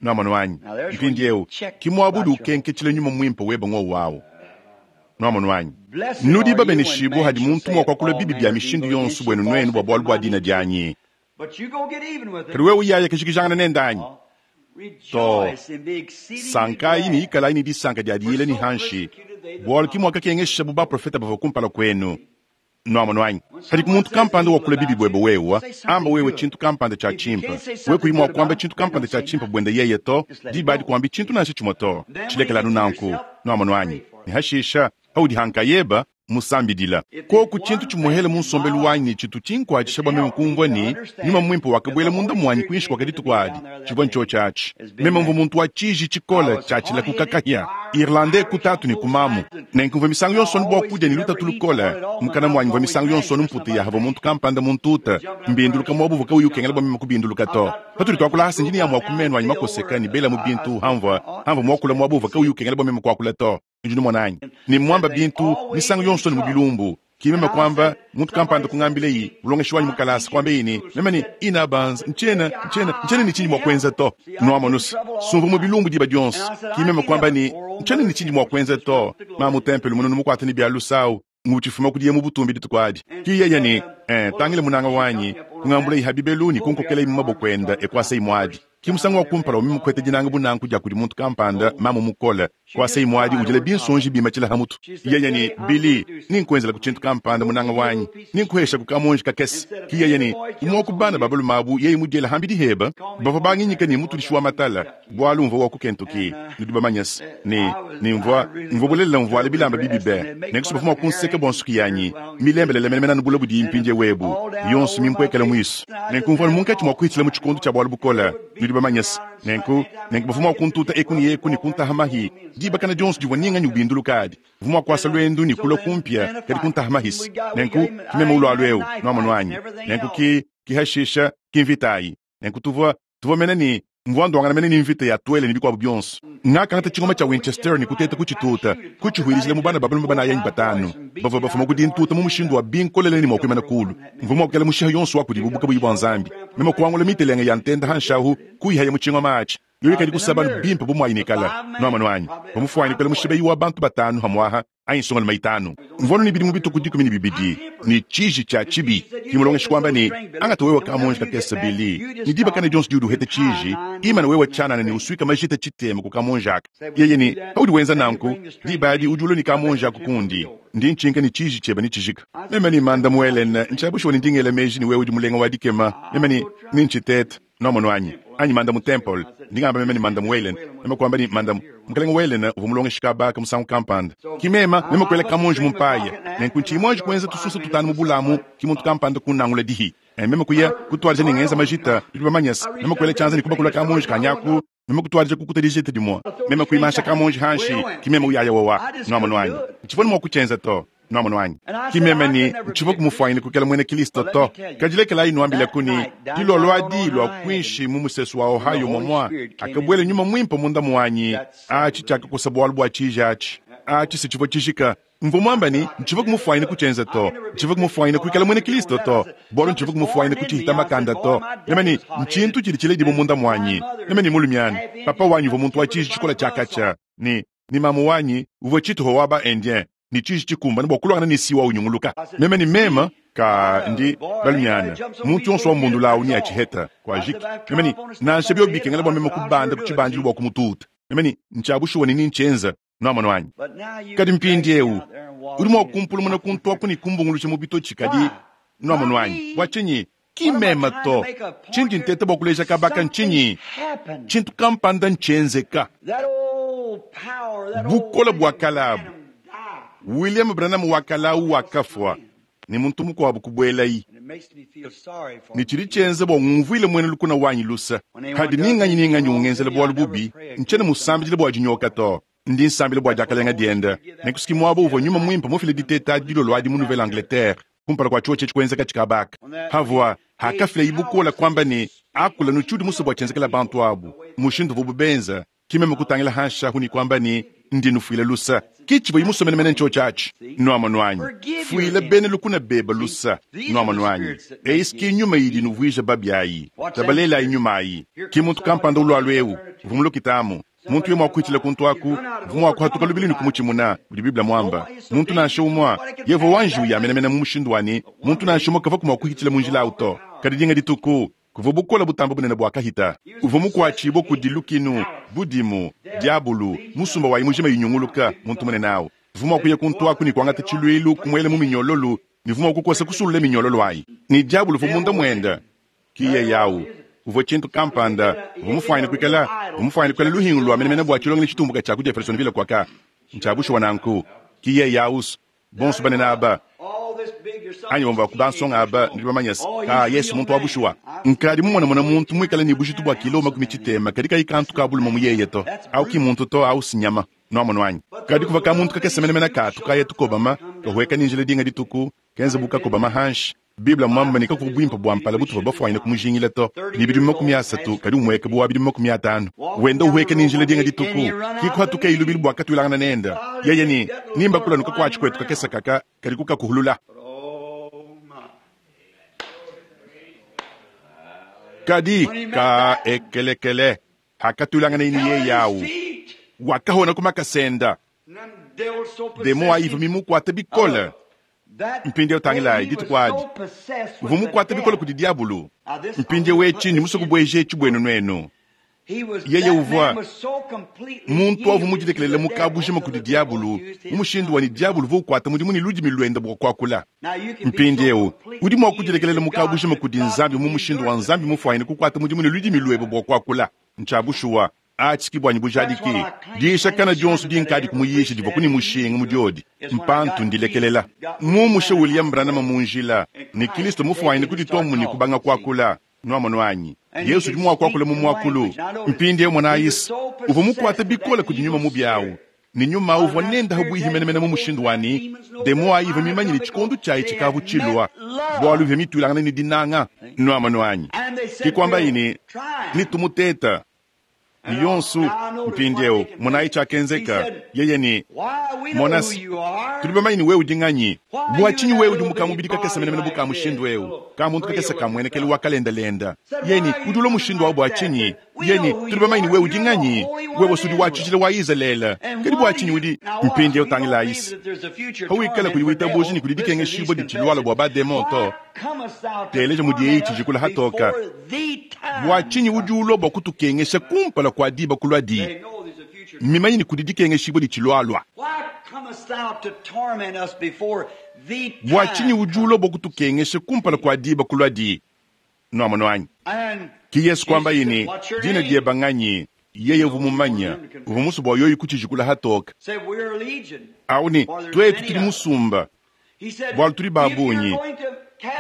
Nuamonu anyi? Mpindieu, ki muaba udi ukenketshila nyuma muimpe webe ngowu au. Nuamonu anyi? Nudi babeneshibue hadi muntu mua kuakula bibi bia mishindu yonso buenu nuenu bua bualu bua dina dianyi. Kadi wewe yaya kajikijangana nende anyi? To. Sankayi ne ikalayi ne disanka dia diyila ne hanshi, bualu ki muakakengeshabu baprofete bavua kumpala kuenu. Nwamonu anyi? Padiku muntu kampanda wakula bibi bwebe wewe, amba wewe tshintu kampanda tshia tshimpe. Wewe kuyi mwa kwamba tshintu kampanda tshia tshimpe bwende yeye to, diba adi kuambi tshintu nansha tshimwe to. Tshilekela anu nanku. Nwamonu anyi? Ne hashisha, paudi ha nkayeba, musambidila. Koku tshintu tshimuhele mu nsombelu wanyi tshitu tshinkwatshisha bua meme kumvua ne, Nyuma Muimpe wakabuela munda muanyi kuinshi kua dituku adi, tshivua ntshiotshi atshi. Meme mvua muntu wa tshiji tshikole tshiatshila ku kakahia, Irlandais ku tatu ne ku mamu. Nenku mvua misangu yonso anu bua kudia ne lutatu lukole. Mukana muanyi mvua misangu yonso anu mputa ya havua muntu kampanda muntuta, mbinduluka muaba uvua kauyi ukengela bua meme kubinduluka to. Patudi tuakula hasi ndi ne amue a ku menu anyi makoseka ne belamu bintu hamvua hamvua muakula muaba uvua kauyi ukengela bua meme kuakula to. Nudi numona anyi? Ne mmuamba bintu misangu yonso ne mu bilumbu. Ki meme kuamba, muntu kampanda kungambileyi, mulongeshi wanyi mu kalasa, kuambeyi ne, meme ne, Ina Barnes, ntshiena, ntshiena, ntshiena ne tshindi mua kuenza to. Nuamonu's, sumvua mu bilumbu diba dionso. Ki meme kuamba ne, Ntshiena ne tshindi mua kuenza to. Mamu Temple mununu mukuate ne bia lusa awu, ngutshifuma kudiye mu butumbi dituku adi. Ki yeye ne, Eh, tangila munanga wanyi, kungambulayi ha bibelu ne kunkokelayi mu maboko enda e kuasayi muadi. Ki musangu wa kumpala wa meme kuheta dinanga bu nanku dia kudi muntu kampanda, mamu mukole, kuasayi muadi udila binsonji bimatshila ha mutu. Yeye ne, Billy, ninkuenzelaku tshintu kampanda, munanga wanyi, ninkuheshaku kamonji kakese. Ki yeye ne, Umue wa ku bana ba balume abu yeye mudiela hambidi heba, bavua banginyika ne mutudishi wa matala, bualu mvua wa ku Kentucky, nudi bamanyese, ne, ne mvua, mvua bulelela mvuala bilamba bibi be, nenku bavua mua kunseka bua nsuki yanyi milembelele menemene anu bule budiyi mpindieu ebu, yonso mimpuekele muisu. Nenku mvua munkatshi mua kuhitshila mu tshikondo tshia bualu bukole, nudi bamanyese. Nenku, nenku bavua mua kuntuta eku ne eku ne kuntaha mahi dibakana dionso divua ninganyi ubinduluka adi. Mvua mua kuasa luendu ne kulua kumpia, kadi kuntaha mahisi. Nenku, ki meme ulualu eu, nuamonu anyi? Nenku ki, ki hashisha, ki mvita ayi. Nenku tuvua, tuvua mene ne, mvua nduangana mene ne mvita ya tuele ne bikuabu bionso. Ngakangata tshingoma tshia Winchester ne kuteta kutshituta, kutshihuilijila mu bana ba balume banayi anyi batanu bavua bafuma ku dintuta mu mushindu wa binkolele ne mua kuimana kulu. Mvua mua kuela mushiha yonso wa kudibu bu kabuyi bua Nzambi. Meme kuangula mitelenge ya ntenda hanshi ahu, kuyihaya mu tshingoma atshi. Yoyi kadi kusaba anu bimpe bu muayi ne kala. Nuamonu anyi? Bamufuane kuela mushibeyi wa bantu batanu hamuaha anyi nsongalume itanu. Mvua anu ne bidimu bitue ku 12, ne tshiji tshia tshibi. Ki mulongeshi kuamba ne, Angata wewe kamonji kakese, Billy, ne diba kana dionso diudi uheta tshiji, imana wewe tshianana ne usuika majita tshitema ku kamonji aka. Yeye ne, Paudi wenza nanku, diba adi udi ulua ne kamonji aku kundi, ndi ntshinka ne tshiji tshiebe netshijika. Meme ne, Mandamu Ellen, ntshia bushuwa ne ndi ngela meji ne wewe udi mulenga wa dikema. Meme ne, Nentshitete. Nwamonu anyi? Anyi Mandamu Temple. Ndi ngamba meme ne Mandamu Whalen. Meme kuamba ne, Mandamu, Mukalenge Whalen uvua mulongeshi kaba aka musangu kampanda. Ki mema, meme kuela kamonji mu mpaya. Nenku ntshiyi muanji kuenza tususa tutanu mu bulamu, ki muntu kampanda kunnangula dihi. E, meme kuya, kutuadija ne ngenza majita, nudi bamanye's, meme kuela tshianza ne kubakula kamonji kanyi aku, meme kutuadija kukuta dijita dimue. Meme kuimansha kamonji hanshi, ki meme uyaya wawa. Nwamonu anyi? Ntshivua ne mua kutshienza to. Nwamonu anyi? Ki meme ne ntshivua kumufuanyine kuikala muena Kilisto to. Kadi lekelayi nuambilaku ne, dilolo adi lua kuinshi mu musesu wa Ohio momua akabuela Nyuma Muimpe munda muanyi, atshi tshiakakosa bualu bua tshiji atshi. Atshi se tshivua tshijika. Mvua muamba ne, ntshivua kumufuanyine kutshienza to. Ntshivua kumufuanyine kuikala muena Kilisto to, bualu ntshivua kumufuanyine kutshihita makanda to. Meme ne, ntshintu tshidi tshiledibua munda muanyi. Meme ne mulumiana, papa wanyi uvua muntu wa tshiji tshikola tshia katshia, ne, ne mamu wanyi uvua tshituha wa ba Indien ne tshiji tshikumbane bua kuluangana ne siwa unyunguluka. Meme ne meme ka ndi balumiana, muntu yonso wa mbundula awu neatshiheta kuajiki. Meme ne, nansha biobi bikengela bua meme kubanda ku tshibandilu bua kumututa. Meme ne, ntshia bushuwa ne nintshienza. Nuamonu anyi? Kadi mpindiewu udi mua kumpulumuna kuntu aku ne kumbunguluja mu bitotshi, kadi nuamonu anyi? Bua tshinyi ki meme to? Tshindi nteta bua kuleja kabaka ntshinyi? Tshintu kampanda ntshienzeka. Bukole bua kale abu, William Branham wa kale awu wakafua, ne muntu mukuabu kubuelayi. Ne tshidi tshienza bua ngumvuile muena lukuna wanyi luse. Padi ni nganyi ni nganyi ungenzela bualu bubi, ntshiena musambidila bua dinyoka to. Ndi nsambila bua diakalenga diende. Nenku muaba uvua Nyuma Muimpe mufile diteta adi dilolo adi mu Nouvelle-Angleterre, kumpala kua tshiotshi etshi kuenzeka tshikabaka, pavua hakafilayi bukole kuamba ne, Akula nu tshiudi musue bua tshienzekela bantu abu, mushindu uvuabu benza. Ki meme kutangila hanshi ahu ne kuamba ne, Ndi nufuila lusa. Ki tshivua musue menemene ntshiotshi atshi. Nuamonu anyi? Fuila bena lukuna beba lusa. Nuamonu anyi? Eyi ki nyuma idi nuvuija babi ayi. Tabalelayi nyuma ayi. Ki muntu kampanda ulualu eu uvua mulukita amu. Muntu yeye mua kuhitshila kuntu aku, uvua mua kuhatuka lubilu ne kumutshimuna, mudi Bible muamba. Muntu nansha umue, yevua wa njiwu ya menemene mu mushindu wa ne, muntu nansha umue kavua mua kuhitshila mu njila au to. Kadi dinga dituku, kuvua bukole butambe bunene buakahita. Uvua mukuatshibue kudi lukinu, budimu, diabulu, musumba wayi mujima inyunguluka, muntu munene au. Mvua mua kuya kuntu aku ne kuangata tshiluilu, kumuela mu minyololu, ne mvua mua kukosa kusulula minyololu ayi. Ne diabolo uvua munda muende. Ki yeye awu. Uvua tshintu kampanda. Uvua mufuanyine kuikala, uvua mufuanyine kuikala luhingu lua menemene bua tshilongelu tshitumbuka tshia ku Jeffersonville kuaka. Ntshia bushuwa nanku. Ki yeye awu's. Bonso banene aba, anyi bamue ba ku bansonga aba, nudi bamanye se, kaa, Yesu muntu wa bushuwa. Nkadi mumonamona muntu muikale ne bujitu bua kilo 60 kadi kayi kantu ka bulume mu yeye to. Awu ki mmuntu to, awu s'nyama. Nwamonu anyi? Kadi kuvua kamuntu kakese menemene kaatu kaya tukobama, kahueka ne njila dinga dituku, kenza bu kakobama hanshi. Bible mmuambe ne, kakuvua buimpe bua mpala butuvua bafuanyine kumujingila to. Ne bidimu 30, kadi umueka bu wa bidimu 50. Wenda uhueka ne njila dinga dituku, ki kuhatukeyi lubilu bua katuilangana nende. Yeye ne, Nimba kulanu kakuatshi kuetu kakese kaka kadi kukakuhulula. Kadi ka ekelekele, hakatuilanganeyi ne yeye au, wakahona ku makasa enda. Demon ayi ivua mimukuate bikole. Mpindieu tangilayi, dituku adi uvua mukuate bikole kudi diabulu. Mpindieu etshi ndi musue kubueja etshi buenu nuenu. Yeye uvua muntu uvua mudilekelele mu kabujima kudi diabulu, mu mushindu wa ne diabulu uvua ukuata mudimu ne ludimi luende bua kuakula. Mpindieu udi mua kudilekelela mu kabujima kudi Nzambi mu mushindu wa Nzambi mufuanyine kukuata mudimu ne ludimi luebe bua kuakula. Ntshia bushuwa. Atshi ki buanyi bujadiki. Diyisha kana dionso dinkadi kumuyisha divua ku ne mushinga mu diodi. Mpantu ndilekelela. Mumushe William Branham mu njila, ne Kilisto mufuanyine kudituamu ne kubanga kuakula. Nuamonu anyi? Yesu udi mua kuakula mu muakulu. Mpindieu monayi's, uvua mukuate bikole kudi nyuma mubi awu, ne nyuma awu uvua nende pabuihi menemene mu mushindu wa ne, demon ayi ivua mimanye ne tshikondo tshiayi tshikavu tshilua, bualu ivua mituilangane ne dinanga. Nuamonu anyi? Ke kuambayi ne, Netumuteta. Ne yonsu, mpindieu, monayi tshiakenzeka. Yeye ne, Mona's, tudi bamanye ne wewe udi nganyi. Bua tshinyi wewe udi mu kamubidi kakese menemene bu ka mushindu eu, kamuntu kakese ka muenekelu wa kalendelenda? Yeye ne, Udi ulua mushindu au bua tshinyi? Yeye ne, Tudi bamanye ne wewe udi nganyi. Wewe udi wa tshijila wa Izalele. Kadi bua tshinyi udi. Mpindieu tangilayi's. Pawikala kuyi witabuja ne kudi dikengeshibua ditshilualua bua ba-demon to, Teleja mudi eyi tshijikula hatoka. Bua tshinyi udi ulua bua kutukengesha kumpala kua diba kuluadi? Mmimanye ne kudi dikengeshibua ditshilualua. Bua tshinyi udi ulua bua kutukengesha kumpala kua diba kuluadi? Nuamonu anyi? Ke Yesu kuambaye ne, Dina dieba nganyi? Yeye uvua mumanye, uvua musue bua yoyi kutshijikula hatoka. Au ne, Tuetu tudi musumba. Bualu tudi ba bungi.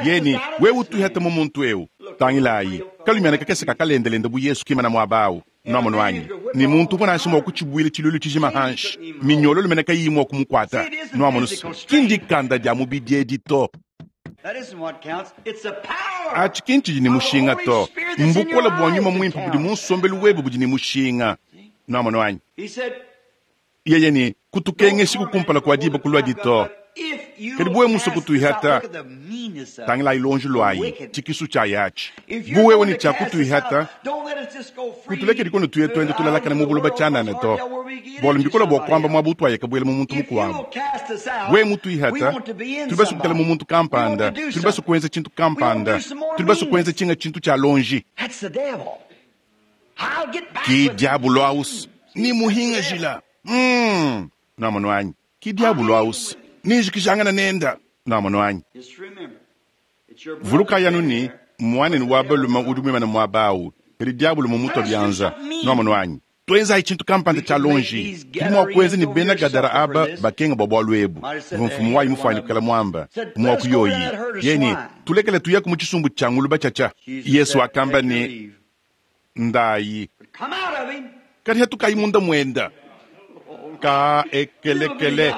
Yeye ne, Wewe utuihata mu muntu eu. Tangilayi, kalumiana kakese kakalendelenda bu Yesu kimana muaba au. Nuamonu anyi? Ne muntu uvua nansha mua kutshibuila tshiluilu tshijima hanshi, minyololo mene kayiyi mua kumukuata. Nuamonu, ki ndikanda dia mubidi edi to. Atshi ki ntshidi ne mushinga to. Mbukole bua Nyuma Muimpe budi mu nsombelu webe budi ne mushinga. Nuamonu anyi? Yeye ne, Kutukengeshiku kumpala kua diba kuluadi to. Kadi bu wewe musue kutuihata, tangilayi luonji luayi, tshikisu tshiayi atshi. Bu wewe ne tshia kutuihata, kutulekedi kono tuye tuenda tulalakana mu buloba tshianana to, bualu mbikole bua kuamba muaba utuayaka buela mu muntu mukuabu. Wewe mutuihata, tudi basue kuikala mu muntu kampanda, tudi basue kuenza tshintu kampanda, tudi basue kuenza tshinga tshintu tshia luonji. Ki diabolo awu's ni muhingajila. Mm. Nwamonu anyi? Ki diabolo awu's ni njikijangana nenda. Nwamonu anyi? Vulukayi anu ne, muanenu wa balume udi muimane muaba awu, kadi diabolo mumutua bianza. Nwamonu anyi? Tuenzayi tshintu kampanda tshia lonji. Tudi mua kuenza ne bena Gadara aba bakenga bua bualu ebu. Uvua mfumu wayi mufuane kuikala muamba muaku yoyi. Yeye ne, Tulekele tuyaku mu tshisumbu tshia nguluba tshiatshia. Yesu wakamba ne, Ndayi. Kadi hatukayi munda muenda. Ka ekelekele.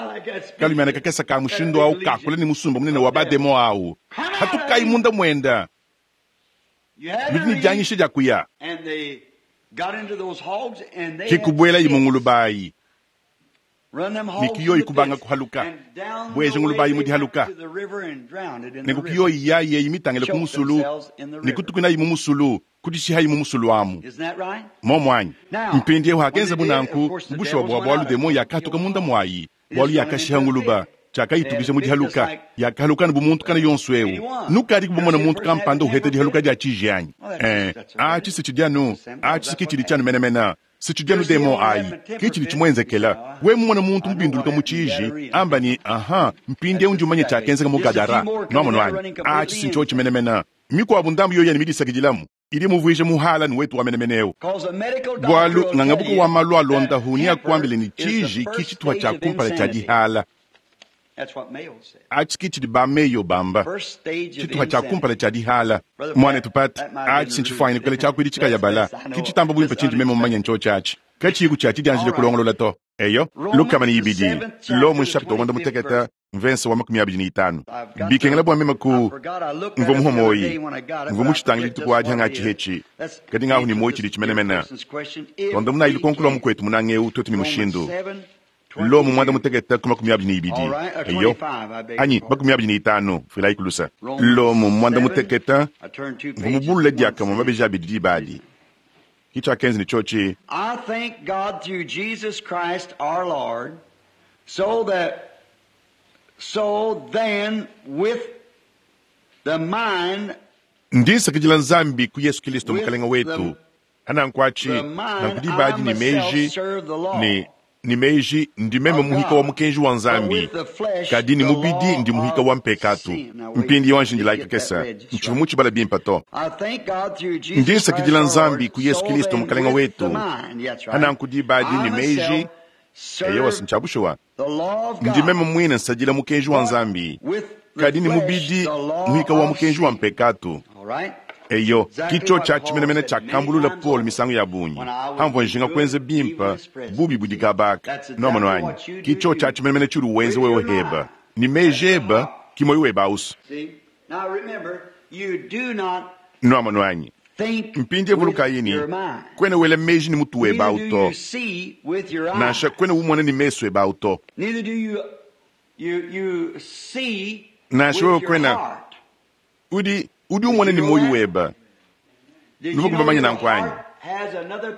Kalumiana kakese ka mushindu au kakula ne musumba munene wa bademon au. Hatukayi munda muenda. Nudi ne dianyisha dia kuya. Ke kubuelayi mu nguluba ayi. Ne kiyoyi kubanga kuhaluka. Bueja nguluba ayi mu dihaluka. Nenku kiyoyi yayi eyi mitangile ku musulu, ne kutukuinayi mu musulu, kudishihayi mu musulu amu. Momu anyi? Mpindieu hakenzabu nanku, mu bushuwa bua bualu demon yakahatuka munda muayi, bualu yakashiha nguluba. Tshiakayitukija mu dihaluka, yakahaluka anu bu muntu kana yonso eu. Nukadiku bamona muntu kampanda uheta dihaluka dia tshiji anyi? Eh, atshi se tshidi anu, atshi se ke tshidi tshianu menemene. Si tshidi anu demon ayi, ke tshidi tshimuenzekela. Wewe mumone muntu mubinduluka mu tshiji, amba ne, Aha, mpindieu ndi mumanye tshiakenzeka mu Gadara. Nwamonu anyi? Atshi si ntshiotshi menemene. Mikuabu ndambu yoyi yani midisakidilamu, idi imuvuija muhala ne wetu wa menemene eu. Bualu ngangabuka wa malu a luondapu neakuambile ne, tshiji ki tshitupa tshia kumpala tshia dihala. Atshi ki tshidi ba Mayo bamba, tshitupa tshia kumpala tshia dihala. Muanetu Pat, atshi si ntshifuanyine kuikala tshiakuidi tshikayabala. Ki tshitamba buimpe tshindi meme mumanye ntshiotshi atshi. Katshiyiku tshia tshidianjile kulongolola to. Eyo, 2, Lomo nshapita wa muanda mutekete, mvensa wa 25. Bikengela bua meme ku mvua muhua muoyi, mvua mutshitangile dituku adi hangatshi hetshi, kadi ngahu ne muoyi tshidi tshimenemene. Tuandamunayi lukonko lua mukuetu munanga eu tuetu ne mushindu. Lomo muanda mutekete ku 22, eyo, anyi 25, fuilayi ku lusa. Lomo muanda mutekete, mvua mubulule diakamue mabeji abidi diba adi. Ki tshiakenza ne tshiotshi. I thank God through Jesus Christ our Lord, so that so then with the mind Ndi nsakidila Nzambi ku Yesu Kilisto Mukalenga wetu, hanankuatshi nanku diba adi ne meji ne ne meji ndi meme muhika wa mukenji wa Nzambi, kadi ne mubidi ndi muhika wa mpekatu. Mpindieu anji ndilayi kakese, ntshivua mutshibala bimpe to. Ndi nsakidila Nzambi ku Yesu Kilisto Mukalenga wetu, hananku diba adi ne meji, eyowa ntshia bushuwa, ndi meme muine nsadila mukenji wa Nzambi, kadi ne mubidi muhika wa mukenji wa mpekatu. Eyo, ki tshiotshi atshi menemene tshiakambulula Paulo misangu ya bungi, Pamvua njinga kuenza bimpe, bubi budi kabaka. Nwamonu anyi? Ki tshiotshi atshi menemene tshiudi wenza wewe heba ne meji ebe, ki muoyo webe ausu. Nwamonu anyi? Mpindieu vulukayi ne, kuena wela meji ne mutu webe au to, nansha kuena umona ne mesu ebe au to. Nansha wewe kuena udi udi umona ne muoyo webe. Nuvua bamanye nanku anyi?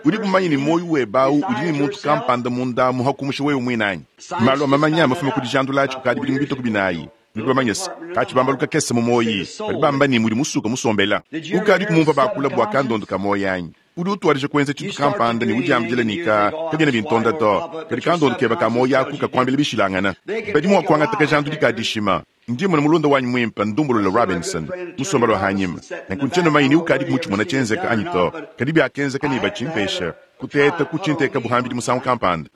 Udi mumanye ne muoyo webe au udi ne muntu kampanda munda mu hakumusha wewe muine anyi? Malu a mamanya mafume ku dijandula atshi kukadi bidimu bitue ku binayi. Nudi bamanye se, katshibambalu kakese mu muoyi, badi bamba ne mudi musuka musombela. Ukadi kumumvua bakula bua kandondo ka muoyi anyi? Udi utuadija kuenza tshintu kampanda ne udiambila ne, ka kabiena bintonda to, kadi kandondo kebe ka muoyi aku kakuambila bishilangana. Badi mua kuangata kajandudi ka dishima. Ndi mmona mulunda wanyi muimpe Ndumbulule Robinson musombele wa hanyima. Nenku ntshiena mumanye ni ukadi mutshimona tshienzeka anyi to, kadi biakenzeka ne batshimpesha kuteta kutshinteka buhambidi musangu kampanda.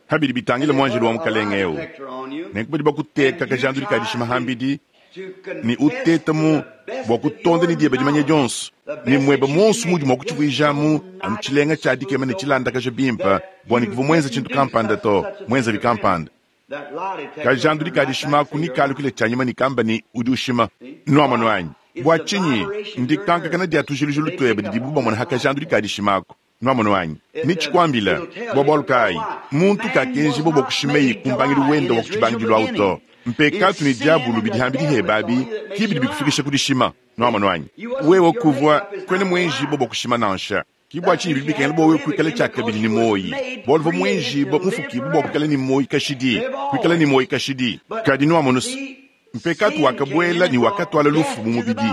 Pa bidi bitangila muanjelu wa Mukalenge eu, nenku badi bakuteka kajandudi ka dishima hambidi ne uteta mu bua kutonda ne diebe dimanya dionso ne muebe muonso muudi mua kutshivuijamu anu tshilenga tshia dikema ne tshilandakaja bimpe bua ne kuvua muenze tshintu kampanda to, muenzavi kampanda. Kajandudi ka dishima aku nekalukile tshianyima ne kamba ne, Udi ushima. Nuamonu anyi? Bua tshinyi? Ndikankakana dia tujilujilu tuebe didibu bamona ha kajandudi ka dishima aku. Nuamonu anyi? Netshikuambila bua bualu kayi? Muntu kakenjibua bua kushimeyi ku mbangilu wende wa ku tshibangidilu au to. Mpekatu ne diabulu bidi hambidi hebe abi ki bidi bikufikisha ku dishima. Nuamonu anyi? Wewe kuvua kuena muenjibua bua kushima nansha. Ki bua tshinyi bidi bikengela bua wewe kuikala tshiakabidi ne muoyi, bualu uvua muenjibue, mufukibue bua kuikala ne muoyi kashidi, kuikala ne muoyi kashidi. Kadi nuamonu se, mpekatu wakabuela ne wakatuala lufu mu mubidi.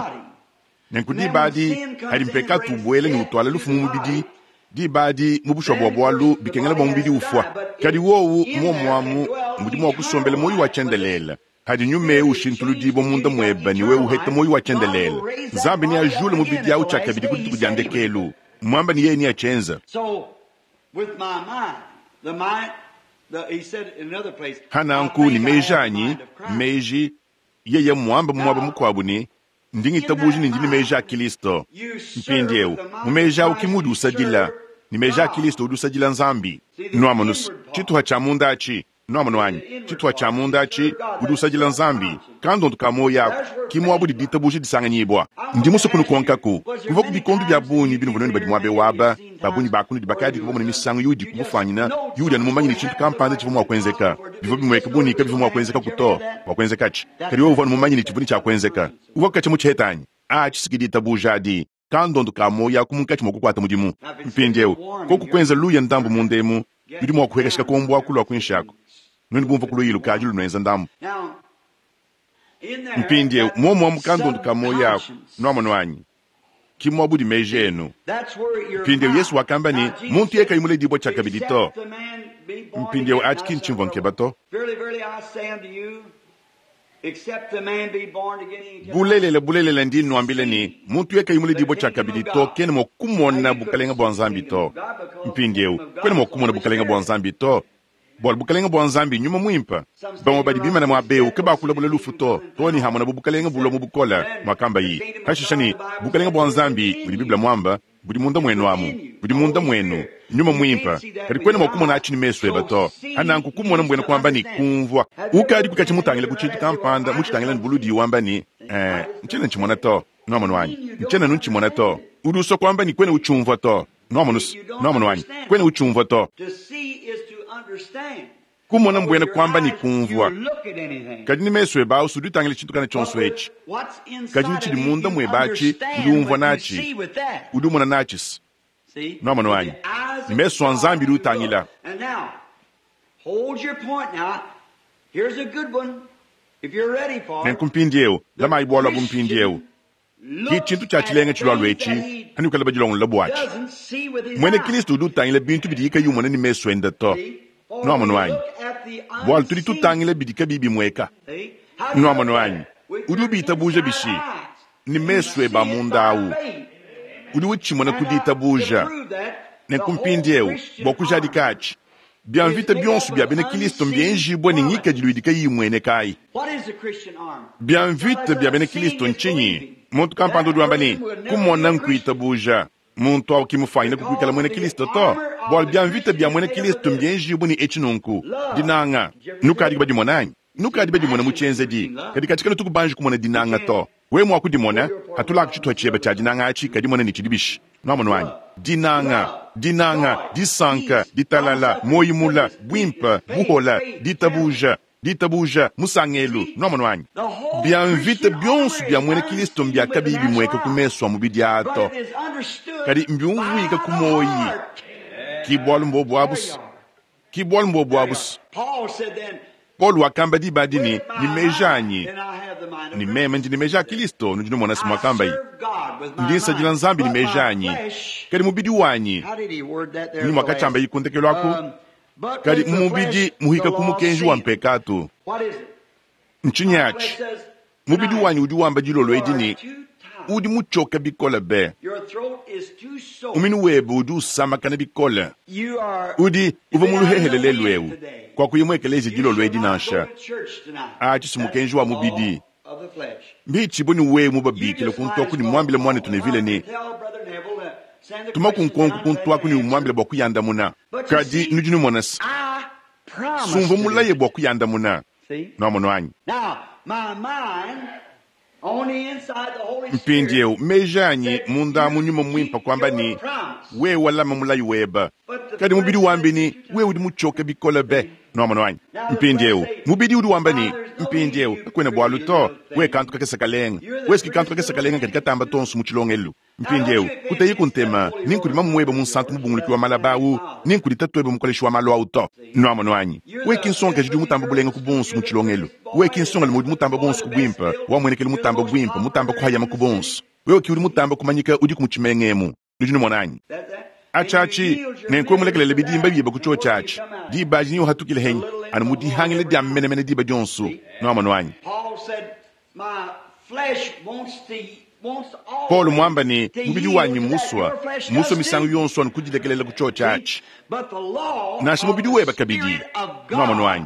Nenku diba adi, padi mpekatu ubuela ne utuala lufu mu mubidi, diba adi, mu bushuwa bua bualu, bikengela bua mubidi ufua. Kadi wowu, muomu amu, mudi mua kusombela muoyi wa tshiendelele. Padi nyuma eu ushintuludibua munda muebe ne wewe uheta muoyo wa tshiendelele, Nzambi neajule mubidi au tshiakabidi ku dituku dia ndekelu. Mmuambe ne, yeye neatshienze. Pa nanku ne meji anyi, meji, yeye mmuambe mu muaba mukuabu ne, Ndi ngitabuja ne ndi ne meji a Kilisto. Mpindieu, mu meji au ki muudi usadila, ne meji a Kilisto udi usadila Nzambi. Nuamonu's, tshituha tshia munda atshi, Nwamonu anyi? Tshituha tshia munda atshi, udi usadila Nzambi, kandondu ka muoyo aku, ki muaba udi ditabuja disanganyibua. Ndi musue kunukonkaku, kuvuaku bikondu bia bungi binuvua nuenu badi muaba eu aba, ba bungi ba kunudi bakadiku bamone misangu iudi kubufuanyina, iudi anu mumanye ne tshintu kampanda tshivua mua kuenzeka, bivua bimueka bu ne kabivua mua kuenzekaku to, bua kuenzekatshi, kadi wewe uvua anu mumanye ne tshivua ne tshia kuenzeka. Uvuaku katshia mutshiheta anyi? Atshi si ki ditabuja adi. Kandondo ka muoyo aku munkatshi mua kukuata mudimu. Mpindieu, koku kuenza luya ndambu munda emu, nudi mua kuhekesha kakombo aku lua kuinshi aku. Nuenu bumvua ku luya lukadi lunuenza ndambu. Mpindieu, muomu amu kandondo ka muoyo aku, nuamonu anyi? Ki mwabudi meji enu. Mpindieu Yesu wakamba ne, muntu yeye kayi muledibua tshiakabidi to. Mpindieu atshi ki ntshimvua nkeba to. Bulelela, bulelela, ndi nnuambila ne, muntu yeye kayi muledibua tshiakabidi to, kena mua kumona bukalenge bua Nzambi to. Mpindieu, kuena mua kumona bukalenge bua Nzambi to, bualu bukalenge bua Nzambi nnyuma muimpe. Bamue badi bimane muaba eu kabakulabula lufu to, too ne hamonabu bukalenge bulua mu bukole, muakambaye pashishe ne, Bukalenge bua Nzambi, budi Bible muambe, budi munda muenu amu, budi munda muenu, nyuma muimpe. Kadi kuena mua kumona atshi ne mesu ebe to. Nanku kumona mbuena kuamba ne, kumvua. Ukadiku katshia mutangile ku tshintu kampanda mutshitangila ne buludi wamba ne, Ee, ntshiena ntshimona to. Nuamonu anyi? Ntshiena anu ntshimona to. Udi usua kuamba ne, kuena utshiumvua to. Nuamonu's? Nuamonu anyi? Kuena utshiumvua to. Kumona mbuena kuamba ne kumvua. Kadi ne mesu ebe au udi utangila tshintu kana tshionso etshi. Kadi ne tshidi munda muebe atshi udi umvua natshi. Udi umona natshi. Nuamonu anyi? Ne mesu a Nzambi udi utangila. Nenku mpindieu, lamayi bualu abu mpindieu. Ki tshintu tshia tshilenga tshilualua etshi, anuikale badilongolola buatshi. Muena Kristo udi utangila bintu bidiye kayi umona ne mesu ende to. Nuamonu anyi? Bualu tudi tutangila bidi kabiyi bimueka. Nuamonu anyi? Udi ubitabuja bishi? Ne mesu ebe a munda awu. Udi utshimona ku ditabuja. Nenku mpindieu, bua kujadika atshi, Bia mvita bionso bia bena Kristo mbienjibue ne ngikadilu idi kayiyi imueneka ayi. Bia mvita bia bena Kristo ntshinyi? Muntu kampanda udi wamba ne, kumona nkuitabuja. Muntu au ki mufuanyine kuikala muena Kristo to, bualu bia mvita bia muena Kristo mbienjibue ne etshi nunku, dinanga. Nukadi badimona anyi? Nukadi badimona mu tshienzedi, kadi katshi kanutu kubanji kumona dinanga to. Wewe mua kudimona, hatulaku tshituha tshiebe tshia dinanga atshi, kadimona ne tshidi bishi. Nuamonu anyi? Dinanga, dinanga, disanka, ditalala, muoyo mula, buimpe, buhola, ditabuja, ditabuja, musangelu. Nuamonu anyi? Bia mvita bionso bia muena Kilisto mbia kabiyi bimueka ku mesu a mubidi aa to, kadi mbiumvuika ku muoyi. Ki bualu mbobu abu's. Ki bualu mbobu abu's. Paulo wakamba diba adi ne, Ne meji anyi, ne meme ndi ne meji a Kilisto, nudi numona se muakambaye, ndi nsadila Nzambi ne meji anyi, kadi mubidi wanyi, mmunyi muakatshiambaye ku ndekelu aku? Kadi mu mubidi muhika ku mukenji wa mpekatu. Ntshinyi atshi? Mubidi wanyi udi wamba dilolo edi ne, Udi mutshioke bikole be. Muminu webe udi usamakana bikole. Udi uvua mu luhehele lelu eu. Kuakuya mu ekeleziya dilolo edi nansha. Atshi si mukenji wa mubidi. Mbitshibue ne wewe mubabikile kuntu aku ne muambile muanetu Neville ne, Tumaku nkonko kuntu aku ne umuambile bua kuyandamuna. Kadi nudi numona se, sumvua mulaye bua kuyandamuna. Nuamonu anyi? Mpindieu meji anyi munda mu nyuma muimpe kuamba ne, wewe walama mulayi webe. Kadi mubidi wambi ne, wewe udi mutshioke bikole be. Nuamonu anyi? Mpindieu mubidi udi wamba ne, mpindieu kakuena bualu to, wewe kantu kakese kalenga. Wewe ki kantu kakese kalenga kadi katamba tonso mu tshilongelu. Mpindieu kuteyiku ntema ni nkudi mamu webe munsantu mubunguluki wa malaba au, ni nkudi tatuebe mukoleshi wa malu au to. Nuamonu anyi? Wewe ki nsongakaji udi mutamba bulenga ku bonso mu tshilongelu. Wewe ki nsongalume udi mutamba bonso ku buimpe, wa muenekelu mutamba buimpe, mutamba kuhayama ku bonso. Wewe ki udi mutamba kumanyika udiku mu tshimenga emu. Nudi numona anyi? Atshi atshi, nenku mulekelele bidimba biebe ku tshiotshi atshi. Diba adi neuhatukile henyi anu mu dihangila dia menemene diba dionso. Nuamonu anyi? Paulo muamba ne, mubidi wanyi mmusua, mmusua misangu yonso anu kudilekelela ku tshiotshi atshi, nansha mubidi webe kabidi. Nuamonu anyi?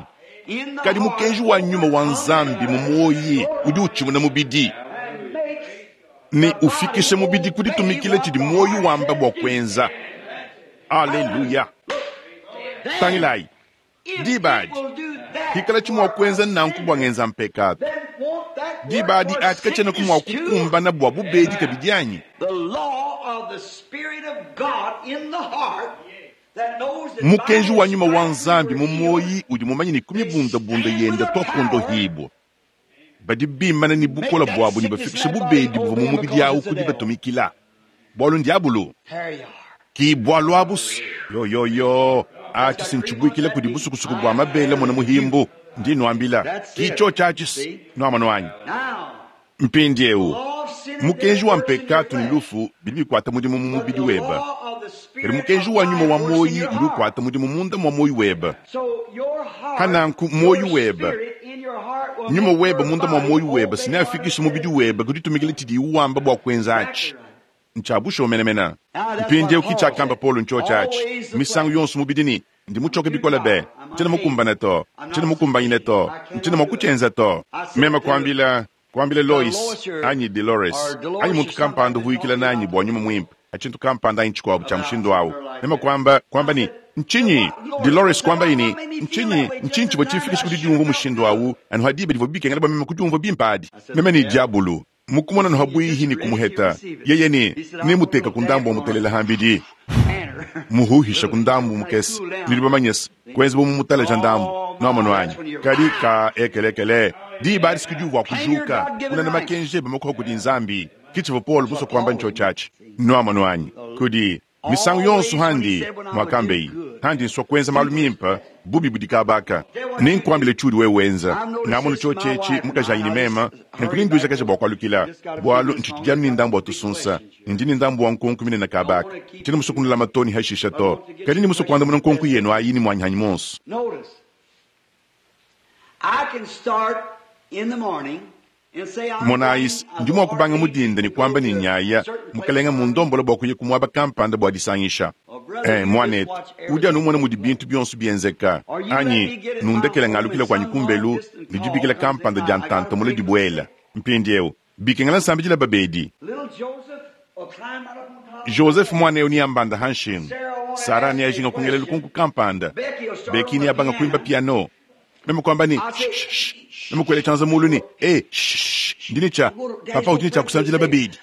Kadi mukenji wa nyuma wa Nzambi mu muoyi udi utshimuna mubidi ne ufikisha mubidi ku ditumikila tshidi muoyo wamba bua kuenza. Aleluya! Tangilayi diba adi, hikalatshi mua kuenza nanku bua ngenza mpekatu, diba adi atshi katshienaku mua kukumbana bua bubedi kabidi anyi? Mukenji wa nyuma wa Nzambi mu muoyi udi mumanye ne ku mibundabunda yende tuakondohibua. Badi bimana ne bukole buabu ne bafikisha bubedi buvua mu mubidi awu ku dibatumikila, bualu ndiabulu. Ki bualu abu yoyoyo atshi si ntshibuikila kudi busukusuku bua mabele mona muhimbu. Ndi nuambila, ki tshiotshi atshi nuamonu anyi? Mpindieu. Mukenji wa mpekatu ne lufu bidi bikwata mudimu mu mubidi webe, kadi mukenji wa nyuma wa muoyi udi ukwata mudimu munda mwa muoyi webe. Pananku muoyi webe, nyuma webe munda mwa muoyi webe sineafikishe mubidi webe ku ditumikila tshidiye wamba bwa kwenza atshi. Ntshia bushuwa menemene. Mpindieu ki tshiakamba Paulo ntshiotshi atshi misangu yonso mubidi ne, Ndi mutshioke bikole be, ntshiena mukumbane to, ntshiena mukumbanyine to, ntshiena mua kutshienza to. Meme kuambila, kuambila Lois, anyi Delores, anyi muntu kampanda uvua uyikila nanyi bua Nyuma Muimpe, a tshintu kampanda anyi tshikuabu tshia mushindu au. Meme kuamba, kuamba ne, Ntshinyi? Delores kuambaye ne, Ntshinyi, ntshinyi tshivua tshimfikishe ku didiumvua mushindu au anu ha diba divua bikengela bua meme kudiumvua bimpe adi? Meme ne, Diabulu. Mukumona noha bwihi ni kumuheta, yeye ne, Nemuteka ku ndambu wa mutelela hambidi, muhuhisha ku ndambu mukese, nudi bamanyese, kuenza bu mumutaleja ndambu. Nwamonu anyi? Kadi ka ekelekele, diba adi sikudiuvua kujuka, kunana makenji ebe makuha kudi Nzambi. Ki tshivua Paulo musue kuamba ntshiotshi atshi. Nwamonu anyi? Kudi. Misangu yonso handi muakambeyi, handi nsua kuenza malu mimpe, bubi budi kabaka. Nenkuambile tshiudi wewe wenza. Ngamono tshiotshi etshi, mukajanyi ne meme, nenku nenduijakaja bua kualukila, bualu ntshitshidi anu ne ndambu wa tusunsa, ne ndi ne ndambu wa nkonku minene kabaka. Tshiena musue kunulama to ne hashisha to, kadi ndi musue kuandamuna nkonku yenu ayi ne muanyi hanyi muonso. Monayi's, ndi mua kubanga mu dinda ne kuamba ne, Nyaya, Mukalenga mmundombola bua kuya ku muaba kampanda bua disangisha. Ee, muanetu, udi anu umona mudi bintu bionso bienzeka. Anyi, nundekele ngalukila kuanyi kumbelu ne dibikila kampanda dia ntanta mule dibuela. Mpindiewu, bikengela nsambidila babedi. Joseph muana eu neambanda ha nshingu. Sarah neajinga kungela lukonko kampanda. Becky neabanga kuimba piano. Meme kuamba ne, Shh, shh. Meme kuela tshianza mulu ne, E, shh, shh. Ndi ne tshia, papa udi ne tshia kusambidila babedi.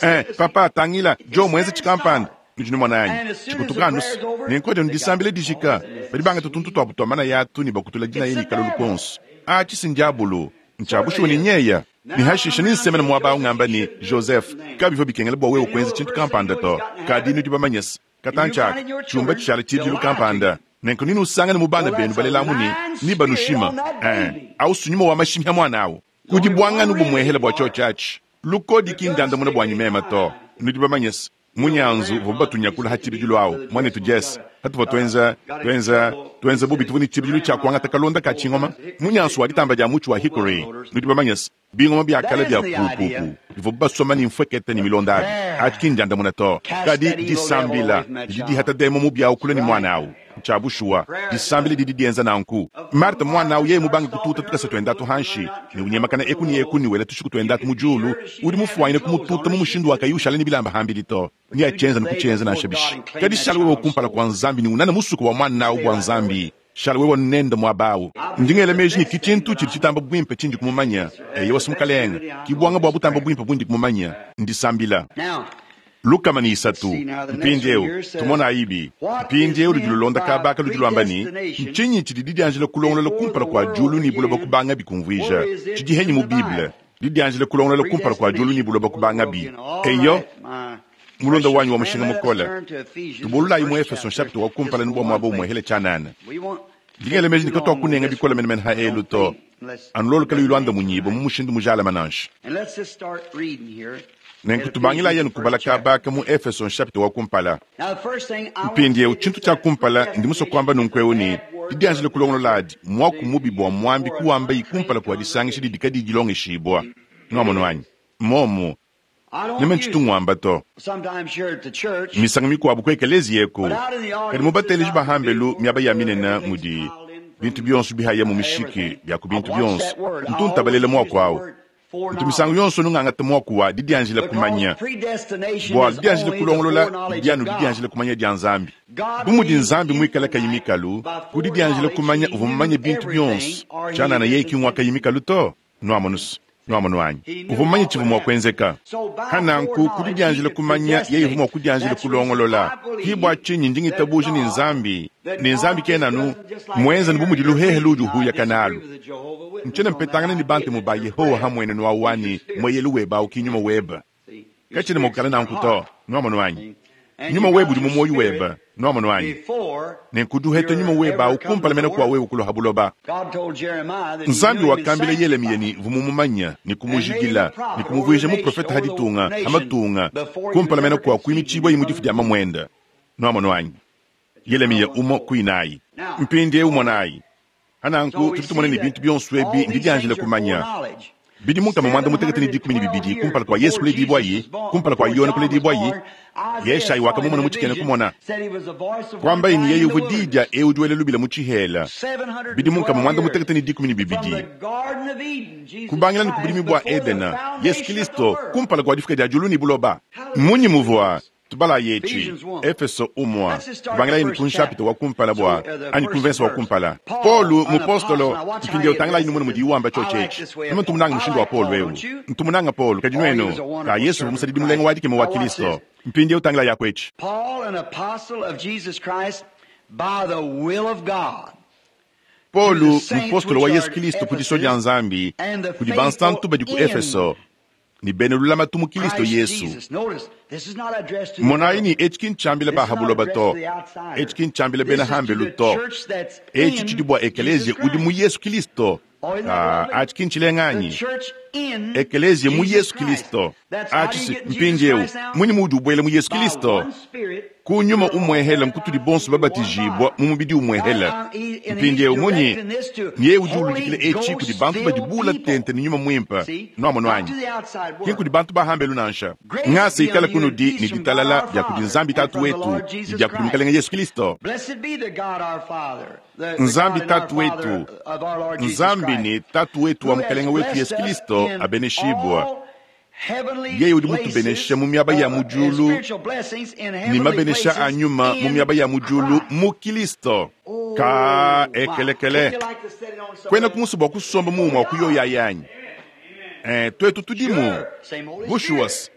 Eh, papa, tangila, Joe muenze tshikampanda. Nudi numona anyi? Tshikutuka anu se, nenku adi anu disambila dijika. Badi bangata tuntu tuabu tua manaya atu ne bakutula dinaya ne kalolu konso. Atshi si ndiabulu. Ntshia bushuwa ne nyeya. Ne hashishe nensemene muaba au ngamba ne, Joseph, kabivua bikengela bua wewe kuenza tshintu kampanda to. Kadi nudi bamanye se, katantshi aka, tshiumba tshishala tshibidilu kampanda. Nenku nenusangane mu bana benu balelamu ne, nebanushima. Ee, au si nyuma wa mashimi ha muana au. Kudi buanganu bumuehela bua tshiotshi atshi. Lukodi ki ndiandamuna buanyi meme to. Nudi bamanye se, munyanzu uvua batunyakula ha tshibidilu au, muanetu Jess, hatuvua tuenza, tuenza, tuenza bubi, tuvua ne tshibidilu tshia kuangata kalonda ka tshingoma, munyansu wa ditamba dia mutshi wa hickory. Nudi bamanye se, bingoma bia kale bia pupupu bivuabu basoma ne mfuekete ne milonda abi. Atshi ki ndiandamuna to. Kadi disambila didi dihata demon mubi au kule ne muana au. Ntshia bushuwa, disambila didi dienza nanku. Marthe muana au yeye mubange kututa tukasa tuende atu hanshi ne unyemakana eku ne eku ne wela tushiku tuende atu mu diulu, udi mufuanyine kumututa mu mushindu wa kayi ushala ne bilamba hambidi to. Neatshienze ne kutshienza nansha bishi. Kadi shala wewe kumpala kua Nzambi ne unana musuka wa muana au bua Nzambi. Shala wewe nende muaba au. Ndi ngela meji ne ki tshintu tshidi tshitamba buimpe tshindi kumumanya. Eyowa, si Mukalenge. Ki buanga bua butamba buimpe bundi kumumanya, ndisambila. 3. Mpindieu, tumonayibi. Mpindieu ludi lulonda kaba aka ludi luamba ne, Ntshinyi tshidi didianjila kulongolola kumpala kua diulu ne buloba kubangabi kumvuija? Tshidi henyi mu Bible, didianjila kulongolola kumpala kua diulu ne buloba kubangabi? Eyo, mulunda wanyi wa mushinga mukole, tubululayi mu Efeso nshapita wa kumpala ne bua muaba umuehele tshianana. Ndi ngela meji ne katuakunenga bikole menemene ha elu to, anu lolu kaluyi luandamunyibue mu mushindu mujalame nansha. Nenku tubangilayi anu kubala kaba aka mu Efeso nshapita wa kumpala. Mpindieu, tshintu tshia kumpala, ndi musue kuamba nunku'eu ne, didianjila kulongolola adi muaku mubi bua muambi kuwambayi kumpala kua disangisha didi kadiyi dilongeshibua. Nuamonu anyi? Mmuomu. Meme ntshitu nguamba to. Misangu mikuabu ku ekeleziya eku, kadi mu bateleji ba hambelu miaba ya minene mudi bintu bionso bihaya mu mishiki bia ku bintu bionso, ntu ntabalela muaku au. Ntu misangu yonso nungangata muaku wa didianjila kumanya, bualu didianjila kulongolola didi anu didianjila kumanya dia Nzambi. Bu mudi Nzambi muikale kayi mikalu, ku didianjila kumanya uvua mumanye bintu bionso, tshianana yeye ki ngua kayi mikalu to. Nuamonus, nuamonu anyi? Uvua mumanye tshivua mua kuenzeka. Pa nanku, ku didianjila kumanya, yeye uvua mua kudianjila kulongolola. Ki bua tshinyi ndi ngitabuja ne Nzambi, ne Nzambi kena anu muenza bu mudi luhehe luudi uhuyaka nalu. Ntshiena mpetangana ne Bantemu ba Yehowa ha muenenu au anyi mueyelu webe au ki nyuma webe. Katshiena mua kukala nanku to. Nuamonu anyi? Nyuma webe udi mu muoyo webe, nwamonu anyi? Nenku udi uheta nyuma webe awu kumpala mene kua wewe kulua ha buloba. Nzambi wakambila Yelemiya ne, Mvua mumumanya ne kumujidila ne kumuvuija muprofete ha ditunga, ha matunga, kumpala mene kua kuimitshibuaye mu difu dia mamuende. Nwamonu anyi? Yelemiya umue ku inayi. Mpindieu monayi. Pa nanku tudi tumona ne bintu bionso ebi mbidianjila kumanya. Bidimu nkama muanda mutekete ne 12 kumpala kua Yesu kuledibuaye, kumpala kua Yone kuledibuaye, Yeshayi wakamumona mu tshikena kumona. Kuambaye ne yeye uvua diyi dia eu udi wela lubila mu tshihela. Bidimu nkama muanda mutekete ne 12. Kubangila ne ku budimi bua Edena, Yesu Kilisto, kumpala kua difuka dia diulu ne buloba. Mmunyi muvua Tubalayi etshi, Efeso umua, kubangilayi ne ku nshapita wa kumpala bua, anyi ku mvensa wa kumpala. Polu, mupostolo, mpindiewu tangilayi numone mudiyi wamba tshiotshi etshi. Meme ntu munanga mushindu wa Polu ewu. Ntu munanga Polu, kadi nuenu? Ka Yesu uvua musadidi mulenga wa dikema wa Kilisto. Mpindiewu tangilayi aku etshi. Polu, mupostolo wa Yesu Kilisto ku disua dia Nzambi, kudi bansantu badi ku Efeso, ne bena lulamatu mu Kilisto Yesu. Monayi ne, etshi ki ntshiambila ba ha buloba to, etshi ki ntshiambila bena ha mbelu to, etshi tshidi bua ekeleziya udi mu Yesu Kilisto. Ah, atshi ki ntshilenga anyi? Ekeleziya mu Yesu Kilisto. Atshi si mpindieu, munyi muudi ubuela mu Yesu Kilisto? Ku nyuma umuehela nkutudi bonso babatijibua mu mubidi umuehela. Mpindieu munyi? Nyeye udi uludikila etshi kudi bantu badi bula tente ne Nyuma Muimpe. Nuamonu anyi? Ki nkudi bantu ba hambelu nansha. Ngasa ikale kunudi ne ditalala bia kudi Nzambi Tatu wetu ne bia kudi Mukelenge Yesu Kilisto. Nzambi Tatu wetu, Nzambi ne Tatu wetu wa Mukelenge wetu Yesu Kilisto abeneshibua. Yeye udi mutubenesha mu miaba ya mu diulu ne mabenesha a nyuma mu miaba ya mu diulu mu Kilisto. Ka ekelekele. Kuenaku musue bua kusomba mu umue wa ku yoyi ayi anyi? Eh, tuetu tudimu. Bushuwa-s,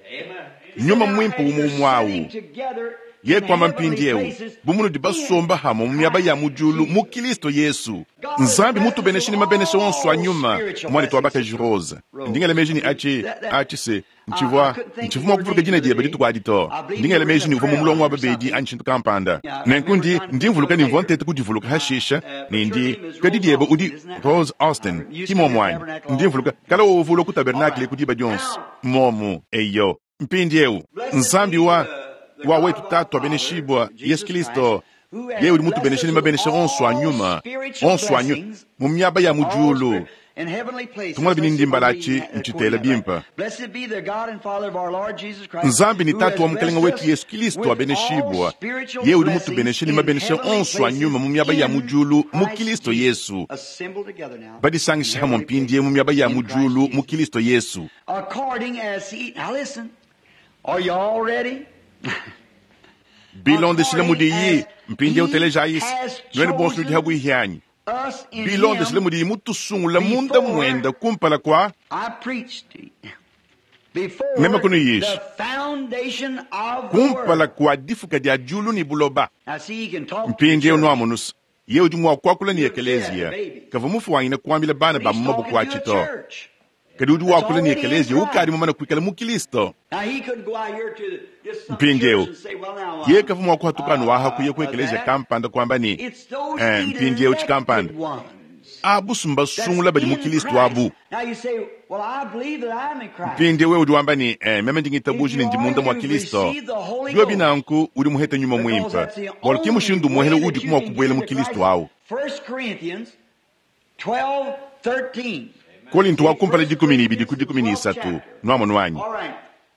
Nyuma Muimpe umue umue awu. Yeye kuamba mpindieu, bu munudi basomba hamue mu miaba ya mu diulu mu Kilisto Yesu. Nzambi mutubeneshe ne mabenesha onso a nyuma. Muanetu wa bakaji Rose, ndi ngela meji ne atshi, atshi se, ntshivua, ntshivua mua kuvuluka dina diebe dituku adi to. Ndi ngela meji ne uvua mu mulongo wa babedi anyi tshintu kampanda. Nenku ndi, ndi mvuluka ne mvua nteta kudivuluka hashisha, ne ndi, kadi diebe udi Rose Austin, ki muomu anyi? Ndi mvuluka kale wewe uvua ulua ku tabernakle eku diba dionso. Mmuomu. Eyo. Mpindieu, Nzambi wa, wa wetu Tatu abeneshibua, Yesu Kilisto, yeye udi mutubenesha ne mabenesha onso a nyuma, onso a nyu, mu miaba ya mu diulu. Tumona bini atshi ntshitela bimpe. Nzambi ne Tatu wa Mukelenge wetu Yesu Kilisto abeneshibua, yeye udi mutubenesha ne mabenesha onso a nyuma mu miaba ya mu diulu mu Kilisto Yesu. Badisangisha hamue mpindieu mu miaba ya mu diulu mu Kilisto Yesu. Bilondeshile mudiyi, mpindieu telejayi, nuenu bonso nudi habuihi anyi? Bilondeshile mudiyi mutusungula munda muenda kumpala kua meme kunuyisha, kumpala kua difuka dia diulu ne buloba. Mpindieu nuamonusa, yeye udi mua kuakula ne ekeleziya, kavua mufuanyine kuambila bana ba mu maboko atshi to. Kadi udi wakula ne ekeleziya ukadi mumane kuikala mu Kilisto. Mpindieu, yeye kavua mua kuhatuka anu aha kuya ku ekeleziya kampanda kuamba ne, eh, mpindieu tshikampanda. Abu mbasungula badi mu Kilisto abu. Mpindieu wewe udi wamba ne, eh, meme ndi ngitabuja ne ndi munda mua Kilisto. Biobi nanku, udi muhete Nyuma Muimpe, bualu ki mushindu umuehele udiku mua kubuela mu Kilisto awu. Kolinto wa kumpala 12 ku 13, nwamonu anyi?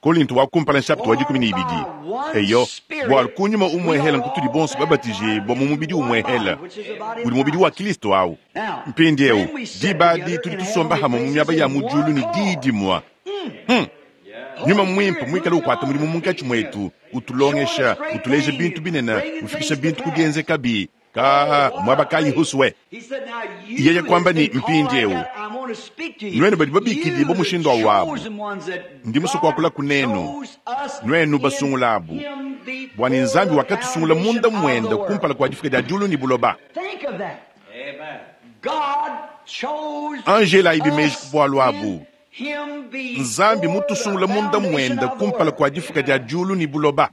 Kolinto wa kumpala nshapita wa 12. Eyo, bualu ku nyuma umuehela nkutudi bonso babatijibua mu mubidi umuehela, udi mubidi wa Kilisto awu. Mpindieu, diba adi tudi tusomba hamue mu miaba ya mu diulu ne diyi dimue. Hmm. Nyuma Muimpe muikale ukuata mudimu munkatshi muetu, utulongesha, utuleja bintu binene, ufikisha bintu ku dienzekabi. Ka muaba kayi husue. Yeye kuamba ne, Mpindieu, nuenu badi babikidibua mushindu awu abu, ndi musue kuakula kunenu, nuenu basungula abu, bua ne Nzambi wakatusungula munda muende kumpala kua difuka dia diulu ne buloba. Anji elayibi meji ku bualu abu. Nzambi mutusungula munda mwenda kumpala kwa difuka dia diulu ne buloba.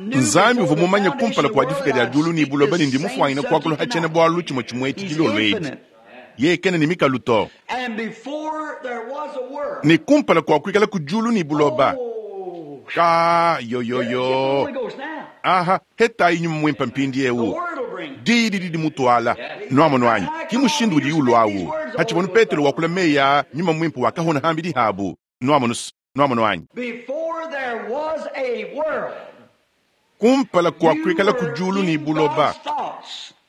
Nzambi uvua mumanye kumpala kua difuka dia diulu ne buloba ne ndi mufuanyine kuakula ha tshiena bualu tshimue tshimue etshi dilolo edi. Yeye kena ne mikalu to. Ne kumpala kua kuikala ku diulu ne buloba. Ka yoyoyo. Aha, hetayi nyuma muimpe mpindieu. Diyi didi dimutuala. Nuamonu anyi? Ki mushindu udiyi ulua awu. Hatshivua Petelo wakula meyi aa, nyuma muimpe wakahona hambidi habu. Nuamonu, nuamonu anyi? Kumpala kua kuikala ku diulu ne buloba,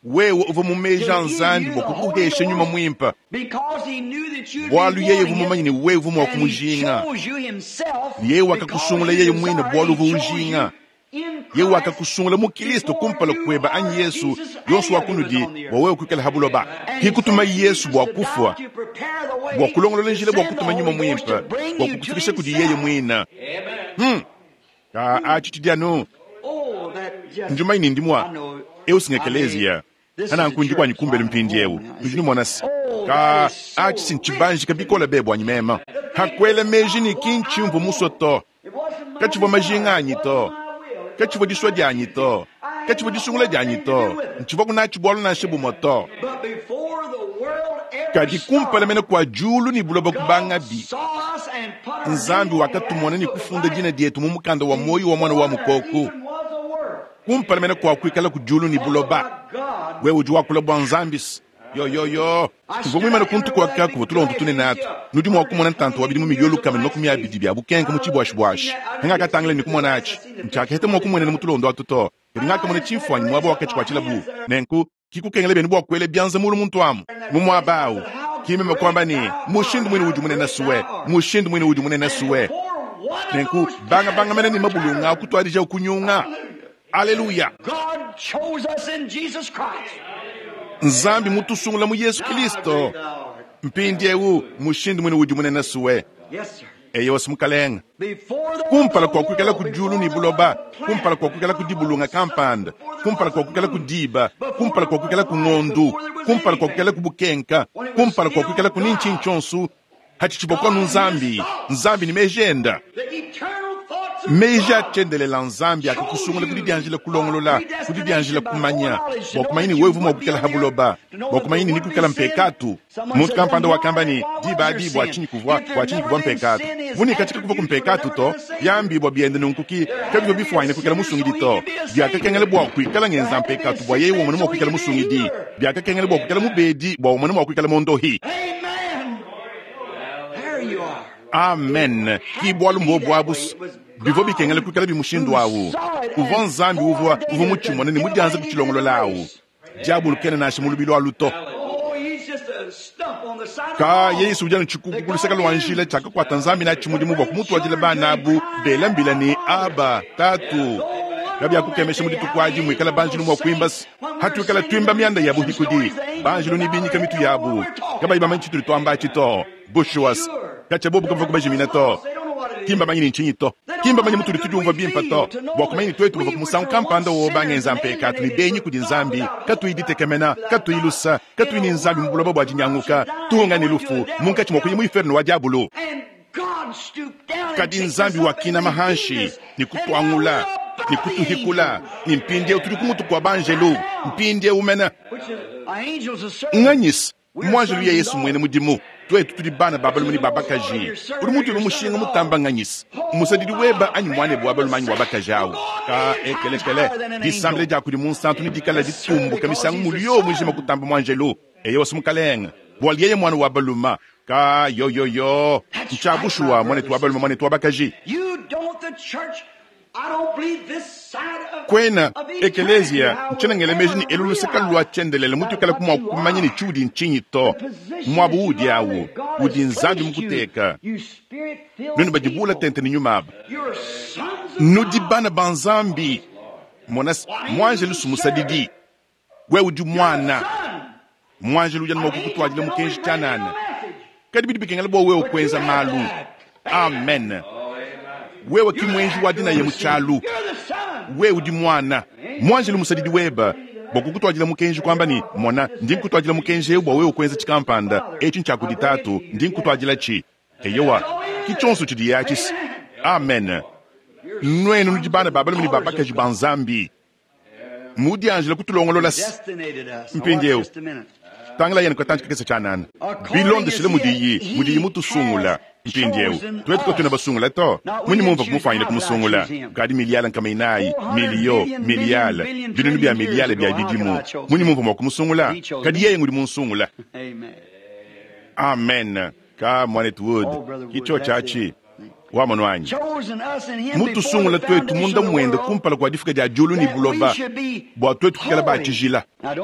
wewe uvua mu meji a Nzambi bua kukuhesha nyuma muimpe, bualu yeye uvua mumanye ne wewe uvua mua kumujinga. Yeye wakakusungula yeye muine bualu uvua ujinga. Yeye wakakusungula mu Kristo kumpala kueba anyi Yesu yonso wa kunudi bua wewe kuikala ha buloba. Kikutuma Yesu bua kufua, bua kulongolola njila bua kutuma nyuma muimpe bua kukufikisha kudi yeye muine. Ka atshi tshidi anu njumayi ne ndimua eu singekelezia ananku ndi kuanyi kumbelu mpindieu nudi numona se ka atshi sintshibanjika bikola be buanyi mema hakuela meji ne kinchi mvua musue to katshivua majinga anyi to katshivua disua dianyi to katshivua disungula dianyi to ntshivua kunatshi bualu nansha bumue to. Kadi kumpala mene kua diulu ne buloba kubangabi, Nzambi wakatumona ne kufunda dina dietu mu mukanda wa muoyo wa mwana wa mukoko. Kumpala mene kua kuikala ku diulu ne buloba, wewe udi wakula bua Nzambi yo yo yo. Tuvua muimane kuntu kuaka kuvua tulondu tunene atu. Nudi mua kumona ntantu wa bidimu miliyo 120 bia bukenka mu tshibuashibuashi. Ngakatangila ne kumona atshi ntshiakaheta mua kumuenena mu tulondo atu to. Kadi ngakamona tshimfuanyi muaba wakatshikuatshila bu nenku kikukengela benu bua kuela bianza mulu muntu amu mu muaba awu. Kimeme kuamba ne mushindu muine udi munene suwe, mushindu muine udi munene suwe. Nenku banga banga mene ne mabulunga akutuadija kunyunga. Aleluya! Nzambi mutusungula mu Yesu Kristo. Mpindieu mushindu muine udi munene suwe. Eyo mukalenga. Kumpala kua kuikala ku diulu ne buloba, kumpala kua kuikala ku dibulunga kampanda, kumpala kua kuikala ku diba, kumpala kua kuikala ku ngondu, kumpala kua kuikala ku bukenka, kumpala kua kuikala ku nintshi ntshonsu, hatshitshibua kwanu Nzambi, Nzambi ni mejenda. Meji atyendelela Nzambi akakusungula kudi dianjila kulongolola, kudi dianjila kumanya, bua kumanya ne wewe mua kuikala ha buloba, bua kumanya ne nikuikala mpekatu. Muntu kampanda wakamba ne diba adi bua tshinyi kuvua, bua tshinyi kuvua mpekatu. Vuni katika kuvua kumpekatu to, byambi bua biende nunkuki, kabivua bifuanyine kuikala musungidi to. Byakakengela bua kuikala ngenza mpekatu bua yeye womone mua kuikala musungidi. Byakakengela bua kuikala mubedi bua womone mua kuikala mondohi. Amen. Ki bualu mbobu abu bivua bikengela kuikala bimushindu awu. Uvua Nzambi uvua uvua mutshimone ne mudianze kutshilongolola awu. Diabulu kena nansha mu lubilo alu to. Ka Yesu udi anu tshikuku ku luseke lua njila tshiakakuata Nzambi natshi mudimu bua kumutuadila bana abu bela mbila ne aba tatu. Kabiakukemesha mu dituku adi muikala banjelu mua kuimba hatuikala tuimba mianda ya buhikudi. Banjelu ne binyika mitu yabu kabayi bamanye tshitudi tuamba atshi to. Bushuwas katsha bobu kavua kubajimina to. Kimba manyi ni nchinyi to. Kimba manyi mutudi tudiumvua bimpe to. Bua kumanya ne tuetu bavua ku musangu kampanda wo bangenza mpekatu ne benyi kudi Nzambi, katuyi ditekemena, katuyi lusa, katuyi ne Nzambi mu buloba bua dinyanguka, tuhunga ne lufu munkatshi mua kuya mu inferno wa diabulu. Kadi Nzambi wakinama hanshi ne kutuangula ne kutuhikula ne mpindieu tudi ku mutu kua banjelu mpindieu mena. Nganyisa mwanjelu ya Yesu mwene mudimu. Tuetu tudi bana ba balume ne ba bakaji. Udi mutu ebe mushinga mutamba nganyisa musadidi weba anyi mwane bua balume anyi wa bakaji awu. Ka ekelekele disambila dia kudi munsantu ne dikala ditumbuka misangu mulio mujima kutamba mwanjelu. Eyo wasi mukalenga bua yeye mwana wa balume. Ka yo yo yo ntshabushuwa mwanetu wa balume mwanetu wa bakaji. Kwena ekelezia ntshenengele meji ne elu luseka lua tshiendelele mutuikala kumua kumanya ne tshiudi ntshinyi to. Muabu udi awu udi Nzambi mukuteka. Nuenu badibula tente ne nyuma aba. Nudi bana ba Nzambi. Mona mwanjelu sumusadidi. Wewe udi mwana. Mwanjelu udi anu kukutuadila mukenji tshianana. Kadi bidi bikengela bua wewe kuenza malu. Amen. Wewe ki mwenji wa dina ya mutshialu. Wewe udi mwana. Mwanjelu musadidi weba bua kukutuadila mukenji kwamba ni mona ndi nkutuadila mukenji eu bua wewe kuenza tshikampanda etshi ntshia kudi tatu ndi nkutuadila tshi. Eyowa, ki tshionso tshidiye atshi. Amen. Nuenu nudi bana ba balume ne ba bakaji ba Nzambi. Mudianjila kutulongolola. Mpindieu tangila yenu katanci kakese tshianana bilondeshile mudiyi mudiyi mutusungula. Mpindieu tuetu katuena basungula to. Munyi mumvua kumufanyine kumusungula? Kukadi miliyale 400, miliyo, miliyale, binunu bia miliyale bia bidimu. Munyi mumvua mua kumusungula? Kadi yeye ngudi munsungula. Amen. Ka muanetu Wood, ki tshiotshi atshi. Wamonu anyi? Mutusungula tuetu munda muende kumpala kua difuka dia diulu ne buloba, bua tuetu kuikala ba tshijila.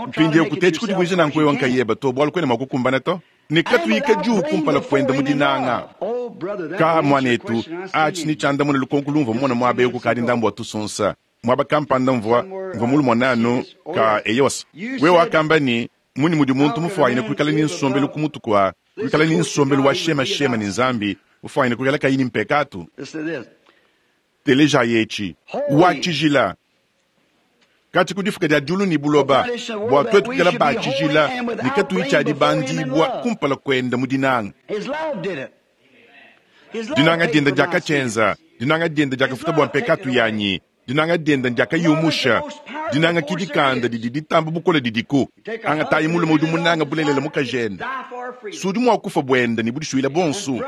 Mpindieu kutetshi kudivuija nanku wewe nkayebe to, bualu kuena mua kukumbana to, ne katuyi kadiu kumpala kuende mu dinanga. Ka muanetu, atshi ni tshiandamuna lukonko lumvua mumone muaba eu kukadi ndambu wa tusunsa. Muaba kampanda mvua mvua mulumone anu ka eyowa. Wewe wakamba ne, Mmunyi mudi muntu mufuanyine kuikala ne nsombelu ku mutu kua kuikala ne nsombelu wa shemashema ne Nzambi, mufuanyine kuikala kayi ne mpekatu? Telejayi etshi, Wa tshijila katshia ku difuka dia diulu ne buloba, bua tuetu kuikala ba tshijila ne katuyi tshia dibandibua kumpala kuende mu dinanga. Dinanga diende diakatshienza, dinanga diende diakafuta bua mpekatu yanyi. Dinanga diende ndiakayumusha. Dinanga ki dikanda didi ditamba bukole didiku. Angatayi mulume udi munange bulelela mukajende, si udi mua kufua buende ne budisuile buonso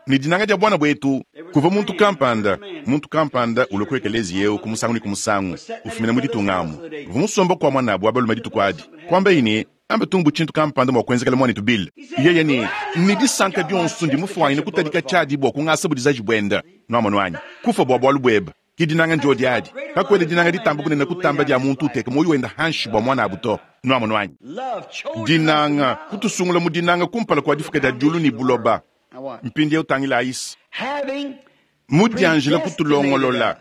ne dinanga dia buana buetu. Kuvua muntu kampanda, muntu kampanda ulua ku ekeleziya eu ku musangu ne ku musangu, ufumina mu ditunga amu. Uvua musomba kua muanabu wa balume dituku adi. Kuambaye ne, Amba tung bu tshintu kampanda mua kuenzekela muanetu Bill. Yeye ne, Ne disanka dionso ndi mufuanyine kutadika tshiadi bua kungasa budizaji buende. Nuamonu anyi? Kufua bua bualu buebe. Ki dinanga ndiodi adi. Kakuena dinanga ditamba bunene kutamba dia muntu uteka muoyo wende hanshi bua muanabu to. Nuamonu anyi? Dinanga, kutusungula mu dinanga kumpala kua difuka dia diulu ne buloba. Mpindieu tangilayi. Mudianjila kutulongolola.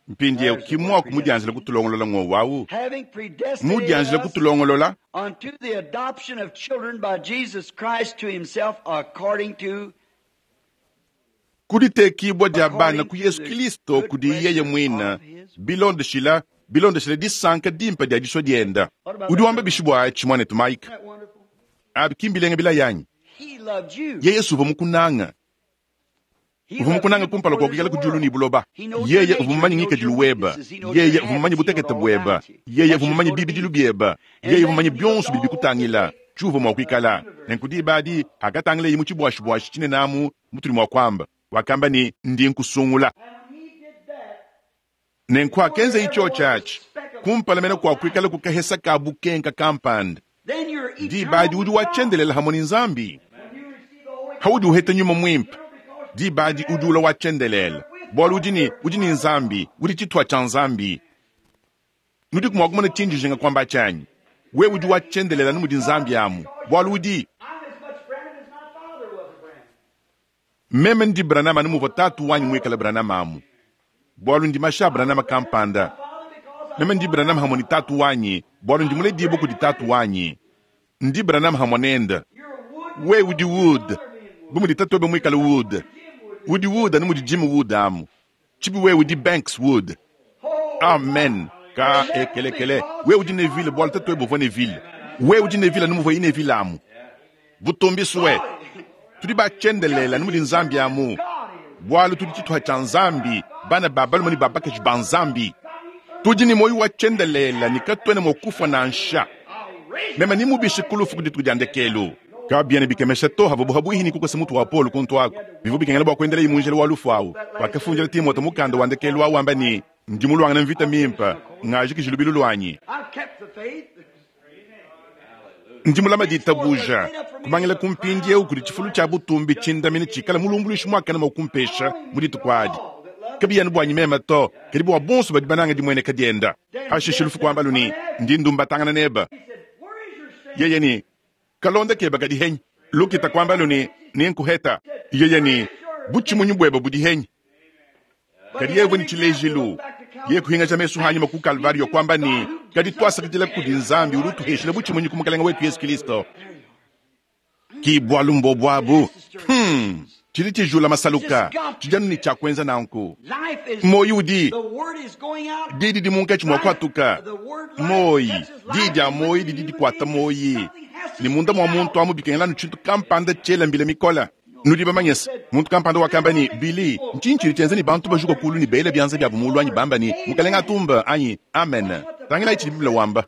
Mpindieu ki muaku mudianjila kutulongolola ng'wowu au? Mudianjila kutulongolola. Unto the adoption of children by Jesus Christ to himself according to Ku ditekibua dia bana ku Yezu Kilisto kudi yeye muine, bilondeshila, bilondeshila disanka dimpe dia disua diende. Udi wamba bishi bua atshi, muanetu Mike? Abi ki mbilenga bilaya anyi? He loved you. Yeye uvua mukunanga. Uvua mukunange kumpala kua kuikala ku diulu ne buloba. Yeye uvua mumanye ngikadilu webe. Yeye uvua mumanye butekete buebe. Yeye uvua mumanye bibidilu biebe. Yeye uvua mumanye bionso bidi bikutangila, tshiuvua mua kuikala. Nenku diba adi, pakatangileye mu tshibuashibuashi tshinene amu, mutudi mua kuamba, wakamba ne, Ndi nkusungula. Nenku akenzaye tshiotshi atshi, kumpala mene kua kuikala ku kahesa ka bukenka kampanda. Diba adi udi wa tshiendelela hamue ne Nzambi. Haudi uheta Nyuma Muimpe, diba adi udi ulua wa tshiendelele, bualu udi ne, udi ne Nzambi, udi tshituha tshia Nzambi. Nudiku mua kumona tshindi njinga kuamba atshi anyi? Wewe udi wa tshiendelele anu mudi Nzambi amu, bualu udi. Meme ndi Branham anu muvua tatu wanyi muikale Branham amu, bualu ndi mashi a Branham kampanda. Meme ndi Branham hamue ne tatu wanyi, bualu ndi muledibue kudi tatu wanyi. Ndi Branham hamue nende. Wewe udi Wood, bu mudi tatuebe muikale Wood. Udi Wood anu mudi Jim Wood amu. Tshibi wewe udi Banks Wood. Amen. Ka ekelekele. Wewe udi Neville bualu tatuebe uvua Neville. Wewe udi Neville anu muvuaye Neville amu. Butumbi sue. Tudi ba tshiendelele anu mudi Nzambi amu, bualu tudi tshituha tshia Nzambi, bana ba balume ne ba bakaji ba Nzambi. Tudi ne muoyo wa tshiendelele ne katuena mua kufua nansha. Meme nemubishe ku lufu ku dituku dia ndekelu. Kabiena bikemesha to havuabu habuihi ne kukosa mutu wa Paulo kuntu aku. Bivua bikengela bua kuendelaye mu njila wa lufu au. Wakafundila Timote mukanda wa ndekelu au wamba ne, Ndi muluangane mvita mimpe, ngajikiji lubilu luanyi. Ndi mulame ditabuja. Kubangila ku mpindieu kudi tshifulu tshia butumbi tshindamine tshikala mulumbuluishi muakane mua kumpesha mu dituku adi. Kabiyi anu buanyi meme to, kadi bua bonso badi banange dimueneka diende. Pashishe lufu kuambalu ne, Ndi ndumbatangana nebe. Yeye ne, Kalonda kebe kadi henyi? Lukita kuambalu ne, Nenkuheta. Yeye ne, Butshimunyi buebe budi henyi? Kadi yeye uvua ne tshilejilu. Yeye kuhingaja mesu anyima ku Kalvario kuamba ne, Kadi tuasakidila kudi Nzambi udi utuheshila butshimunyi ku Mukalenge wetu Yesu Kristo. Ki bualu mbobu abu. Tshidi tshijula masaluka, tshidi anu ne tshia kuenza nanku. Muoyo udi di didi munkatshi mua kuatuka. Muoyi, di dia muoyo didi dikuata muoyi. Ne munda mua muntu amu bikengela anu tshintu kampanda tshiela mbila mikole. Nudi bamanye se, muntu kampanda wakamba ne, Billy, ntshinyi tshidi tshienza ne bantu bajuka kuulu ne bela bianza biabu muulu anyi bamba ne, Mukalenge atumbe anyi Amen. Tangilayi tshidi Bible wamba.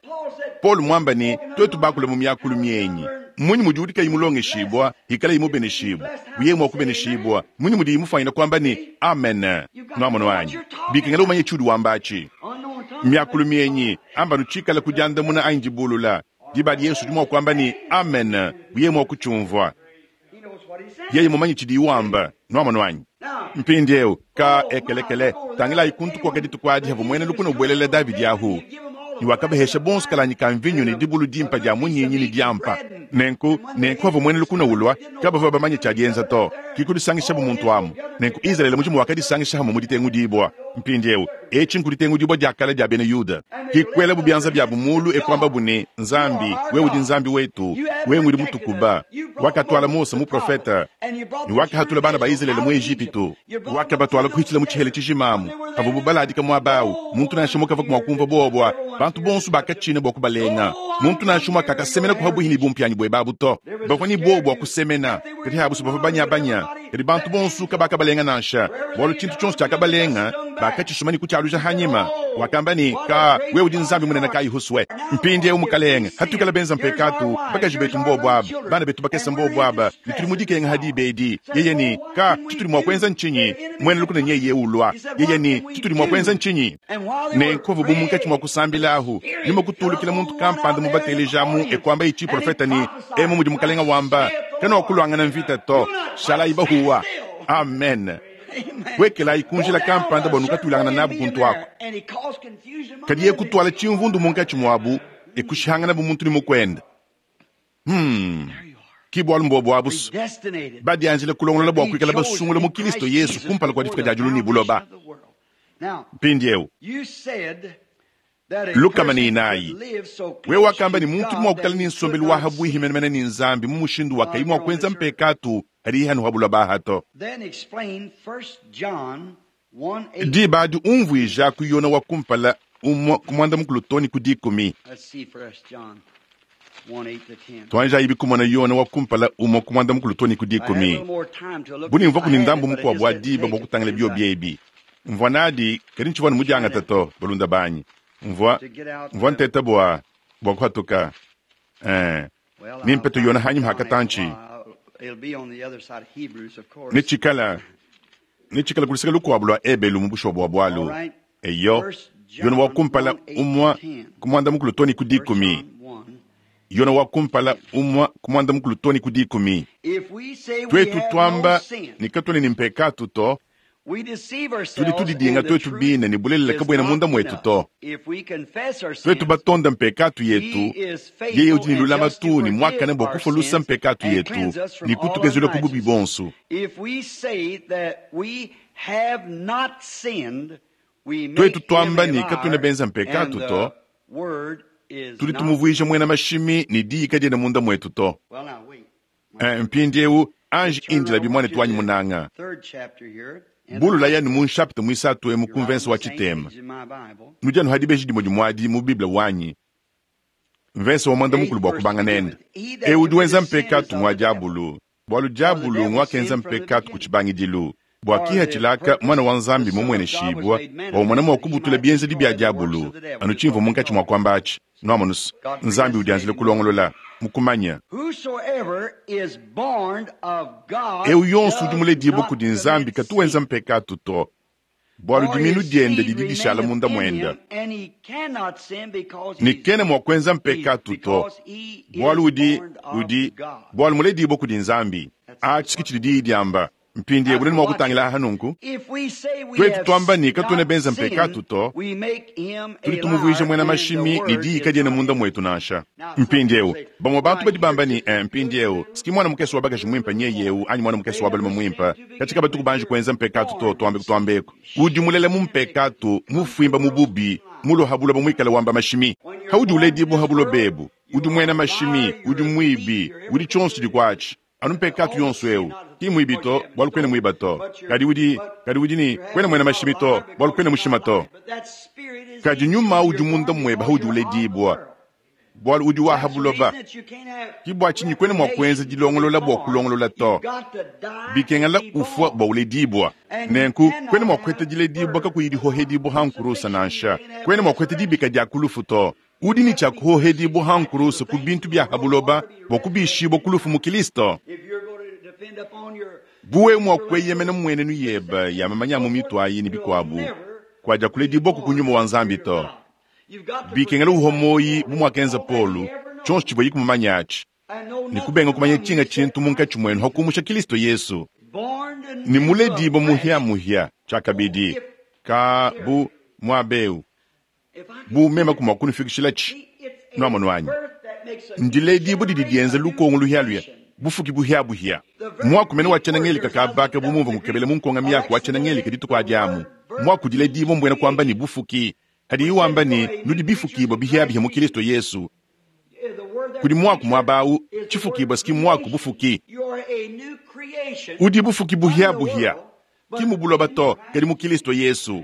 Paulo muamba ne, tuetu bakule mu miakulu mienyi, mmunyi mudi udi kayi mulongeshibua ikalayi mubeneshibua? Bu yeye mua kubeneshibua, mmunyi mudiyi mufuanyine kuamba ne, Amen? Nuamono anyi? Bikengela umanye tshiudi wamba atshi. Miakulu mienyi, amba anu tshikale ku diandamuna anyi dibulula. Diba adi Yesu udi mua kuamba ne, Amen, bu yeye mua kutshiumvua. Yeye mumanye tshidiyi wamba. Nuamono anyi? Mpindieu, ka ekelekele, tangilayi kuntu kuaka dituku adi havua muena lukuna ubuelela Davidi ahu, ne wakabahesha bonso kalanyi ka mvinyo ne dibulu dimpa dia munyinyi ne diampa. Nenku, nenku havua muena lukuna ulua, kabavua bamanye tshia dienza to, ki kudisangishabu muntu amu. Nenku Izalele mujima wakadisangisha hamue mu ditengudibua. Mpindieu, etshi nkuditengudibua dia kale dia bena Yuda. Ki kuelabu bianza biabu mulu e kuambabu ne, Nzambi, wewe udi Nzambi wetu, wewe ngudi mutukuba. Wakatuala Mose muprofete, ne wakahatula bana ba Izalele mu Ejipitu. Wakabatuala kuhitshila mu tshihela tshijima amu havuabu baladika muaba au. Muntu nansha umue kavua mua kumvua buowa bua bantu bonso bakatshina bua kubalenga. Muntu nansha umue kakasemena ku habuihi ne bumpianyi buebe abu to. Bavua ne buowa bua kusemena, kadi habusu bavua banyabanya. Kadi bantu bonso kabakabalenga nansha, bualu tshintu tshionso tshiakabalenga bakatshisuma ne kutshialuja hanyima. Wakamba ne, Ka, wewe udi Nzambi munene kayi husue. Mpindieu, Mukalenge, hatuikala benza mpekatu, bakaji betu mbobu aba, bana betu bakese mbobu aba, ne tudi mu dikenga ha diba edi. Yeye ne, Ka, tshitudi mua kuenza ntshinyi? Muena lukuna nyeye ulua. Yeye ne, Tshitudi mua kuenza ntshinyi? Nenku avu bu munkatshi mua kusambila ahu, nyuma kutulukila muntu kampanda mubatelejamu e kuambaye tshiprofete ne, Emu mudi Mukalenge wamba, kanuakuluangana mvita to, shalayi bahuwa. Amen. Puekelayi ku njila kampanda bua nukatuilangana nabu kuntu aku. Kadi ye kutuala tshimvundu munkatshi muabu, e kushihanganabu muntu ne mukuende. Hmm. Ki bualu mbuobu abu badianjila kulongolola bua kuikala basungula mu Kristo Yesu kumpala kua difuka dia diulu ne buloba. Mpindieu 140. Wewe wakamba ne muntu udi mua kuikala ne nsombelu wa habuihi menemene ne Nzambi mu mushindu wa kayi mua kuenza mpekatu hadiye hanu ha buloba aha to. Diba adi umvuija ku Yona wa kumpala umue ku muanda mukulu too ne ku dikumi. Tuanjayibi kumona Yona wa kumpala umue ku muanda mukulu too ne ku dikumi. Bu ne mvuaku ne ndambu mukuabu wa diba bua kutangila biobi ebi, mvua nadi, kadi ntshivua anu mudiangate to, balunda banyi. Mvua, mvua nteta bua, bua kuhatuka. Ee, nempete Yona hanyima ha katantshi. Netshikala, netshikala ku luseke lukuabu lua Ebelu mu bushuwa bua bualu. Eyo, Yona wa kumpala umua ku muanda mukulu too ne ku dikumi. Yona wa kumpala umua ku muanda mukulu too ne ku dikumi. Tuetu tuamba ne katuena ne mpekatu to, tudi tudidinga tuetu bine ne bulelela kabuena munda muetu to. Tuetu batonda mpekatu yetu, yeye udi ne lulamatu ne muakane bua kufua lusa mpekatu yetu ne kutukezula ku bubi buonso. Tuetu tuamba ne katuena benza mpekatu to, tudi tumuvuija muena mashimi ne diyi kadiena munda muetu to. Mpindieu anji indilabi muanetu wanyi munanga. Bululayi anu mu nshapita muisatu emu ku mvensa wa tshitema. Nudi anu ha dibeji dimue dimue adi mu Bible wanyi, mvensa wa muanda mukulu bua kubanga nende. Eu udi wenza mpekatu ngua diabulu, bualu diabulu nguakenza mpekatu ku tshibangidilu. Bua kihatshila aka Muana wa Nzambi mumueneshibua, bua umona mua kubutula bienzedi bia diabulu. Anu tshimvua munkatshi mua kuamba atshi, nuamonus, Nzambi udianjila kulongolola, mu kumanya. Eu yonso udi muledibue kudi Nzambi katu wenza mpekatu to, bualu diminu diende didi dishala munda muende, ne kena mua kuenza mpekatu to, bualu udi, udi, bualu muledibue kudi Nzambi. Atshi ke tshidi Diyi diamba. Mpindieu nudi mua kutangila aha nunku, tuetu tuamba ne katuena benza mpekatu to, tudi tumuvuija muena mashimi ne diyi kadiena munda muetu nansha. Mpindieu bamue bantu badi bamba ne, eh, mpindieu si muana mukese wa bakaji muimpe nyeye eu anyi muana mukese wa balume muimpe, katshi kabatuku banji kuenza mpekatu to, tuambe kutuambeku. Udi mulela mu mpekatu, mufuimba mu bubi, mulua ha buloba muikale wamba mashimi. Haudi uledibua ha buloba ebu, udi muena mashimi, udi muibi, udi tshionso tshidi kuatshi. Anu mpekatu yonso eu ki mmuibi to, bualu kuena muiba to. Kadi udi, kadi udi ne, kuena muena mashimi to, bualu kuena mushima to. Kadi nyuma udi munda muebe haudi uledibua. Bwalu udi wa ha buloba. Ki bwa cinyi kwena mwa kwenza dilongolola bwa kulongolola to. Bikengela ufwa bwa uledibwa. Nenku, kwena mwa kuheta diledibwa kakuyi dihohedibwa ha nkurusa nansha. Kwena mwa kuheta dibika dya ku lufu to. Udi ne tshia kuhohedibwa ha nkurusa ku bintu bya ha buloba bwa kubishibwa ku lufu mu Kilisto. Bu wewe mwa kueyemena mmuenenu yebe ya mamanya a mu mitu ayi ne bikuabu, kuadiakuledibuaku ku Nyuma wa Nzambi to. Bikengela uhua muoyi bu muakenza Paulo, tshionso tshivuaye kumumanya atshi, ne kubenga kumanya tshinga tshintu munkatshi muenu ha kumusha Kilisto Yesu, ne muledibua muhia-muhia tshiakabidi, ka bu muaba eu, bu meme kumua kunufikishilatshi. Nuamonu anyi? Ndiledibua didi dienza lukongo luhia-luhia, bufuki buhia-buhia. Muaku mene wa tshiena-Ngelika kabaka bu mumvua ngukebela mu nkonga-miaku wa tshiena-Ngelika dituku adi amu. Muaku diledibua mbuena kuamba ne bufuki. Hadiye wamba ne, Nudi bifukibua bihiabihia mu Kilisto Yesu. Kudi muaku muaba au, tshifukibua ski muaku bufuki. Udi bufuki buhiabuhia, ki mu buloba to, kadi mu Kilisto Yesu.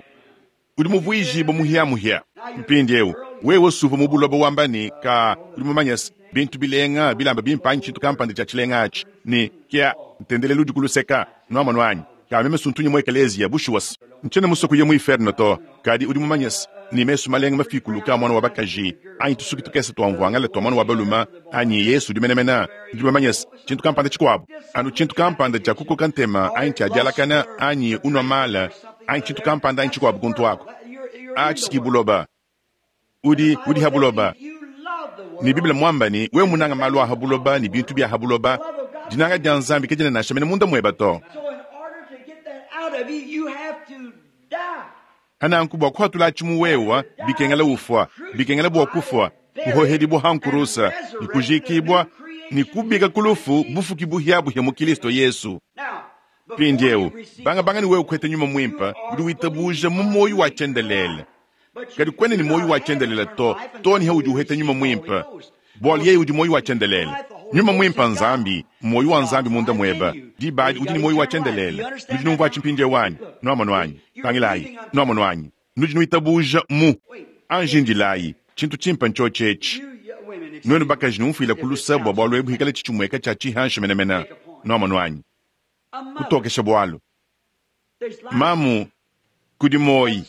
Udi muvuijibue muhiamuhia. Mpindieu, wewe suvua mu buloba wamba ne, Ka, udi mumanye se, bintu bilenga, bilamba bimpe anyi tshintu kampanda tshia tshilenga atshi, ne, kia, ntendelelu udi ku luseka. Nuamonu anyi? Ka meme suntunye mu ekeleziya, bushuwa se, ntshiena musue kuya mu iferno to. Kadi udi mumanye se, ne mesu malenga mafikuluke a muana wa bakaji, anyi tusuki tukese tua mvuangale tua muana wa balume, anyi Yesu udi menemene, nudi bamanye se, tshintu kampanda tshikuabu, anu tshintu kampanda tshia kukoka ntema, anyi tshia dialakana, anyi unua mala, anyi tshintu kampanda anyi tshikuabu kuntu aku. Atshi ki buloba. Udi, udi ha buloba. Ne Bible muamba ne, wewe munanga malu a ha buloba ne bintu bia ha buloba, dinanga dia Nzambi kadiena nansha mene munda mueba to. Hananku bua kuhatulatshi mu wewa, bikengela ufua, bikengela bua kufua, kuhohedibua ha nkurusa, ne kujikibua, ne kubika ku lufu, bufuki buhia-buhia mu Kilisto Yesu. Mpindieu, bangabanga ne wewe kuheta Nyuma Muimpe, udi witabuja mu muoyo wa tshiendelele. Kadi kuena ne muoyo wa tshiendelele to, to ne haudi uheta Nyuma Muimpe, bualu yeye udi muoyo wa tshiendelele. Nyuma Muimpe n'Nzambi, muoyo wa Nzambi munda muebe. Diba adi udi ne muoyo wa tshiendelele. Nudi numvua atshi mpindieu anyi? Nuamonu anyi? Tangilayi. Nuamonu anyi? Nudi nuitabuja mu. Anji indilayi. Tshintu tshimpe ntshiotshi etshi. Nuenu bakaji numfuile ku luse bua bualu ebu hikale tshitshimueka tshia tshihanshi menemene. Nuamonu anyi? Kutokesha bualu. Mamu, kudi muoyi.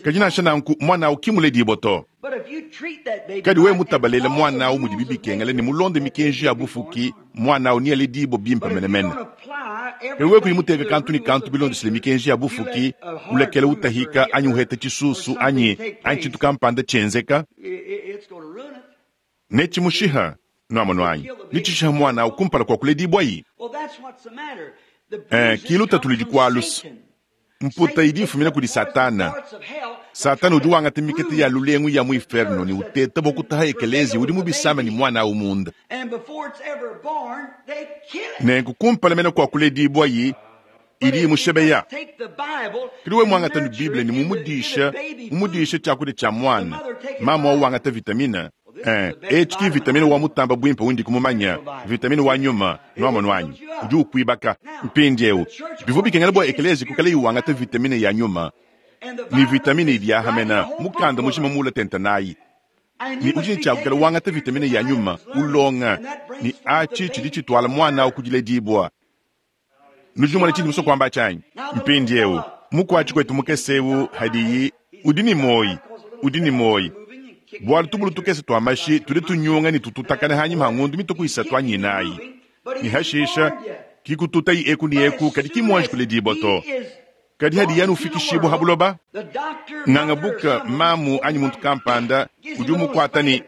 Kadi nansha nanku muana au ki muledibue to. Kadi wewe mutabalele muana au mudibi bikengela ne mulonde mikenji ya bufuki, muana au nealedibue bimpe menemene. Kadi wewe kuyi muteke kantu ne kantu bilondeshile mikenji ya bufuki, ulekela utahika anyi uheta tshisusu anyi anyi tshintu kampanda tshienzeka, netshimushiha. Nuamonu anyi? Netshishiha muana au kumpala kua kuledibuayi. Eh, ki lutatu ludi kualusa. Mputa idi ifumina kudi Satana. Satana udi wangata mikete ya lulengu ya mu iferno ne uteta bua kutaha ekeleziya udi mu bisama ne muana au munda. Nenku kumpala mene kua kuledibuayi, idi imushebeya. Kadi wewe muangata ne Bible ne mumudisha, mumudisha tshiakudia tshia muana, mamu au wangata vitamine. Eh, etshi ki vitamine wa mutamba buimpe undi kumumanya, vitamine wa nyuma, nuamonu anyi, udi ukuibaka. Mpindieu, bivua bikengela bua ekeleziya kuikalayi wangata vitamine ya nyuma, ne vitamine idi yahamena mukanda mujima muula tente nayi. Ne udi ne tshia kuikala wangata vitamine ya nyuma, ulonga, ne atshi tshidi tshituala muana au ku diledibua. Nudi numona tshindi musue kuamba atshi anyi? Mpindieu, mukuatshi kuetu mukese eu hadiyi, udi ne muoyi, udi ne muoyi, bualu tubulu tukese tua mashi tudi tunyunga ne tututakana hanyima ha ngondu mituku isatu anyi inayi, ne hashisha ki kututayi eku ne eku, kadi ki muanji kuledibua to. Kadi hadiye anu ufikishibua ha buloba, nganga buka mamu anyi muntu kampanda udi umukuata ne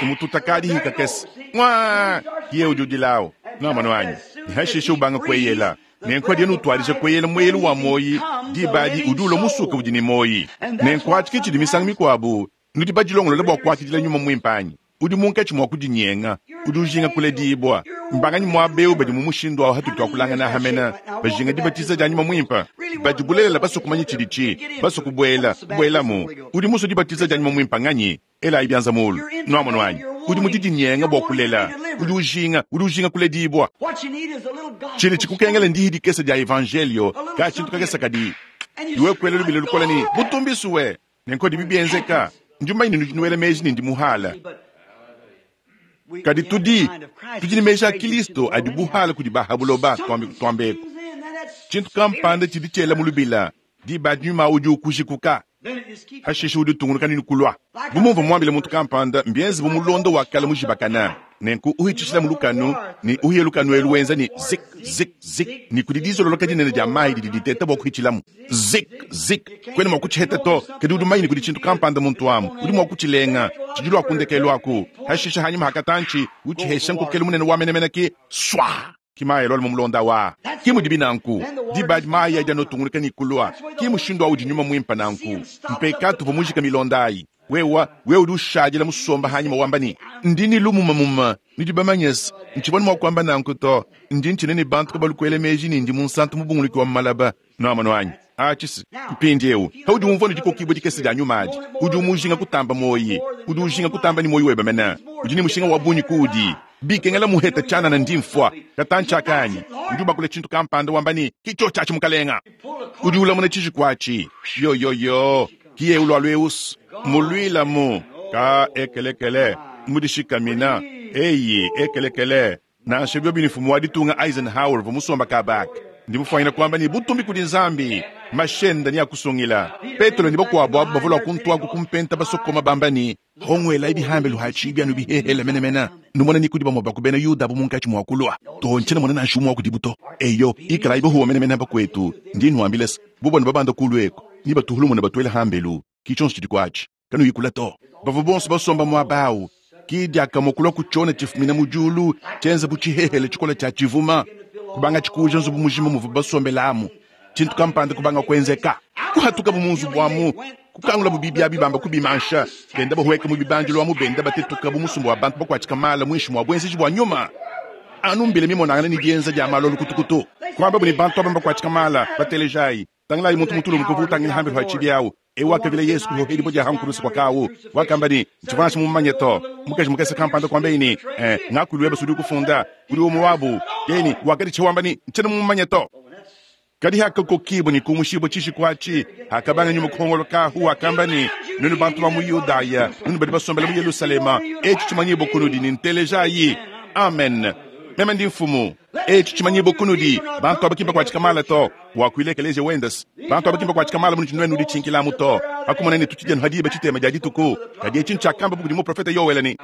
umututa kadihi kakese, ngua, yeye udi udilawu. Nuamonu anyi? Ne hashishe ubanga kueyela. Nenku hadiye nutuadija kueyela mueyelu wa muoyi, diba adi udi ulua musuke udi ne muoyi. Nenku atshi ke tshidi misangu mikuabu nudi badilongolole bua kuakidila Nyuma Muimpe anyi? Udi munkatshi mua kudinyenga, udi ujinga kuledibua. Mbanganyi muaba eu badi mu mushindu au hatudi tuakulangana aha mene, bajinga dibatiza dia Nyuma Muimpe? Badi bulelela basue kumanya tshiditshi, basue kubuela, kubuelamu. Udi musue dibatiza dia Nyuma Muimpe nganyi? Elayi bianza mulu. Nuamonu anyi? Udi mu didinyenga bua kulela, udi ujinga, udi ujinga kuledibua. Tshidi tshikukengela ndihi dikese dia evanjelio, ka tshintu kakese kadi iwe kuela lubila lukole ne, Butumbi suwe! Nenku dibi bienzeka. Ndi mumanye ne nudi nuela meji ne ndi muhala. Kadi tudi, tudi ne meji a Kilisto adi buhala kudi ba ha buloba, tuambe kutuambeku. Tshintu kampanda tshidi tshiela mu lubila, diba adi nyuma udi ukujikuka. Hashishe udi utungunuka ne kulua. Bu mumvua muambile muntu kampanda, mbienze bu mulondo wa kale mujibakana. Nenku uhitshishila mu lukanu, ne uhiye lukanu elu wenza ne zik, zik, zik, ne kudi dizololoka dinene dia mayi didi diteta bua kuhitshilamu. Zik, zik, kuena mua kutshiheta to, kadi udi mumanye ne kudi tshintu kampanda muntu amu, udi mua kutshilenga, tshidi lua ku ndekelu aku. Hashishe hanyima ha katantshi, utshihesha nkokelu munene wa menemene ki swa! Ki mayi alua mu mulonda wa. Ki mudibi nanku. Diba adi mayi adi anotungunuka ne kulua. Ki mushindu awu udi nyuma muimpe nanku. Mpekatu uvua mujike milonda ayi. Wewa, wewe udi ushadila musomba hanyima wamba ne, Ndi ne lumumamuma. Nudi bamanyese, ntshivua ne mua kuamba nanku to. Ndi ntshina ne bantu kabalu kuela meji ne ndi munsantu mubunguluki wa mu malaba. Nuamonu anyi? Atshi mpindiewu. Paudi umvua ne dikokibua dikese dia nyuma adi, udi umujinga kutamba muoyi. Udi ujinga kutamba ne muoyi webe mene. Udi ne mushinga wa bungi kuudi. Bikengela muheta tshianana ndi mfua. Katantshi aka anyi? Udi ubakula tshintu kampanda wamba ne, Ki tshiotshi atshi mukalenga. Udi ulamuna tshiji atshi. Yoyoyo, ki eu lualu eus. Muluilamu. Ka ekelekele. Mudishikamina. Eyi, ekelekele. Nansha biobi ne mfumu wa ditunga Eisenhower uvua musomba kaba aka, ndi mufuanyina kuamba ne, Butumbi kudi Nzambi! Mashenda neakusungila. Petelo ne bakuabu abu bavua lua kuntuaku ku mpenta basokoma bamba ne, Honguelayi bihambelu ha tshibi anu bihehele menemene, numone ni kudi bamue ba ku bena Yuda abu munkatshi mua kulua. Too, ntshiena mona nansha umue wa kudibu to. Eyo, ikalayi bahuwa menemene bakuetu, ndi nnuambila se, bobo nebabanda kulu eku, nebatuhulumune batuele hambelu. Ki tshionso tshidi kuatshi. Kanuyi kula to. Bavua bonso basomba muaba au. Ki diakamue kulua ku tshiona tshifumina mu diulu, tshienza bu tshihehele tshikole tshia tshivuma, kubanga tshikuuja nzubu mujima muvua basombelamu. Tshintu kampanda kubanga kuenzeka. Kuhatukabu mu nzubu amu, kukangulabu bibi abi bamba kubimansha, benda bahueka mu bibandilu amu benda batetuka bu musumba wa bantu bakuatshika mala muinshi mua buenzeji bua nyuma. Anu mbila mimonangane ne dienza dia malu a lukutukutu. Kuambabu ne, bantu aba mbakuatshika mala, batelejayi. Tangilayi muntu mutulumuke uvua utangila hambelu ha tshibi au. Eu wakavila Yesu kuhohedibua dia ha nkuruse kua kawu. Wakamba ne, Ntshivua nansha mumumanye to. Mukaji mukese kampanda kuambaye ne, Eh, ngakuilu webe sudi ukufunda. Udi umue wabu. Yeye ne, wakaditshiha wamba ne, Ntshiena mumumanye to. Kadi hakakokibua ne kumushibua tshishiku atshi, hakabanga nyuma kuhongolokahu, wakamba ne, Nuenu bantu ba mu Yudaya, nuenu badi basombele mu Yelushalema, etshi tshimanyibua kunudi ne ntelejayi. Amen. Meme ndi mfumu. Etshi tshimanyibua kunudi, bantu aba ki mbakuatshika mala to. Wakuila ekeleziya wende se, bantu aba ki mbakuatshika mala munudi nuenu nuditshinkilamu to. Pakumona ne tutshidi anu ha diba tshitema dia dituku, kadi etshi ntshiakamba bu kudi muprofete Yoele ne,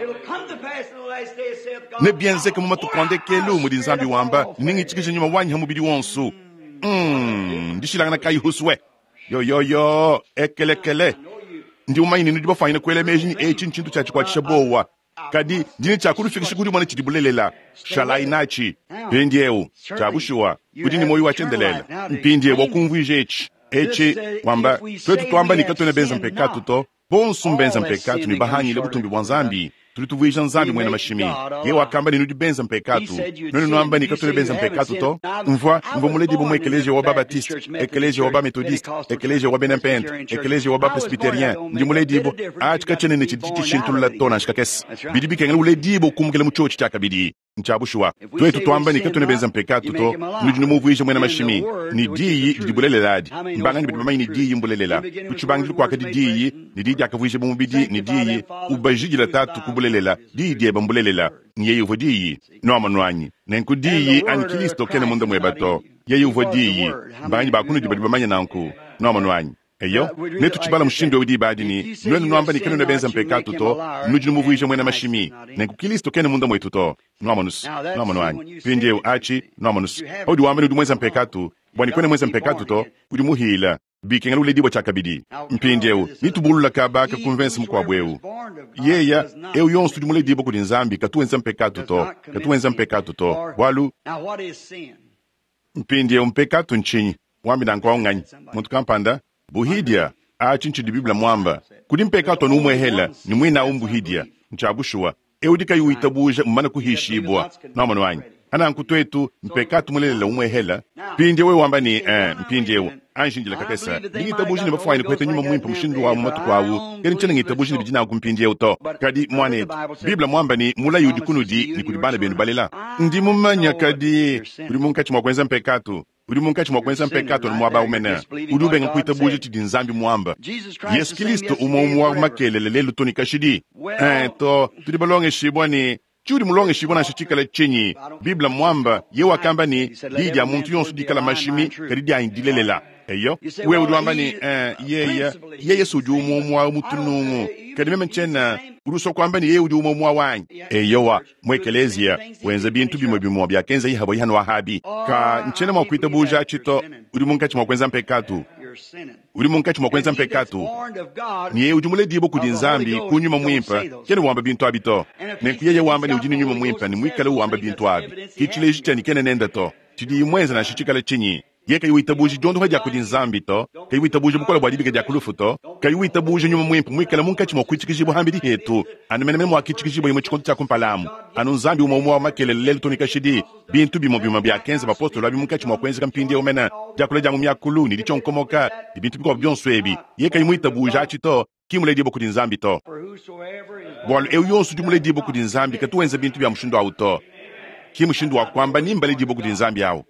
Nebienzeke mu matuku a ndekelu, mudi Nzambi wamba, nengitshikije nyuma wanyi ha mubidi wonso. Ndishilangana kayi husue? Yoyoyo, ekelekele. Ndi mumanye ne nudi bafuanyine kuela meji ne etshi ntshintu tshia tshikuatshisha buowa. Kadi ndi ne tshia kunufikisha ku dimona tshidi bulelela. Shalayi natshi. Mpindiewu, tshia bushuwa, udi ne muoyo wa tshiendelele. Mpindiewu wakumvuija etshi, etshi, wamba, tuetu tuamba ne katuena benza mpekatu to. Bonso mbenza mpekatu ne bahangile butumbi bua Nzambi. Tudi tuvuija Nzambi muena mashimi. Yeye wakamba ne nudi benza mpekatu. Nuenu nuamba ne katuena benza mpekatu to. Mvua, mvua muledibue mu ekeleziya wa ba-Baptiste, ekeleziya wa ba-Methodiste, ekeleziya wa bena Mpente, ekeleziya wa ba-Presbyterien. Ndi muledibue. Atshi katshiena ne tshidi tshishintulula to nansha kakese. Bidi bikengela uledibue kumukila mu tshiotshi tshiakabidi. Ntshia bushuwa. Tuetu tuamba ne katuena benza mpekatu to, nudi numuvuija muena mashimi, ne diyi didi bulelela adi. Mbanganyi badi bamanye ne diyi mbulelela? Ku tshibangidilu kuakadi diyi, ne diyi diakavuijibua mubidi, ne diyi ubajidila Tatu ku bulelela, diyi diebe mbulelela. Ne yeye uvua diyi. Nuamonu anyi? Nenku diyi anyi Kilisto kena munda mueba to. Yeye uvua diyi. Mbanganyi ba kunudi badi bamanye nanku? Nuamonu anyi? Eyo, netutshibala mushindu eu diba adi ne, Nuenu nuamba ne kanuena benza mpekatu to, nudi numuvuija muena mashimi, nenku Kilisto kena munda muetu to. Nuamonus? Nuamonu anyi? Mpindieu atshi, nuamonus, paudi wamba ne udi muenza mpekatu, bua ne kuena muenza mpekatu to, udi muhila, bikengela uledibua tshiakabidi. Mpindieu, netubulula kaba aka ku mvense mukuabu eu. Yeya, eu yonso udi muledibua kudi Nzambi katu wenza mpekatu to, katu wenza mpekatu to, bualu. Mpindieu mpekatu ntshinyi? Wambi nanku au nganyi? Muntu kampanda? Buhidia? Atshi ntshidi Bible muamba. Kudi mpekatu anu umuehela, ne muine au mbuhidia. Ntshia bushuwa. Eu udi kayi witabuja mmumane kuhishibua. Nuamonu anyi? Pananku tuetu, mpekatu mulelela umuehela. Mpindieu wewe wamba ne, Ee, mpindieu, anji indila kakese. Ndi ngitabuja ne bafuanyine kupeta nyuma muimpe mushindu wa mu matuku au, kadi ntshiena ngitabuja ne bidi nanku mpindieu to. Kadi, muanetu, Bible muamba ne, mulayi udi kunudi ne kudi bana benu balela. Ndi mumanya, kadi udi munkatshi mua kuenza mpekatu. Udi munkatshi mua kuenza mpekatu anu muaba awu mene. Udi ubenga kuitabuja tshidi Nzambi muamba. Yesu Kilisto umue umue wa makelela lelu to ne kashidi. Ee, to, tudi balongeshibua ne, tshiudi mulongeshibua nansha tshikala tshinyi, Bible muamba, ye wakamba ne, diyi dia muntu yonso dikala mashimi, kadi dianyi dilelela. Eyo, wewe udi wamba ne, eh, yeye, yeye si udi umue umue wa mu tunungu, kadi meme ntshiena. Udi usua kuamba ne yeye udi umue umue wanyi? Eyowa, mu ekeleziya, wenza bintu bimue bimue biakenza Ahaba hanu Ahabi. Ka, ntshiena mua kuitabuja atshi to. Udi munkatshi mua kuenza mpekatu. Udi munkatshi mua kuenza mpekatu. Ne yeye udi muledibue kudi Nzambi ku Nyuma Muimpe, kena wamba bintu abi to. Nenku yeye wamba ne udi ne Nyuma Muimpe ne muikale wamba bintu abi, ki tshileji tshia ne kena nende to. Tshidiye muenza nansha tshikale tshinyi, Yeye kayi witabuja diondopa dia kudi Nzambi to, kayi witabuja bukole bua dibika dia ku lufu to, kayi witabuja Nyuma Muimpe muikale munkatshi mua kuitshikijibua hambidi hetu, anu menemene muakitshikijibua mu tshikondo tshia kumpala amu, anu Nzambi umue umue wa makelela lelu to ne kashidi. Bintu bimue bimue biakenza bapostolo abi munkatshi mua kuenzeka mpindieu mene, diakula dia mu miakulu ne ditshionkomoka ne bintu bikuabu bionso ebi, yeye kayi muitabuja atshi to, ki muledibue kudi Nzambi to. Bualu eu yonso udi muledibue kudi Nzambi katu wenza bintu bia mushindu au to. Ki mushindu wa kuamba ni mbaledibue kudi Nzambi au.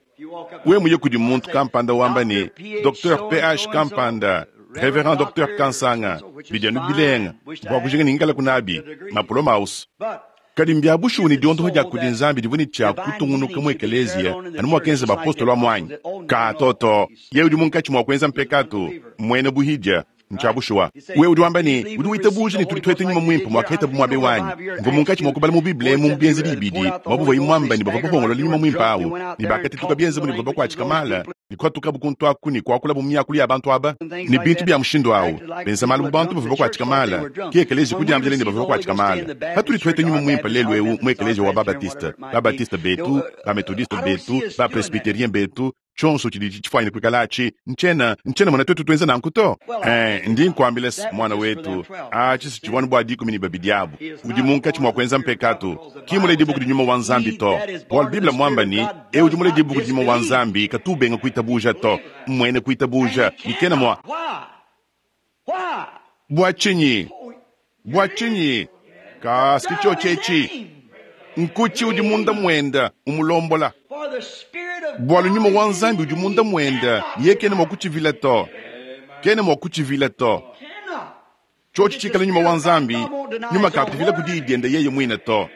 Wewe muye kudi muntu kampanda wamba ne, Docteur PH kampanda, Reverend Docteur Kansanga, bidi anu bilenga bua kujinga ne ngikalaku nabi, mapoloma ausu. Kadi mbia bushuwa ne diondopa dia kudi Nzambi divua ne tshia kutungunuka mu ekeleziya anu muakenza bapostolo amu anyi? Ka to to. Yeye udi munkatshi mua kuenza mpekatu, mmuena buhidia. Ntshia bushuwa. Wewe udi wamba ne, udi witabuja ne tudi tueta Nyuma Muimpe muakahetabu muaba eu anyi? Mvua munkatshi mua kubala mu Bible emu mu Bienzedi ibidi muaba uvuaye muamba ne bavua bapongolola Nyuma Muimpe au, ne bakatetuka bienze bu ne bavua bakuatshika mala, ne kuhatukabu kuntu aku ne kuakulabu mu miakulu ya bantu aba, ne bintu bia mushindu au, benza malu bu bantu bavua bakuatshika mala. Ke ekeleziya kudiambila ne bavua bakuatshika mala. Patudi tuheta Nyuma Muimpe lelu eu mu ekeleziya wa ba-Baptiste, ba-Baptiste betu, ba-Methodiste betu, ba-Presbyterien betu, tshionso tshidi tshifuanyine kuikala atshi, ntshiena, ntshiena mona tuetu tuenza nanku to. Eh, ndi nkuambila se, muana wetu, atshi si tshivua anu bua 12 abu. Udi munkatshi mua kuenza mpekatu. Ki muledibue kudi Nyuma wa Nzambi to. Bualu Bible muamba ne, eu udi muledibue kudi Nyuma wa Nzambi katu ubenga kuitabuja to. Mmuena kuitabuja, ne kena mua. Bua tshinyi? Bua tshinyi? Kasi tshiotshi etshi nkutshi udi munda muenda umulombola. Bualu Nyuma wa Nzambi udi munda muenda, yeye kena mua kutshivila to. Kena mua kutshivila to. Tshiotshi tshikala Nyuma wa Nzambi, Nyuma kakuvila ku diyi diende yeye muine to.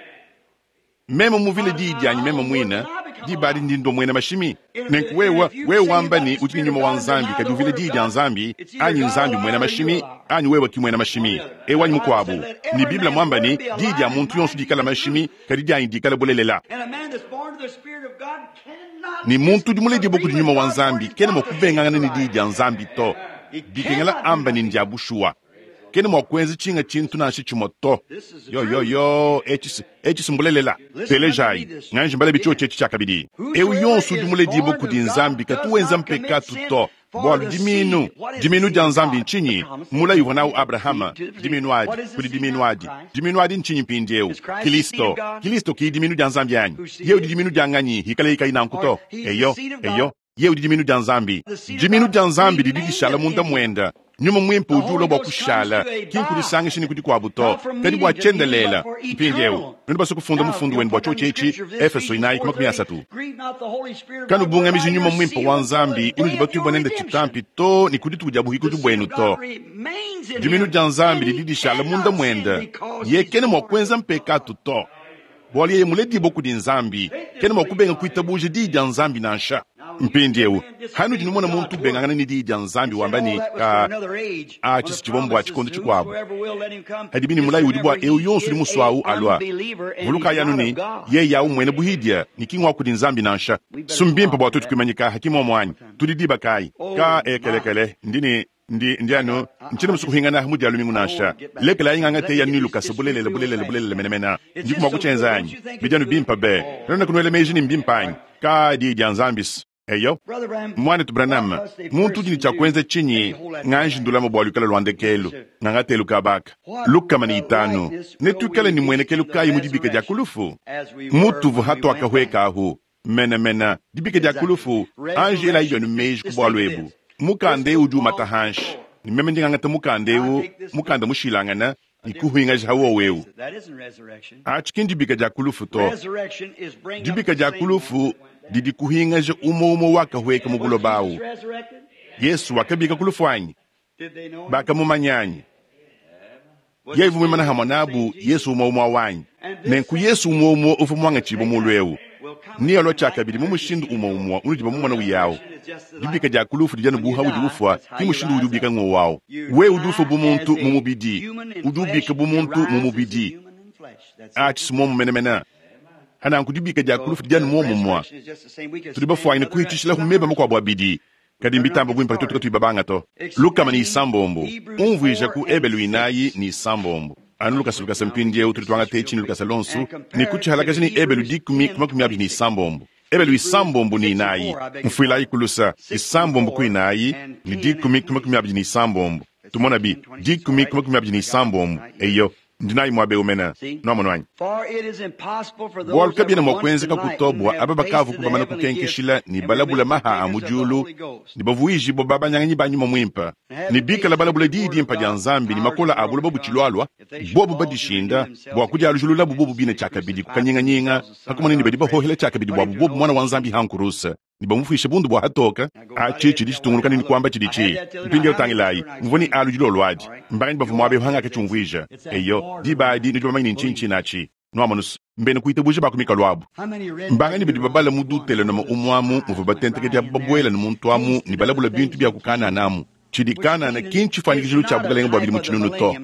Meme muvile diyi dianyi meme muine, diba adi ndi ndua muena mashimi. Nenku wewe, wewe wamba ne udi ne Nyuma wa Nzambi, kadi uvile diyi dia Nzambi, anyi Nzambi mmuena mashimi, anyi wewe ki muena mashimi, eu anyi mukuabu. Ne Bible muamba ne, diyi dia muntu yonso dikala mashimi, kadi dianyi dikala bulelela. Ne muntu udi muledibue kudi Nyuma wa Nzambi kena mua kubengangana ne diyi dia Nzambi to. Bikengela amba ne ndia bushuwa. Kena mua kuenza tshinga tshintu nansha tshimue to. Yo, yo, yo, etshi, etshi si mbulelela. Telejayi, nganji mbalabi tshiotshi etshi tshiakabidi. Eu yonso udi muledibue kudi Nzambi katu wenza mpekatu to, bualu dimiinu, dimiinu dia Nzambi ntshinyi? Mulayi uvua nawu Abrahama, dimiinu adi, kudi dimiinu adi. Dimiinu adi ntshinyi mpindieu? Kilisto. Kilisto ki dimiinu dia Nzambi anyi? Yeye udi dimiinu dia nganyi hikaleye kayi nanku to? Eyo, eyo. Yeye udi dimiinu dia Nzambi. Dimiinu dia Nzambi didi dishala munda muende. Nyuma Muimpe udi ulua bua kushala, ki nkudisangisha ne ku dikuabu to, kadi bua tshiendelele. Mpindieu, nudi basue kufunda mufundu wenu bua tshiotshi etshi, Efeso 4, 30. Kanubungamiji Nyuma Muimpe wa Nzambi unudi batuibue nende tshitampi to ne ku dituku dia buhikudi buenu to. Dimiinu dia Nzambi didi dishala munda muende. Yeye kena mua kuenza mpekatu to. Bualu yeye muledibue kudi Nzambi, kena mua kubenga kuitabuja diyi dia Nzambi nansha. Mpindieu, hanudi numona muntu ubengangana ne diyi dia Nzambi wamba ne, Ka, atshi si tshivua mbua tshikondo tshikuabu. Hadibi ne mulayi udi bua eu yonso udi musue au alua. Vulukayi anu ne, yeye au mmuena buhidia ne ki ngua kudi Nzambi nansha. Si mbimpe bua tuetu kuimanyika ha, ki muomu anyi? Tudi diba kayi? Ka, ekelekele, ndi ne Ndi, ndi anu, ntshiena musue kuhingana mu Dia lumingu nansha. Lekelayi ngangate yanu ne lukasa, bulelela, bulelela, bulelela menemene. Ndiku mua kutshienza anyi? Bidi anu bimpe be. Kanuena kunuela meji ne mbimpe anyi? Ka Diyi dia Nzambi's. Eyo. Muanetu Branham, muntu udi ne tshia kuenza tshinyi? Nganji ndulama bua luikale lua ndekelu. Ngangatelu kaba aka. 500. Netuikale ne muenekelu kayi mu dibika dia ku lufu? Mutuvua hatuakahueka ahu. Menamena, dibika dia ku lufu, anji elayi bienu meji ku bualu ebu. Mukanda eu udi umata hanshi, ne meme ndi ngangata mukanda eu, mukanda mushilangane, ne kuhingaja ha wowo eu. Atshi ki ndibika dia ku lufu to. Dibika dia ku lufu Didi kuhingaja umue umue wakahueka mu buloba awu. Yesu wakabika ku lufu anyi? Bakamumanya anyi? Yeye uvua muimane hamue nabu, Yesu umue umue wanyi. Nenku Yesu umue umue uvua muangatshibue mulu eu, nealua tshiakabidi mu mushindu umue umue unudi bamumona uyawu. Dibika dia ku lufu didi anu bu haudi ufua, ki mushindu udi ubika ngowu awu. Wewe udi ufua bu muntu mu mubidi, udi ubika bu muntu mu mubidi. Atshi si muomu menemene. Hananku dibika dia ku lufu didi anu muomumue. Tudi bafuanyine kuhitshishilahu meba makuabu abidi, kadi mbitamba buimpe tuetu katuyi babanga to. 306, umvuija ku Ebelu 46. Anu lukasa lukasa mpindieu tudi tuangata etshi ne lukasa luonso ne kutshihalakaja ne Ebelu 10 ku 26. Ebelu 94, mfuilayi ku lusa, 6 ku 4 ne 10 ku 26. Tumonabi, 10 ku 26, eyo, ndi nayi muaba eu mene. Nuamonu anyi? Bualu kabiena mua kuenzeka ku to bua aba bakavua bamane kukenkeshila ne balabula maha a mu diulu ne bavuijibua babanyanganyi ba nyuma muimpe ne bikala balabula diyi dimpe dia Nzambi ne makola a buloba butshilualua, bobu badishinda bua kudialujululabu bobu bine tshiakabidi ku kanyinganyinga pa kumona ne badi bahohela tshiakabidi buabu bobu Muana wa Nzambi hankuruse ne bamufuishe bundu bua hatoka. Atshi tshidi tshitungunuka ne kuamba tshiditshi. Mpindieu tangilayi, mvua ne alu dilolo adi. Mbanganyi bavua muaba eu hangakatshiumvuija? Eyo, diba adi nudi bamanye ne ntshinyi tshinatshi. Nuamonus, mbena kuitabuja ba ku mikalu abu. Mbanganyi badi babala mu Dutelenome umuamu muvua batentekedi abu babuela ne muntu amu ne balabula bintu bia ku Kanana amu. Tshidi Kanana ki ntshifuanyikijilu tshia bukalenge bua bidimu tshinunu to.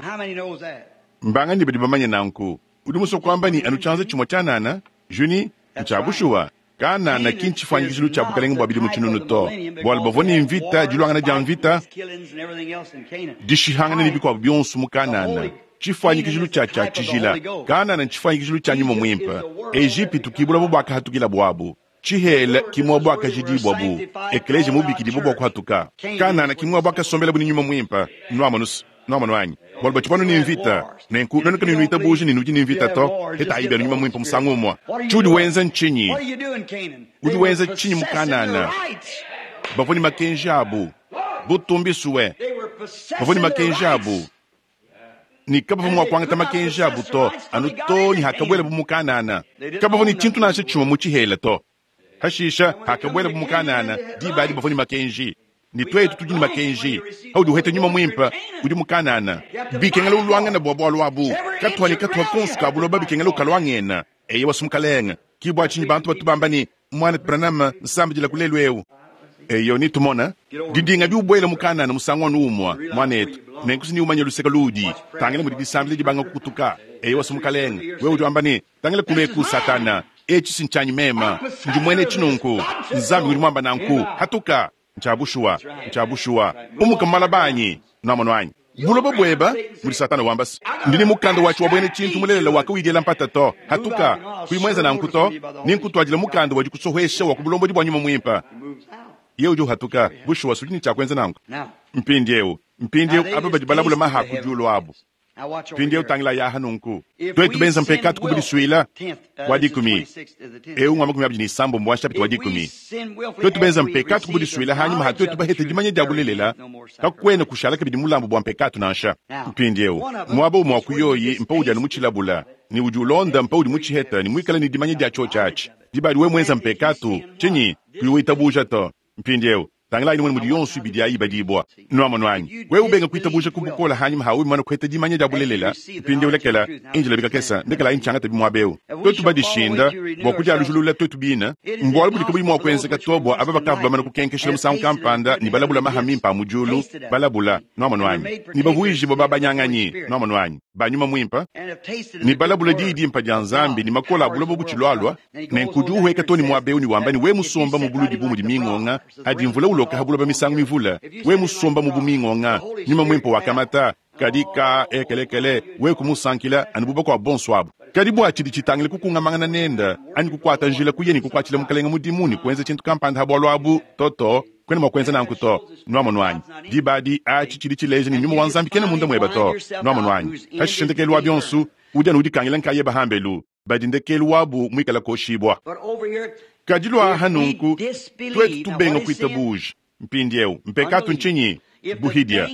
Mbanganyi badi bamanye nanku? Udi musue kuamba ne anu tshianza tshimue tshianana, Juni? Ntshia bushuwa. Kanana ki ntshifuanyikijilu tshia bukalenge bua bidimu tshinunu to, bualu bavua ne mvita, diluangana dia mvita, dishihangana ne bikuabu bionso mu Kanana. Tshifuanyikijilu tshia tshia tshijila. Kanana ntshifuanyikijilu tshia nyuma muimpe. Ejipitu ki buloba buakahatukila buabu. Tshihela ki muaba buakajidibua bu ekleziya mubikidibue bua kuhatuka. Kanana ki muaba buakasombelabu ne nyuma muimpe. Nuamonus, nuamonu anyi? Bualu batshivua ne mvita. Nenku nuenu kanuyi nuitabuja ne nudi ne mvita to, hetayi bienu nyuma muimpe musangu umue. Tshiudi wenza ntshinyi? Udi wenza tshinyi mu Kanana? Bavua ne makenji abu. Butumbisue. Bavua ne makenji abu. Ne kabavua mua kuangata makenji abu to, anu to ne hakabuelabu mu Kanana. Kabavua ne tshintu nansha tshimue mu tshihela to. Hashisha hakabuelabu mu Kanana, diba adi bavua ne makenji. Ne tuetu tudi ne makenji. Haudi uheta nyuma muimpe, udi mu Kanana. Bikengela uluangana bua bualu abu. Katuha ne katuha konso ka buloba bikengela ukaluangena. Eyewa sumukalenga. Ki bua tshinyi bantu batu bamba ne, Muana Branham, nsambidila ku lelu eu. Eyo nitumona didinga diubuela mu Kanana musangu anu umue, muanetu. Nenku si niumanye luseke luudi. Tangila mudi disambila dibanga kukutuka. Eyo sumukalenga, wewe udi wamba ne, Tangila kuneku Satana, etshi si ntshianyi mema. Ndi muena etshi nunku. Nzambi udi muamba nanku. Hatuka. Ntshia bushuwa, ntshia bushuwa. Umuka mu malaba anyi. Nuamonu anyi? Buloba bueba, mudi Satana wamba se, ndi ne mukanda watshi wa buena tshintu mulelela wa kawidiela mpata to. Hatuka, kuyi muenza nanku to, ninkutuadila mukanda wa dikusohesha wa ku bulombodi bua nyuma muimpe. Yeye udi uhatuka. Bushuwa, sudi ne tshia kuenza nanku. Mpindieu, mpindieu aba badi balabula maha ku diulu abu. Mpindieu tangilayi aha nunku. Tuetu benza mpekatu ku budisuila wa 10, eu ngua 26 wa nshapita wa 10. Tuetu benza mpekatu ku budisuila hanyima ha tuetu bahete dimanya dia bulelela, kakuena kushala kabidi mulambu bua mpekatu nansha. Mpindieu muaba umue wa ku yoyi mpa udi anu mutshilabula ne udi ulonda mpa udi mutshiheta ne muikale ne dimanya dia tshiotshi atshi. Diba adi wewe muenza mpekatu, tshinyi? Kuyi witabuja to. Mpindieu tangilayi numone mudi yonso ibidi ayi ibadibua. Nuamonu anyi? Wewe ubenga kuitabuja ku bukole hanyima ha wewe kuheta dimanya dia bulelela. Mpindieu lekela injila bikakesa, ndekelayi ntshiangata bimuaba eu. Tuetu badishinda bua kudialujulula tuetu bine, mbualu budi kabuyi mua kuenzeka to bua aba bakavua bamane kukenkeshela musangu kampanda ne balabula maha mimpe a mu diulu, balabula, nuamonu anyi, ne bavuijibua babanyanganyi, nuamonu anyi, ba nyuma muimpe, ne balabula diyi dimpe dia Nzambi ne makola a buloba butshilualua. Nenku udi uhueka to ne muaba eu ne wamba ne, we musomba mu buludi bu mudi mingonga, adi mvula uloka ha buloba misangu mivule, we musomba mu bu mingonga, nyuma muimpe wakamata, kadi ka ekelekele, we kumusankila anu bu bakuabu bonso abu. Kadi bua tshidi tshitangila kukungamangana nenda, anyi kukuata njila kuya ne kukuatshila mukalenga mudimu ne kuenza tshintu kampanda ha bualu abu, toto, kuena mua kuenza nanku to. Nuamonu anyi? Diba adi atshi tshidi tshileja ne nyuma wa Nzambi kena munda mueba to. Nuamonu anyi? Hashishe ndekelu wa bionso, udi anu udikangila nkayeba hambelu, badi ndekelu wabu muikala koshibua. Kadi lua aha nunku, tuetu tubenga kuitabuja. Mpindieu mpekatu ntshinyi? Buhidia.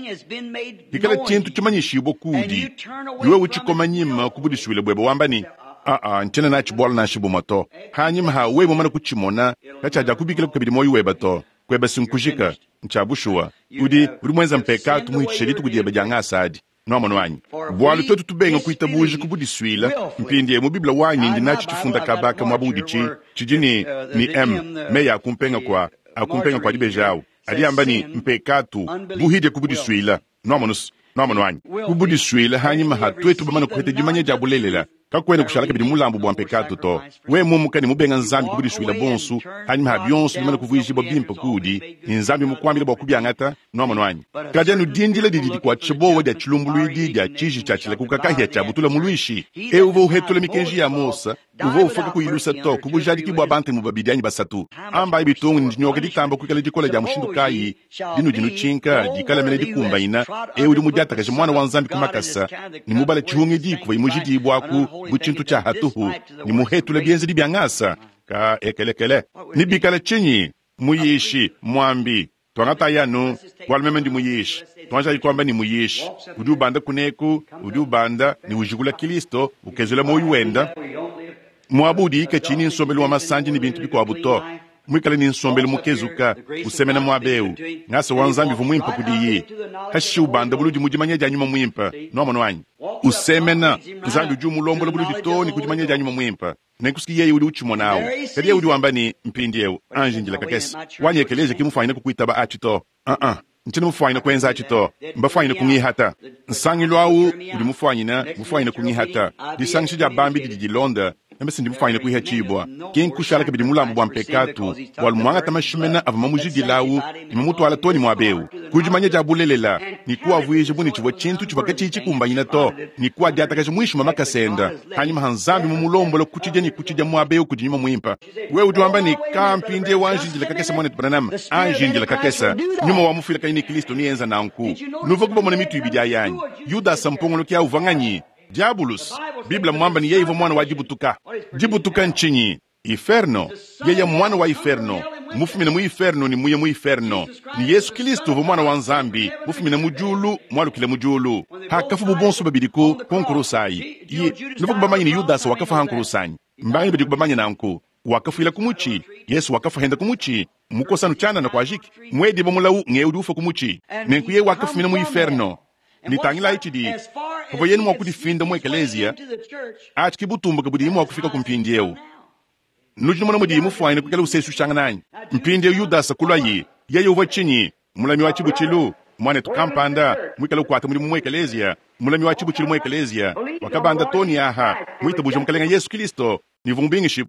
Hikala tshintu tshimanyishibua kudi, wewe utshikoma nyima ku budisuile buebe wamba ne, Aa, ncyena naaci bwalu nansha bumwe to. Haanyima ha wewe mumane kucimona, kacyadyakubiikilaku kabidi mwoyi webe to. Kwebe s'nkujika. Ncya bushuwa. Udi, udi mwenze mpekaatu muhicishe dituku dyebe dya ngasa adi. Nwamonu anyi? Bwalu twetu tubenga kwitabuuja ku budiswila, mpindyewu mu Bible wanyi ndi naaci cifunda kaaba aka mwaba udi ci, cidi ne, ne M, meyi a kumpenga kwa, a kumpenga kwa dibeji awu, adi amba ne, mpekaatu, buhidya ku budiswila. Nwamonu's? Nwamonu anyi? Ku budiswila, hanyima ha twetu bamane kupeta dimanya dya bulelela, Kakuena kushala kabidi mulambu bua mpekatu to. Wewe mumuka ne mubenga Nzambi ku budisuile buonso, panyima pa bionso bimane kuvuijibua bimpe kuudi, ne Nzambi mukuambile bua kubiangata, nuamonu anyi? Kadi anu dindila didi dikuatshisha buowa dia tshilumbuluidi dia tshiji tshia tshilakuka kahia tshiabutula muluishi. Eu uvua uhetula mikenji ya Mose, uvua ufua kakuyi lusa to ku bujadiki bua bantemu babidi anyi basatu. Ambayi bitungu ne dinyoka ditamba kuikala dikole dia mushindu kayi dinudi nutshinka dikala mene dikumbanyina eu udi mudiatakaje Muana wa Nzambi ku makasa ne mubale tshihungidi kuvayi mujidibuaku bu tshintu tshia hatuhu ne muhetule bienzedi bia ngasa? Ka ekelekele. Ne bikala tshinyi? Muyishi, muambi, tuangatayi anu, bualu meme ndi muyishi, tuanjayi kuamba ne muyishi udi ubanda kuneku, udi ubanda ne ujikula Kilisto, ukezula muoyo wenda, muaba udiyi katshiyi ne nsombelu wa masandi ne bintu bikuabu to, muikale ne nsombelu mukezuka, usemena muaba eu, ngasa wa Nzambi uvua muimpe kudiyi. Hashishe ubanda buludi mu dimanya dia Nyuma Muimpe. Nuamonu anyi? Usemena, Nzambi udi umulombola buludi too ne ku dimanya dia Nyuma Muimpe. Nenku s'ki yeye udi ucimona awu. Kadi yeye udi wamba ne, Mpindyewu, anji ndila kakese. Wanyi ekeleeziya ki mufwanyine kukwitaba aci to. Uh-uh. Ncyena mufwanyine kwenza aci to. Mbafwanyine kungihata. Nsangilu awu udi mufwanyine, mufwanyine kungihata. Disangisha dya bambi didi dilonda, meme s'ndi mufwanyine kwihaciibwa. Ki nkushala kabidi mulambu bwa mpekaatu, bwalu mwangata mashimena avwa mamujidila awu ne mamutwala too ne mwaba ewu, ku dimanya dya bulelela, ne kuavwija bu ne civwa cintu civwa kaciyi cikumbanyina to, ne kuadyatakaja mwinshi mwa makasa enda, hanyima ha Nzambi mumulombola ku cidya ne ku cidya mwaba ewu kudi Nyuma Mwimpe. Wewe udi wamba ne, Kaa, mpindyewu anji ndila kakese, Mwanetu Branham, anji ndila kakese. Nyuma wa mufuilakanyi ne Kilisto neenza nanku. Nuvwaku bamone mitu ibidi ayi anyi? Yudasa mpongoloki awu uvwa nganyi? Diabulus. Bible mmwamba ne yeye uvwa mwana wa dibutuka. Dibutuka ncinyi? Iferno. Yeye mmwana wa iferno, mufumine mu iferno ne muye mu iferno. Ne Yesu Kilisto uvwa Mwana wa Nzambi, mufumine mu Dyulu, mwalukile mu Dyulu. Paakafubu bonso babidi ku, ku nkurusa ayi, ye, nuvwaku bamanye ne Yudasa wakafwa ha nkurusa anyi? Mbanganyi badiku bamanye nanku? Wakafwila ku muci. Yesu wakafwa henda ku muci. Mukosa anu cyanana kwajiki. Mwediba mulawu ngewu udi ufwa ku muci. Nenku yeye wakafumina mu iferno. Ne tangilayi cidi, pavwa yeye mwa kudifinda mu ekeleeziya, aci ki butumbuke budiye mwa kufika ku mpindyewu. Nudi numona mudiye mufwanyine kwikala useeswishangana anyi? Mpindyewu Yudasa kulwayi. Yeye uvwa cinyi? Mulami wa cibucilu, mwanetu kampanda, mwikale ukwata mudimu mu ekeleeziya, mulami wa cibucilu mu ekeleeziya, wakabanda too ne aha, mwitabuuje Mukalenge Yesu Kilisto, ne uvwa mubingishibu.